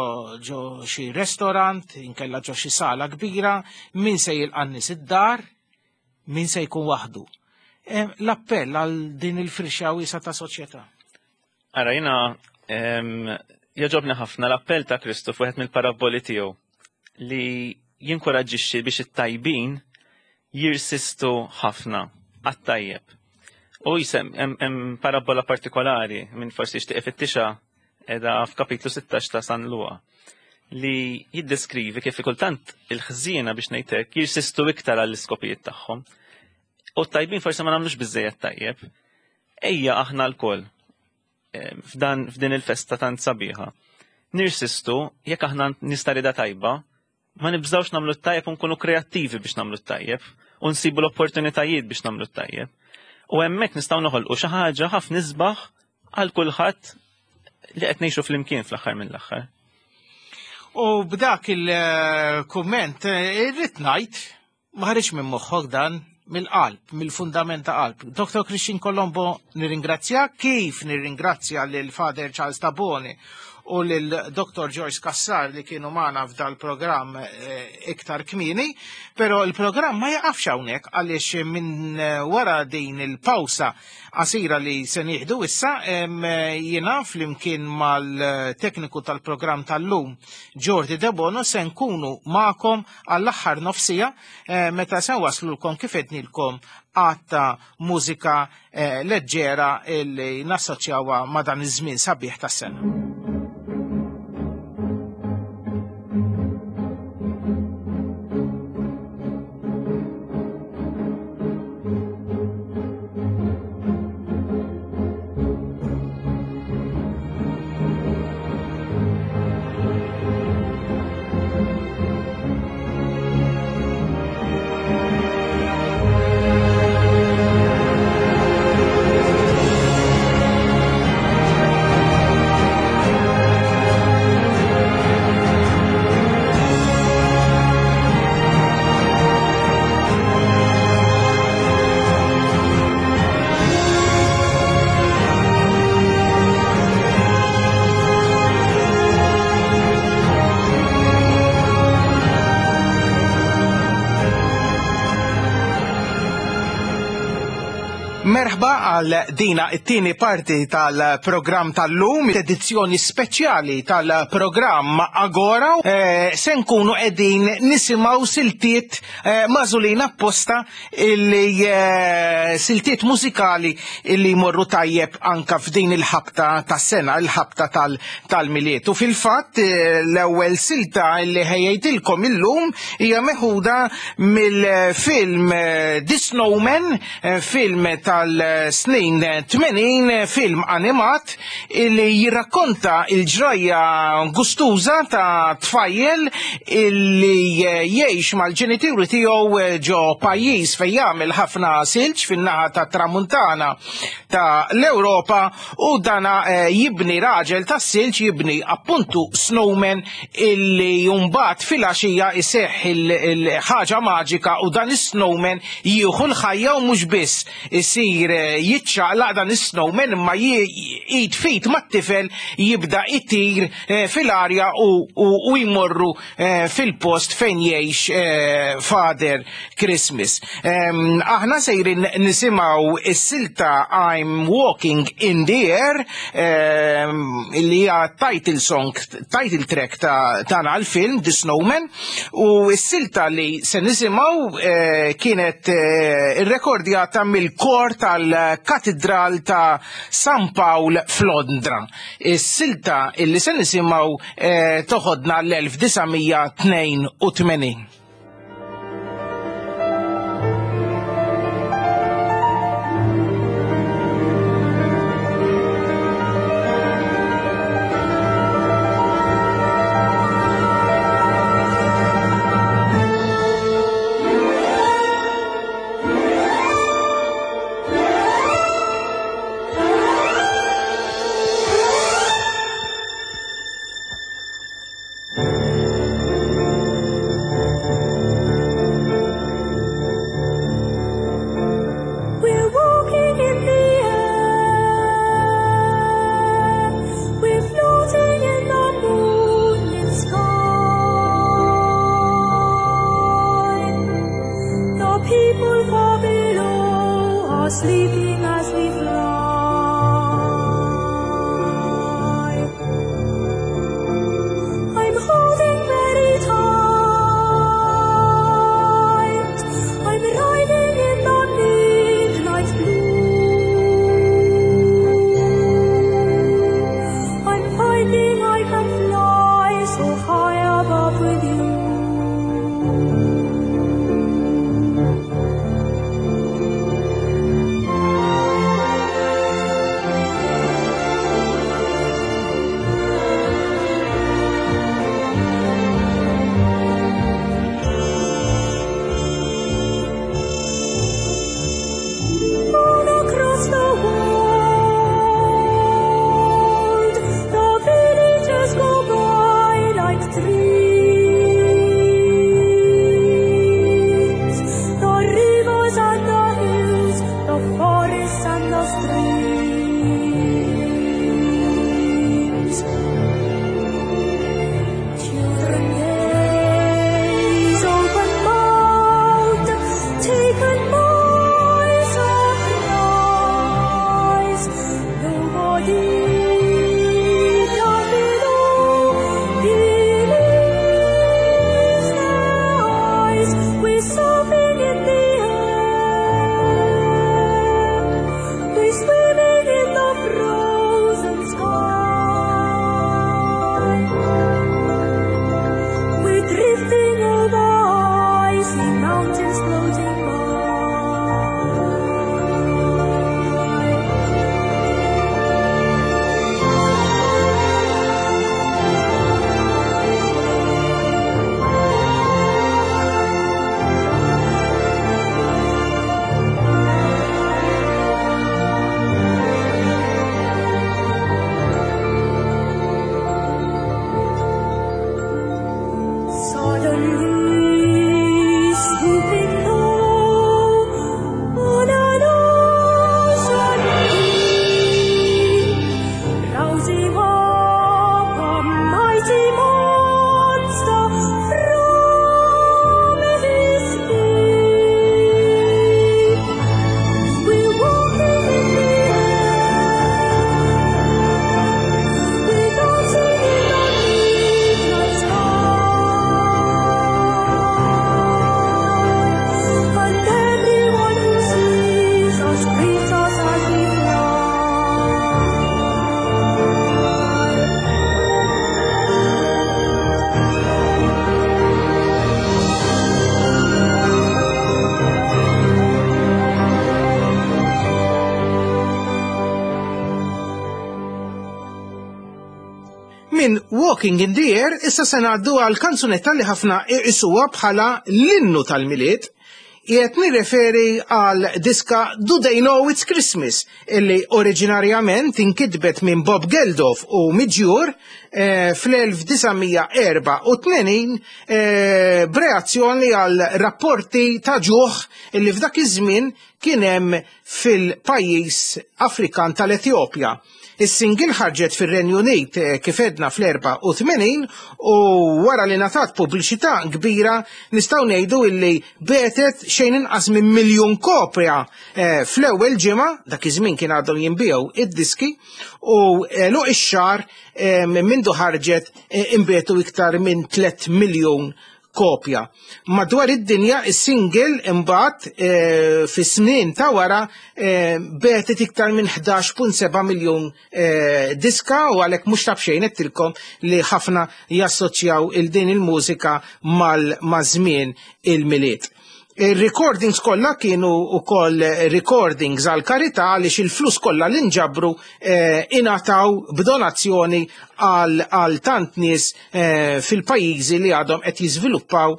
[SPEAKER 2] ġo xi restorant, inkella ġo xi sala kbira, min se jilqa' nies id-dar, min se jkun waħdu. L-appell għal din il-firxa wiesa ta' soċjetà.
[SPEAKER 12] Ara, jiena jogħġobni ħafna l-appell ta' Kristu f'wieħed mill-paraboli tiegħu li jinkoraġġixxi biex it-tajbin jirsistu ħafna għat-tajjeb. U jisem, hemm parabola partikolari minn forsi jixtieq ifittixha qiegħda f'kapitlu sittax ta' San Luqa li jiddeskrivi kif kultant il-ħżiena biex ngħidlek jirsistu iktar għall-iskopijiet tagħhom. U t-tajbin forsi ma nagħmlux biżejjed tajjeb. Ejja aħna lkoll f'dan f'din il-festa tant sabiħa. Nirsistu jekk aħna nista' rida tajba, ma nibżgħux nagħmlu t-tajjeb u nkunu kreattivi biex nagħmlu t-tajjeb u nsibu l-opportunitajiet biex nagħmlu t-tajjeb. U hemmhekk nistgħu noħolqu xi ħaġa ħafna isbaħ għal kulħadd li qed ngħixu flimkien fl-aħħar mill-aħħar.
[SPEAKER 2] U b'dak il-kumment irrid ngħid ma ħareġ minn moħħok dan, mill-qalb, mill-fundament ta' qalb. Doktor Christian Colombo, nirringrazzja, kif nirringrazzja lil Father Charles Tabone u lil Doktor Joyce Cassar li kienu magħna f'dal programm iktar kmieni, però il-programm ma jaqafx hawnhekk għaliex minn wara din il-pawsa qasira li se nieħdu issa jiena flimkien mal-tekniku tal-programm tal-lum Jordi Debono se nkunu magħkom għall-aħħar nofsija meta se waslulkom kif qednilkom għatta mużika leġġera li nassoċjawha ma' dan iż-żmien sabiħ tas-sena. Merħba għal dina it-tieni parti tal-programm tal-lum, edizzjoni speċjali tal-programm Agora. Eh, se nkunu qegħdin nisimgħu siltiet eh, magħżulin apposta illi eh, siltiet mużikali illi jmorru tajjeb anka f'din il-ħabta tas-sena, il-ħabta tal-Milied. U fil-fatt eh, l-ewwel silta illi ħejjejtilkom illum hija meħuda mill-film eh, The Snowman, eh, film tal-snin tmenin, film animat illi jirrakkonta il-ġrajja gustuża ta' tfajjel illi jgħix mal-ġenituri tiegħu ġo pajjiż fejn jagħmel ħafna silġ fin-naħa ta' tramuntana ta' l-Ewropa, u dana jibni raġel tas-silġ, jibni appuntu snowman illi mbagħad fil-għaxija iseħħ il-ħaġa maġika u dan is-snowman jieħu l-ħajja, u mhux biss isir jiċċaqlaq dan is-snowman imma id fit mat-tifel jibda itir fil-arja u jmorru fil-post fejn jgħix Father Christmas. Aħna sejrin nisimgħu is-silta I'm Walking in the Air, li hija title song, title track ta' tagħna għall-film The Snowman, u s-silta li se nisimgħu kienet irrekordjata mill-kor tal-Katedral ta' San Pawl f'Londra. Is-silta illi se nisimgħu toħodna l-elf disa' mija tnejn u tmenin.
[SPEAKER 13] Thank you.
[SPEAKER 2] Walking in the Air, issa se ngħaddu għal kanzunetta li ħafna iqisuha bħala l-innu tal-Milied. Qiegħed nirreferi għal diska Do They Know It's Christmas, illi oriġinarjament inkitbet minn Bob Geldof u Midge Ure eh, fl-elf disa' mija erbgħa u tmenin eh, b'reazzjoni għal rapporti ta' ġuħ illi f'dak iż-żmien kien hemm fil-pajjiż Afrikan tal-Etjopja. Is-single ħarġet fir-Renju Unit eh, kif għedna fl-erbgħa u tmenin u wara li ngħatat pubbliċità kbira nistgħu ngħidu illi biegħet xejn inqas minn miljun kopja eh, fl-ewwel ġimgħa. Dak iż-żmien kien għadhom jinbiegħu id-diski, u għeluq ix-xahar eh, mindu ħarġet inbiegħu iktar minn tliet miljun kopja. Madwar id-dinja is-single imbagħad e, fis-snin ta' wara e, biegħet iktar minn ħdax punt seba' miljun e, diska u għalhekk mhux ta' b'xejn għedtilkom li ħafna jassoċjaw il din il-mużika mal-żmien il-Milied. Il-recordings kollha kienu ukoll recordings għal karità, għaliex il-flus kollha li nġabru eh, ingħataw b'donazzjoni għal, għal tant nies eh, fil-pajjiżi li għadhom qed jiżviluppaw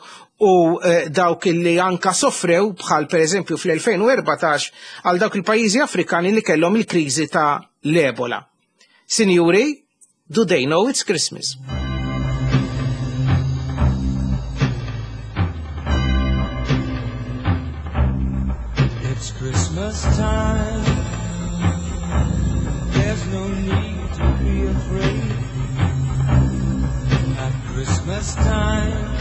[SPEAKER 2] u eh, dawk li anka soffrew, bħal per eżempju fl-elfejn u erbatax għal dawk il-pajjiżi Afrikani li kellhom il-kriżi ta' l-Ebola. Sinjuri, Do They Know It's Christmas?
[SPEAKER 13] It's Christmas time. There's no need to be afraid. At Christmas time,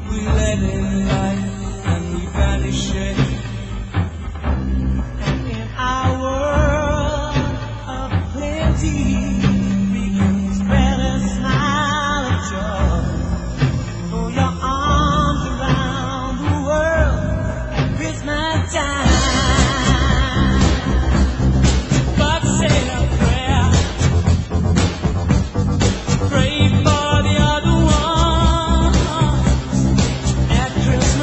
[SPEAKER 13] we let in light and we banish shade. And in our world of plenty, we can spread a smile of joy. Throw your arms around the world at Christmas time. But say a prayer. Pray for the other one. At Christmas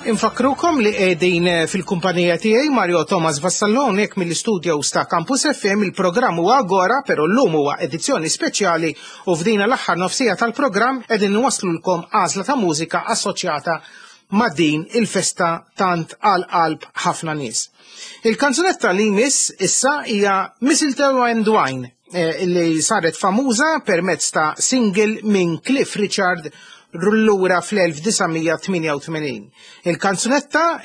[SPEAKER 2] Infakkrukom li qegħdin fil-kumpanija tiegħi Mario Thomas Vassallo hawnhekk mill-istudios ta' Campus F M. Il-programm huwa Agora, però llum huwa edizzjoni speċjali u f'dina l-aħħar nofsija tal-programm qegħdin nwaslulkom għażla ta' mużika assoċjata ma' din il-festa tant għal qalb ħafna nies. Il-kanzunetta li jmiss issa hija Mistletoe and Wine, eh, li saret famuża permezz ta' single minn Cliff Richard lura fl-elf disa' mija tmienja u tmenin. Il-kanzunetta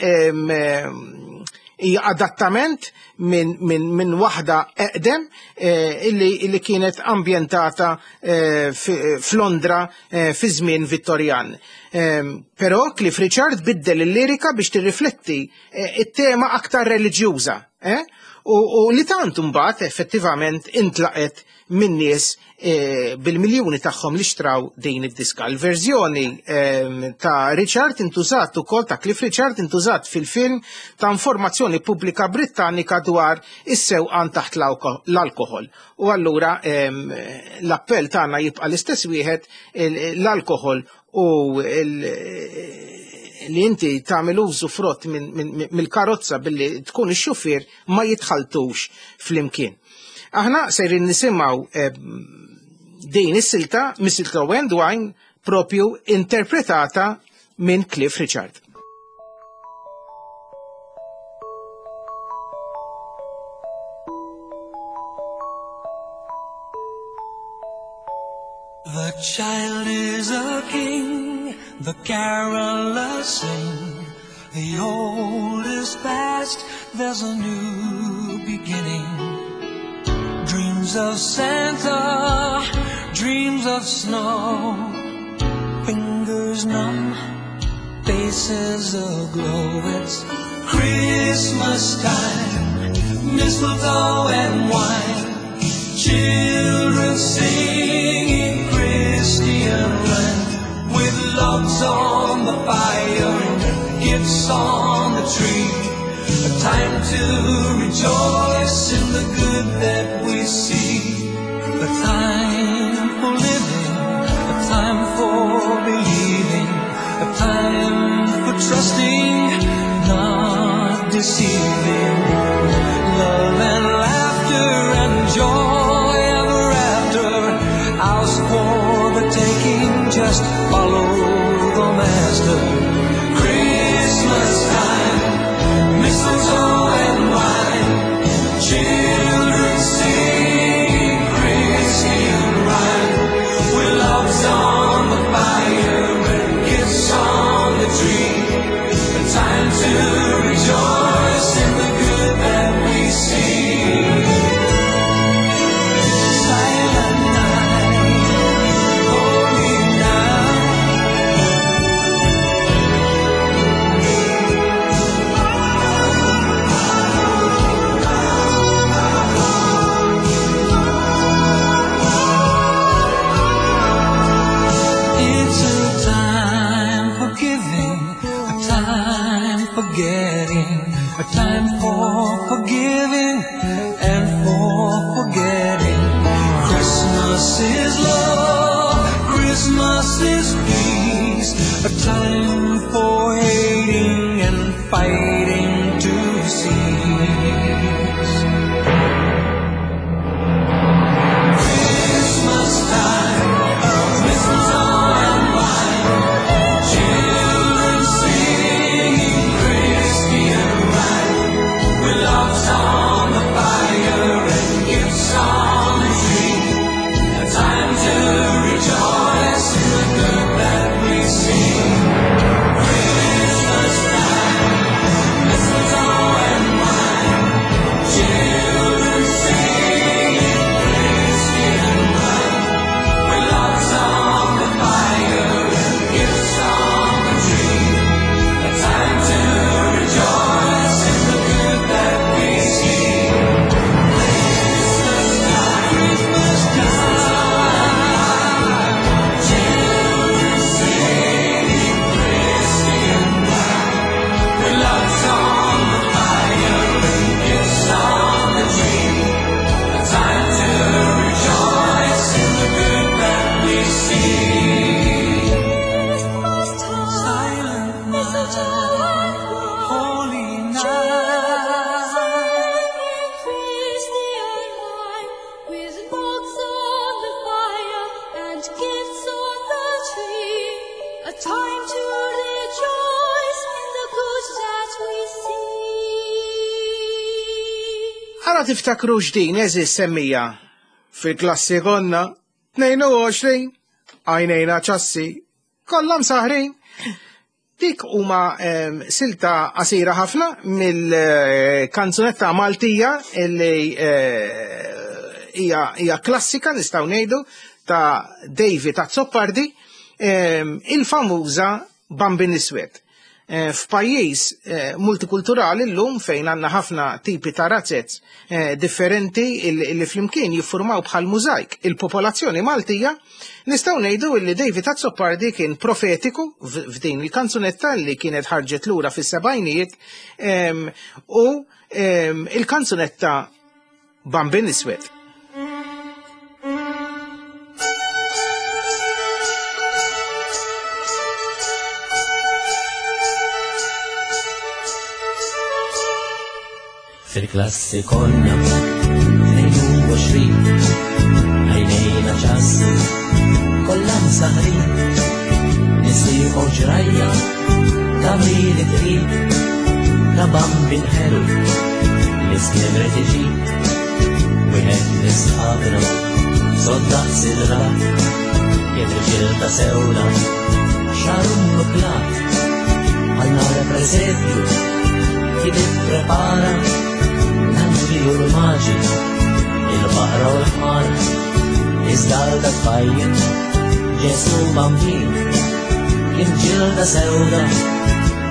[SPEAKER 2] hija adattament minn min, min waħda eqdem eh, illi, illi kienet ambjentata eh, f'Londra eh, fi żmien Vittorjan. Però Cliff Richard biddel il-lirika biex tirrifletti it-tema aktar reliġjuża. U, u li tant mbagħad effettivament intlaqet minn nies e, bil-miljuni tagħhom li xtraw din id-diska. Il-verżjoni e, ta' Richard intużat ukoll, ta' Cliff Richard, intużat fil-film ta' informazzjoni pubblika Brittanika dwar is-sewqan taħt l-alkoħol. U allura e, l-appell tagħna jibqa' l-istess wieħed: l-alkoħol u li inti tagħmel użu frott mill-karozza billi tkun ix-xufier ma jitħaltux flimkien. Aħna sejrin nisimgħu eh, din is-silta Mistletoe and Wine, propju interpretata minn Cliff Richard.
[SPEAKER 13] The child is a king, the carolers sing. The old is past, there's a new beginning. Dreams of Santa, dreams of snow. Fingers numb, faces aglow. It's Christmas time, mistletoe and wine. Children singing Christian rhyme, with logs on the fire and gifts on the tree. A time to rejoice in the good that we see. A time for living, a time for believing, a time for trusting, not deceiving. Love and laughter and joy ever after. Ours for the taking, just follow the master. Christmas time, mistletoe and wine. Children
[SPEAKER 2] Ma tiftakrux din, eżis semmija. Fil-klassi konna tnejn u għoxrin, għajnejna ċassi, kollha msaħrin. Dik huma ehm, silta qasira ħafna mill-kanzunetta Maltija li eh, hija hija klassika nistgħu ngħidu ta' David Azzopardi, ehm, il-famuża Bambin Iswed. Eh, f'pajjiż eh, multikulturali llum fejn għandna ħafna tipi ta' razzez eh, differenti li flimkien jiffurmaw bħal mużajk il-popolazzjoni Maltija, nistgħu ngħidu li David Azzopardi kien profetiku f'din il-kanzunetta li kienet ħarġet lura fis-sebgħinijiet ehm, u ehm, il-kanzunetta Bambin Iswed.
[SPEAKER 13] Fil-klassi konna tnejn u għoxrin, għajnejna ċassi, kollha msaħrin, nisieħu ġrajja ta' mili tqil, ta' bambin ħelu li skibret iġib, wieħed nisħabna, soddaq sidra, kien irġiel ta' sewda, xaru nuklat, għal-nara presepju, kien ipprepara l-anġli u l-maġi, il-baqra u l-ħmar, iżda għal dak tfajjel, Ġesu Bambin, kien ġilda sewda,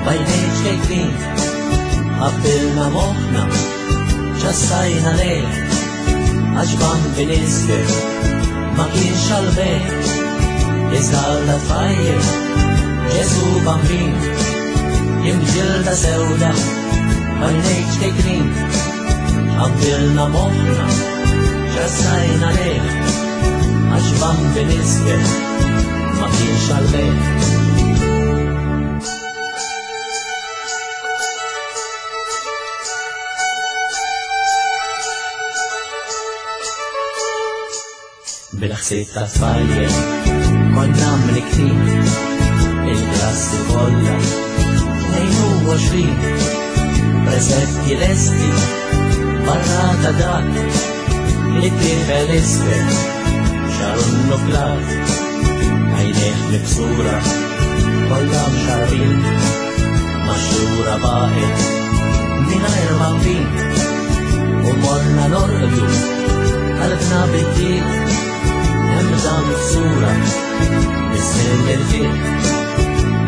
[SPEAKER 13] b'għajnejh ċkejknin, ħabbilna moħħna, ċassajna lejh, għax Bambin iswed ma kienx għall-bejgħ, iżda għal dak tfajjel, Ġesu Bambin, kien ġilda sewda, b'għajnejh ċkejknin, ħabbilna moħħna, ċassajna lejh, għax Bambin iswed ma kienx għall-bejgħ. Bil-ħsieb ta' tfajjel konna mniktin, il-klassi kollha tnejn u għoxrin, presepji lesti barra ta' dak li tifel iswed xaru nnuklat, għajnejh miksura kollha mxarrin, maxxura baqgħet mingħajr bambin, u morna norqdu qalbna bid-dieq, hemm da miksura biss mill-irfiq,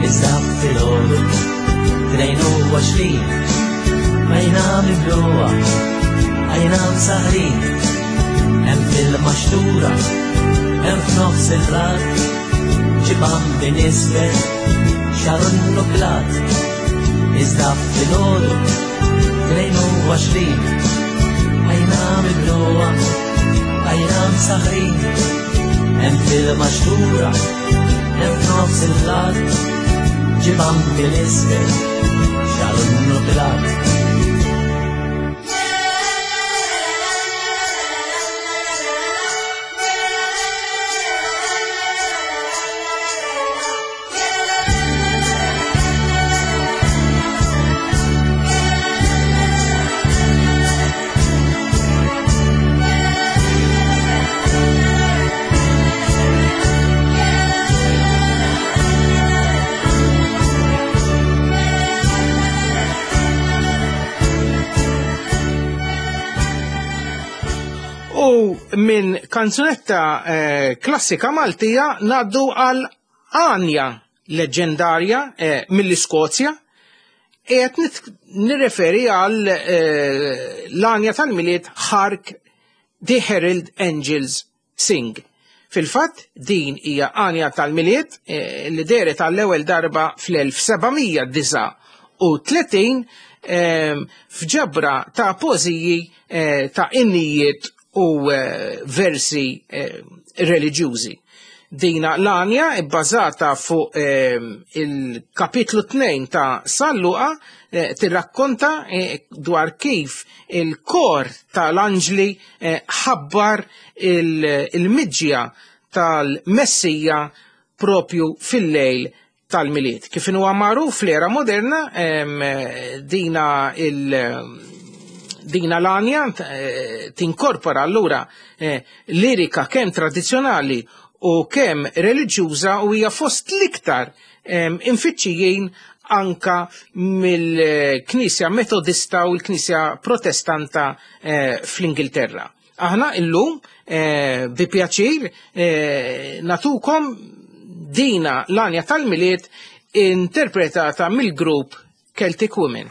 [SPEAKER 13] iżda filgħodu tnejn u għoxrin, għajna mibluha, għajna msaħrin, hemm fil-maxtura, hemm f'nofs il-rat, ġi Bambin iswed xaru nnuklat, iżda filgħodu tnejn u għoxrin, għajna mibluha, għajna msaħrin, hemm fil-maxtura, hemm f'nofs il-rat, ġi Bambin iswed xaru nnuklat.
[SPEAKER 2] U minn kanzunetta eh, klassika Maltija naddu għal għanja leġendarja eh, mill-Iskozja. Qed nirreferi għal eh, l-għanja tal-Milied Hark the Herald Angels Sing. Fil-fatt din hija għanja tal-Milied eh, li dehret għall-ewwel darba fl-elf sebgħamija disgħa u tletin eh, f'ġabra ta' poeżiji eh, ta' innijiet u eh, versi eh, reliġjużi. Dina l-għanja bbażata fuq eh, il-kapitlu tnejn ta' San Luqa eh, tirrakkonta eh, dwar kif il-kor tal-anġli eh, ħabbar il-miġja tal-Messija propju fil-lejl tal-Milied. Kif huwa magħruf fl-era moderna, em, dina il- Dina l-għanja tinkorpora allura lirika kemm tradizzjonali u kemm reliġjuża u hija fost l-iktar infittxijin anka mill-Knisja Metodista u l-Knisja Protestanta fl-Ingilterra. Aħna illum bi pjaċir natukom dina l-għanja tal-Milied interpretata mill-grupp Celtic Women.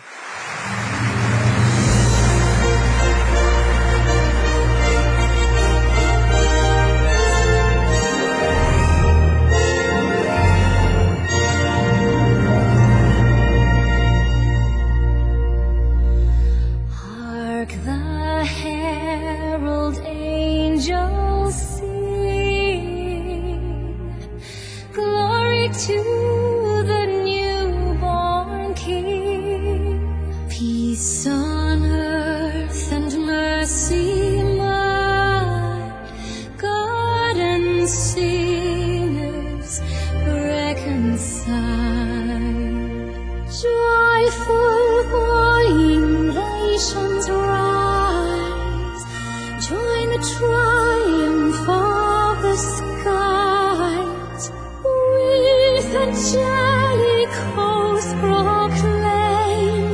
[SPEAKER 14] Hark the herald angels sing, glory to the newborn King, peace on earth and mercy mild, God and sinners reconciled. Joyful warring nations rise, join the triumph of the skies, with angelic hosts proclaim,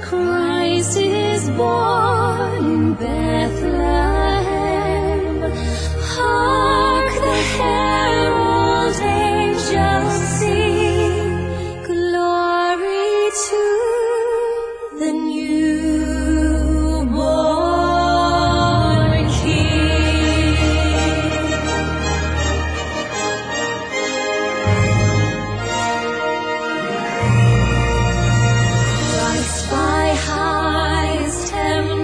[SPEAKER 14] Christ is born in Bethlehem. Hark the herald angels sing, glory to the newborn King. Christ by highest heaven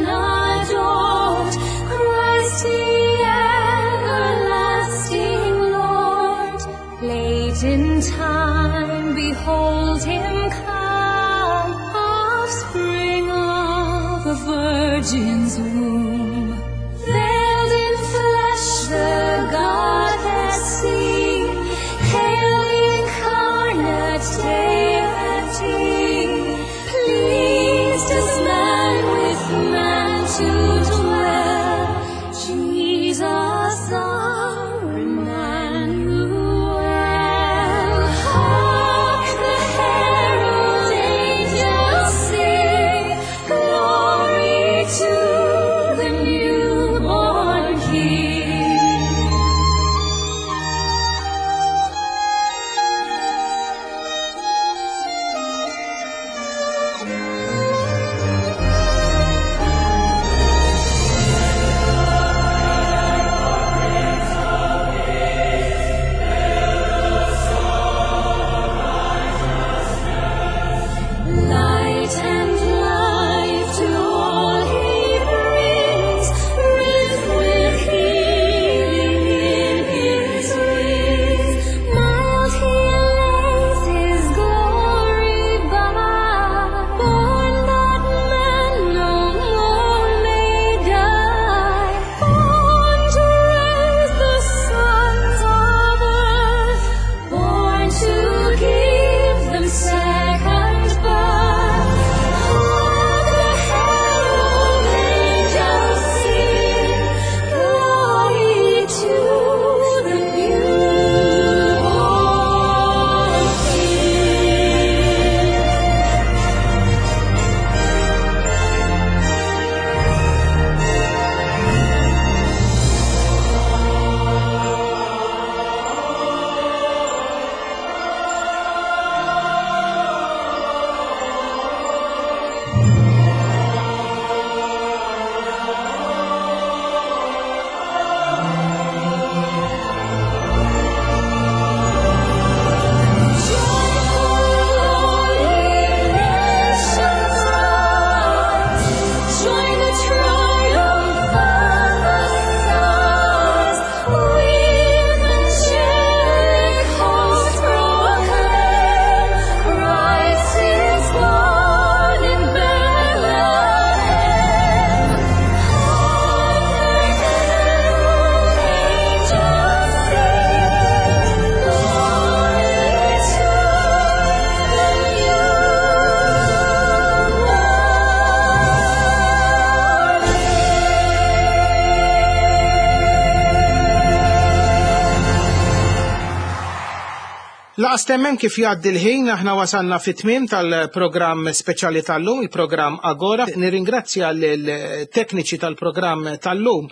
[SPEAKER 2] Lanqas temmen kif jgħaddi l-ħin, aħna wasalna fit-tmiem tal-programm speċjali tal-lum, il-programm Agora. Nirringrazzja l-tekniċi tal-programm tal-lum,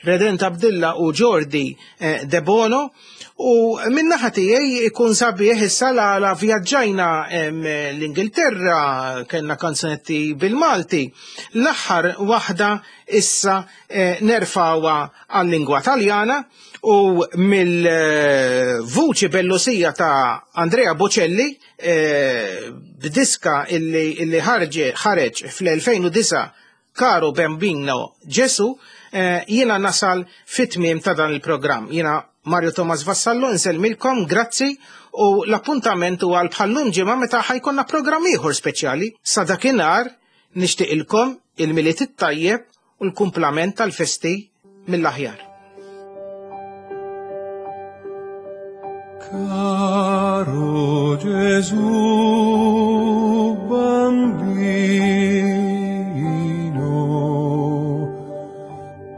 [SPEAKER 2] Redent Abdilla u Jordi eh, De Bono. U min-naħa tiegħi ikun sabiħ issa la, la vjaġġajna em, l-Ingilterra, kellna kanzunetti bil-Malti. L-aħħar waħda issa eh, nerfgħuha għal-lingwa Taljana u mill-vuċi bellusija ta' Andrea Bocelli eh, b'diska illi, illi ħarġe ħareġ fl-elfejn u disgħa, Caro Bambino Gesù, eh, jiena nasal fit-tmiem ta' dan il-programm. Jiena Mario Thomas Vassallo nsellmilkom, grazzi, u l-appuntament huwa għal bħal-lum ġimgħa meta ħa jkollna programm ieħor speċjali. Sa dakinhar nixtieqilkom il-Milied it-tajjeb u l-kumplament tal-festi mill-aħjar.
[SPEAKER 15] Caro Gesù bambino,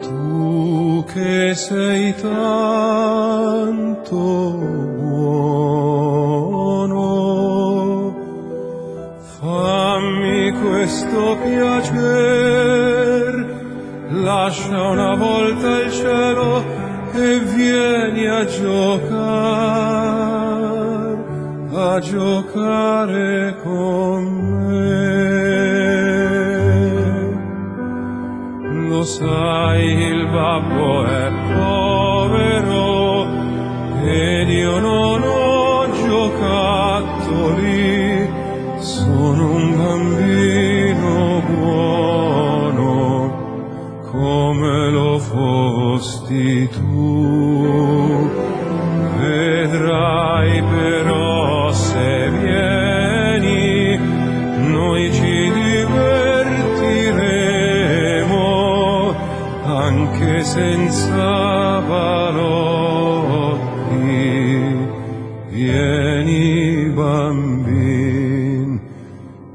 [SPEAKER 15] tu che sei tanto buono, fammi questo piacer, lascia una volta il cielo e vieni a giocar, a giocare con me. Lo sai, il babbo è povero ed io non ho giocattoli, sono un bambino buono come lo fosti tu. Vedrai però, se vieni, noi ci divertiremo anche senza balotti. Vieni, bambin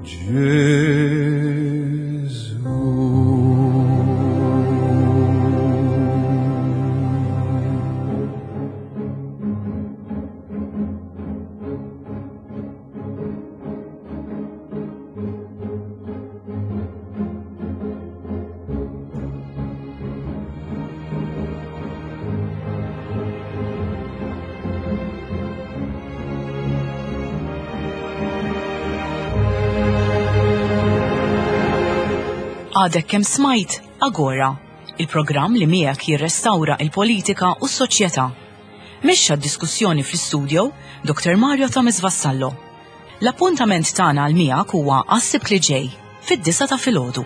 [SPEAKER 15] Gesù.
[SPEAKER 1] Għadek kemm smajt Agora, il-programm li miegħek jirrestawra il-politika u s-soċjetà. Mexxa d-diskussjoni fl-istudio Doktor Mario Thomas Vassallo. L-appuntament tagħna għal miegħek huwa għas-Sibt li ġej fid-disgħa ta' filgħodu.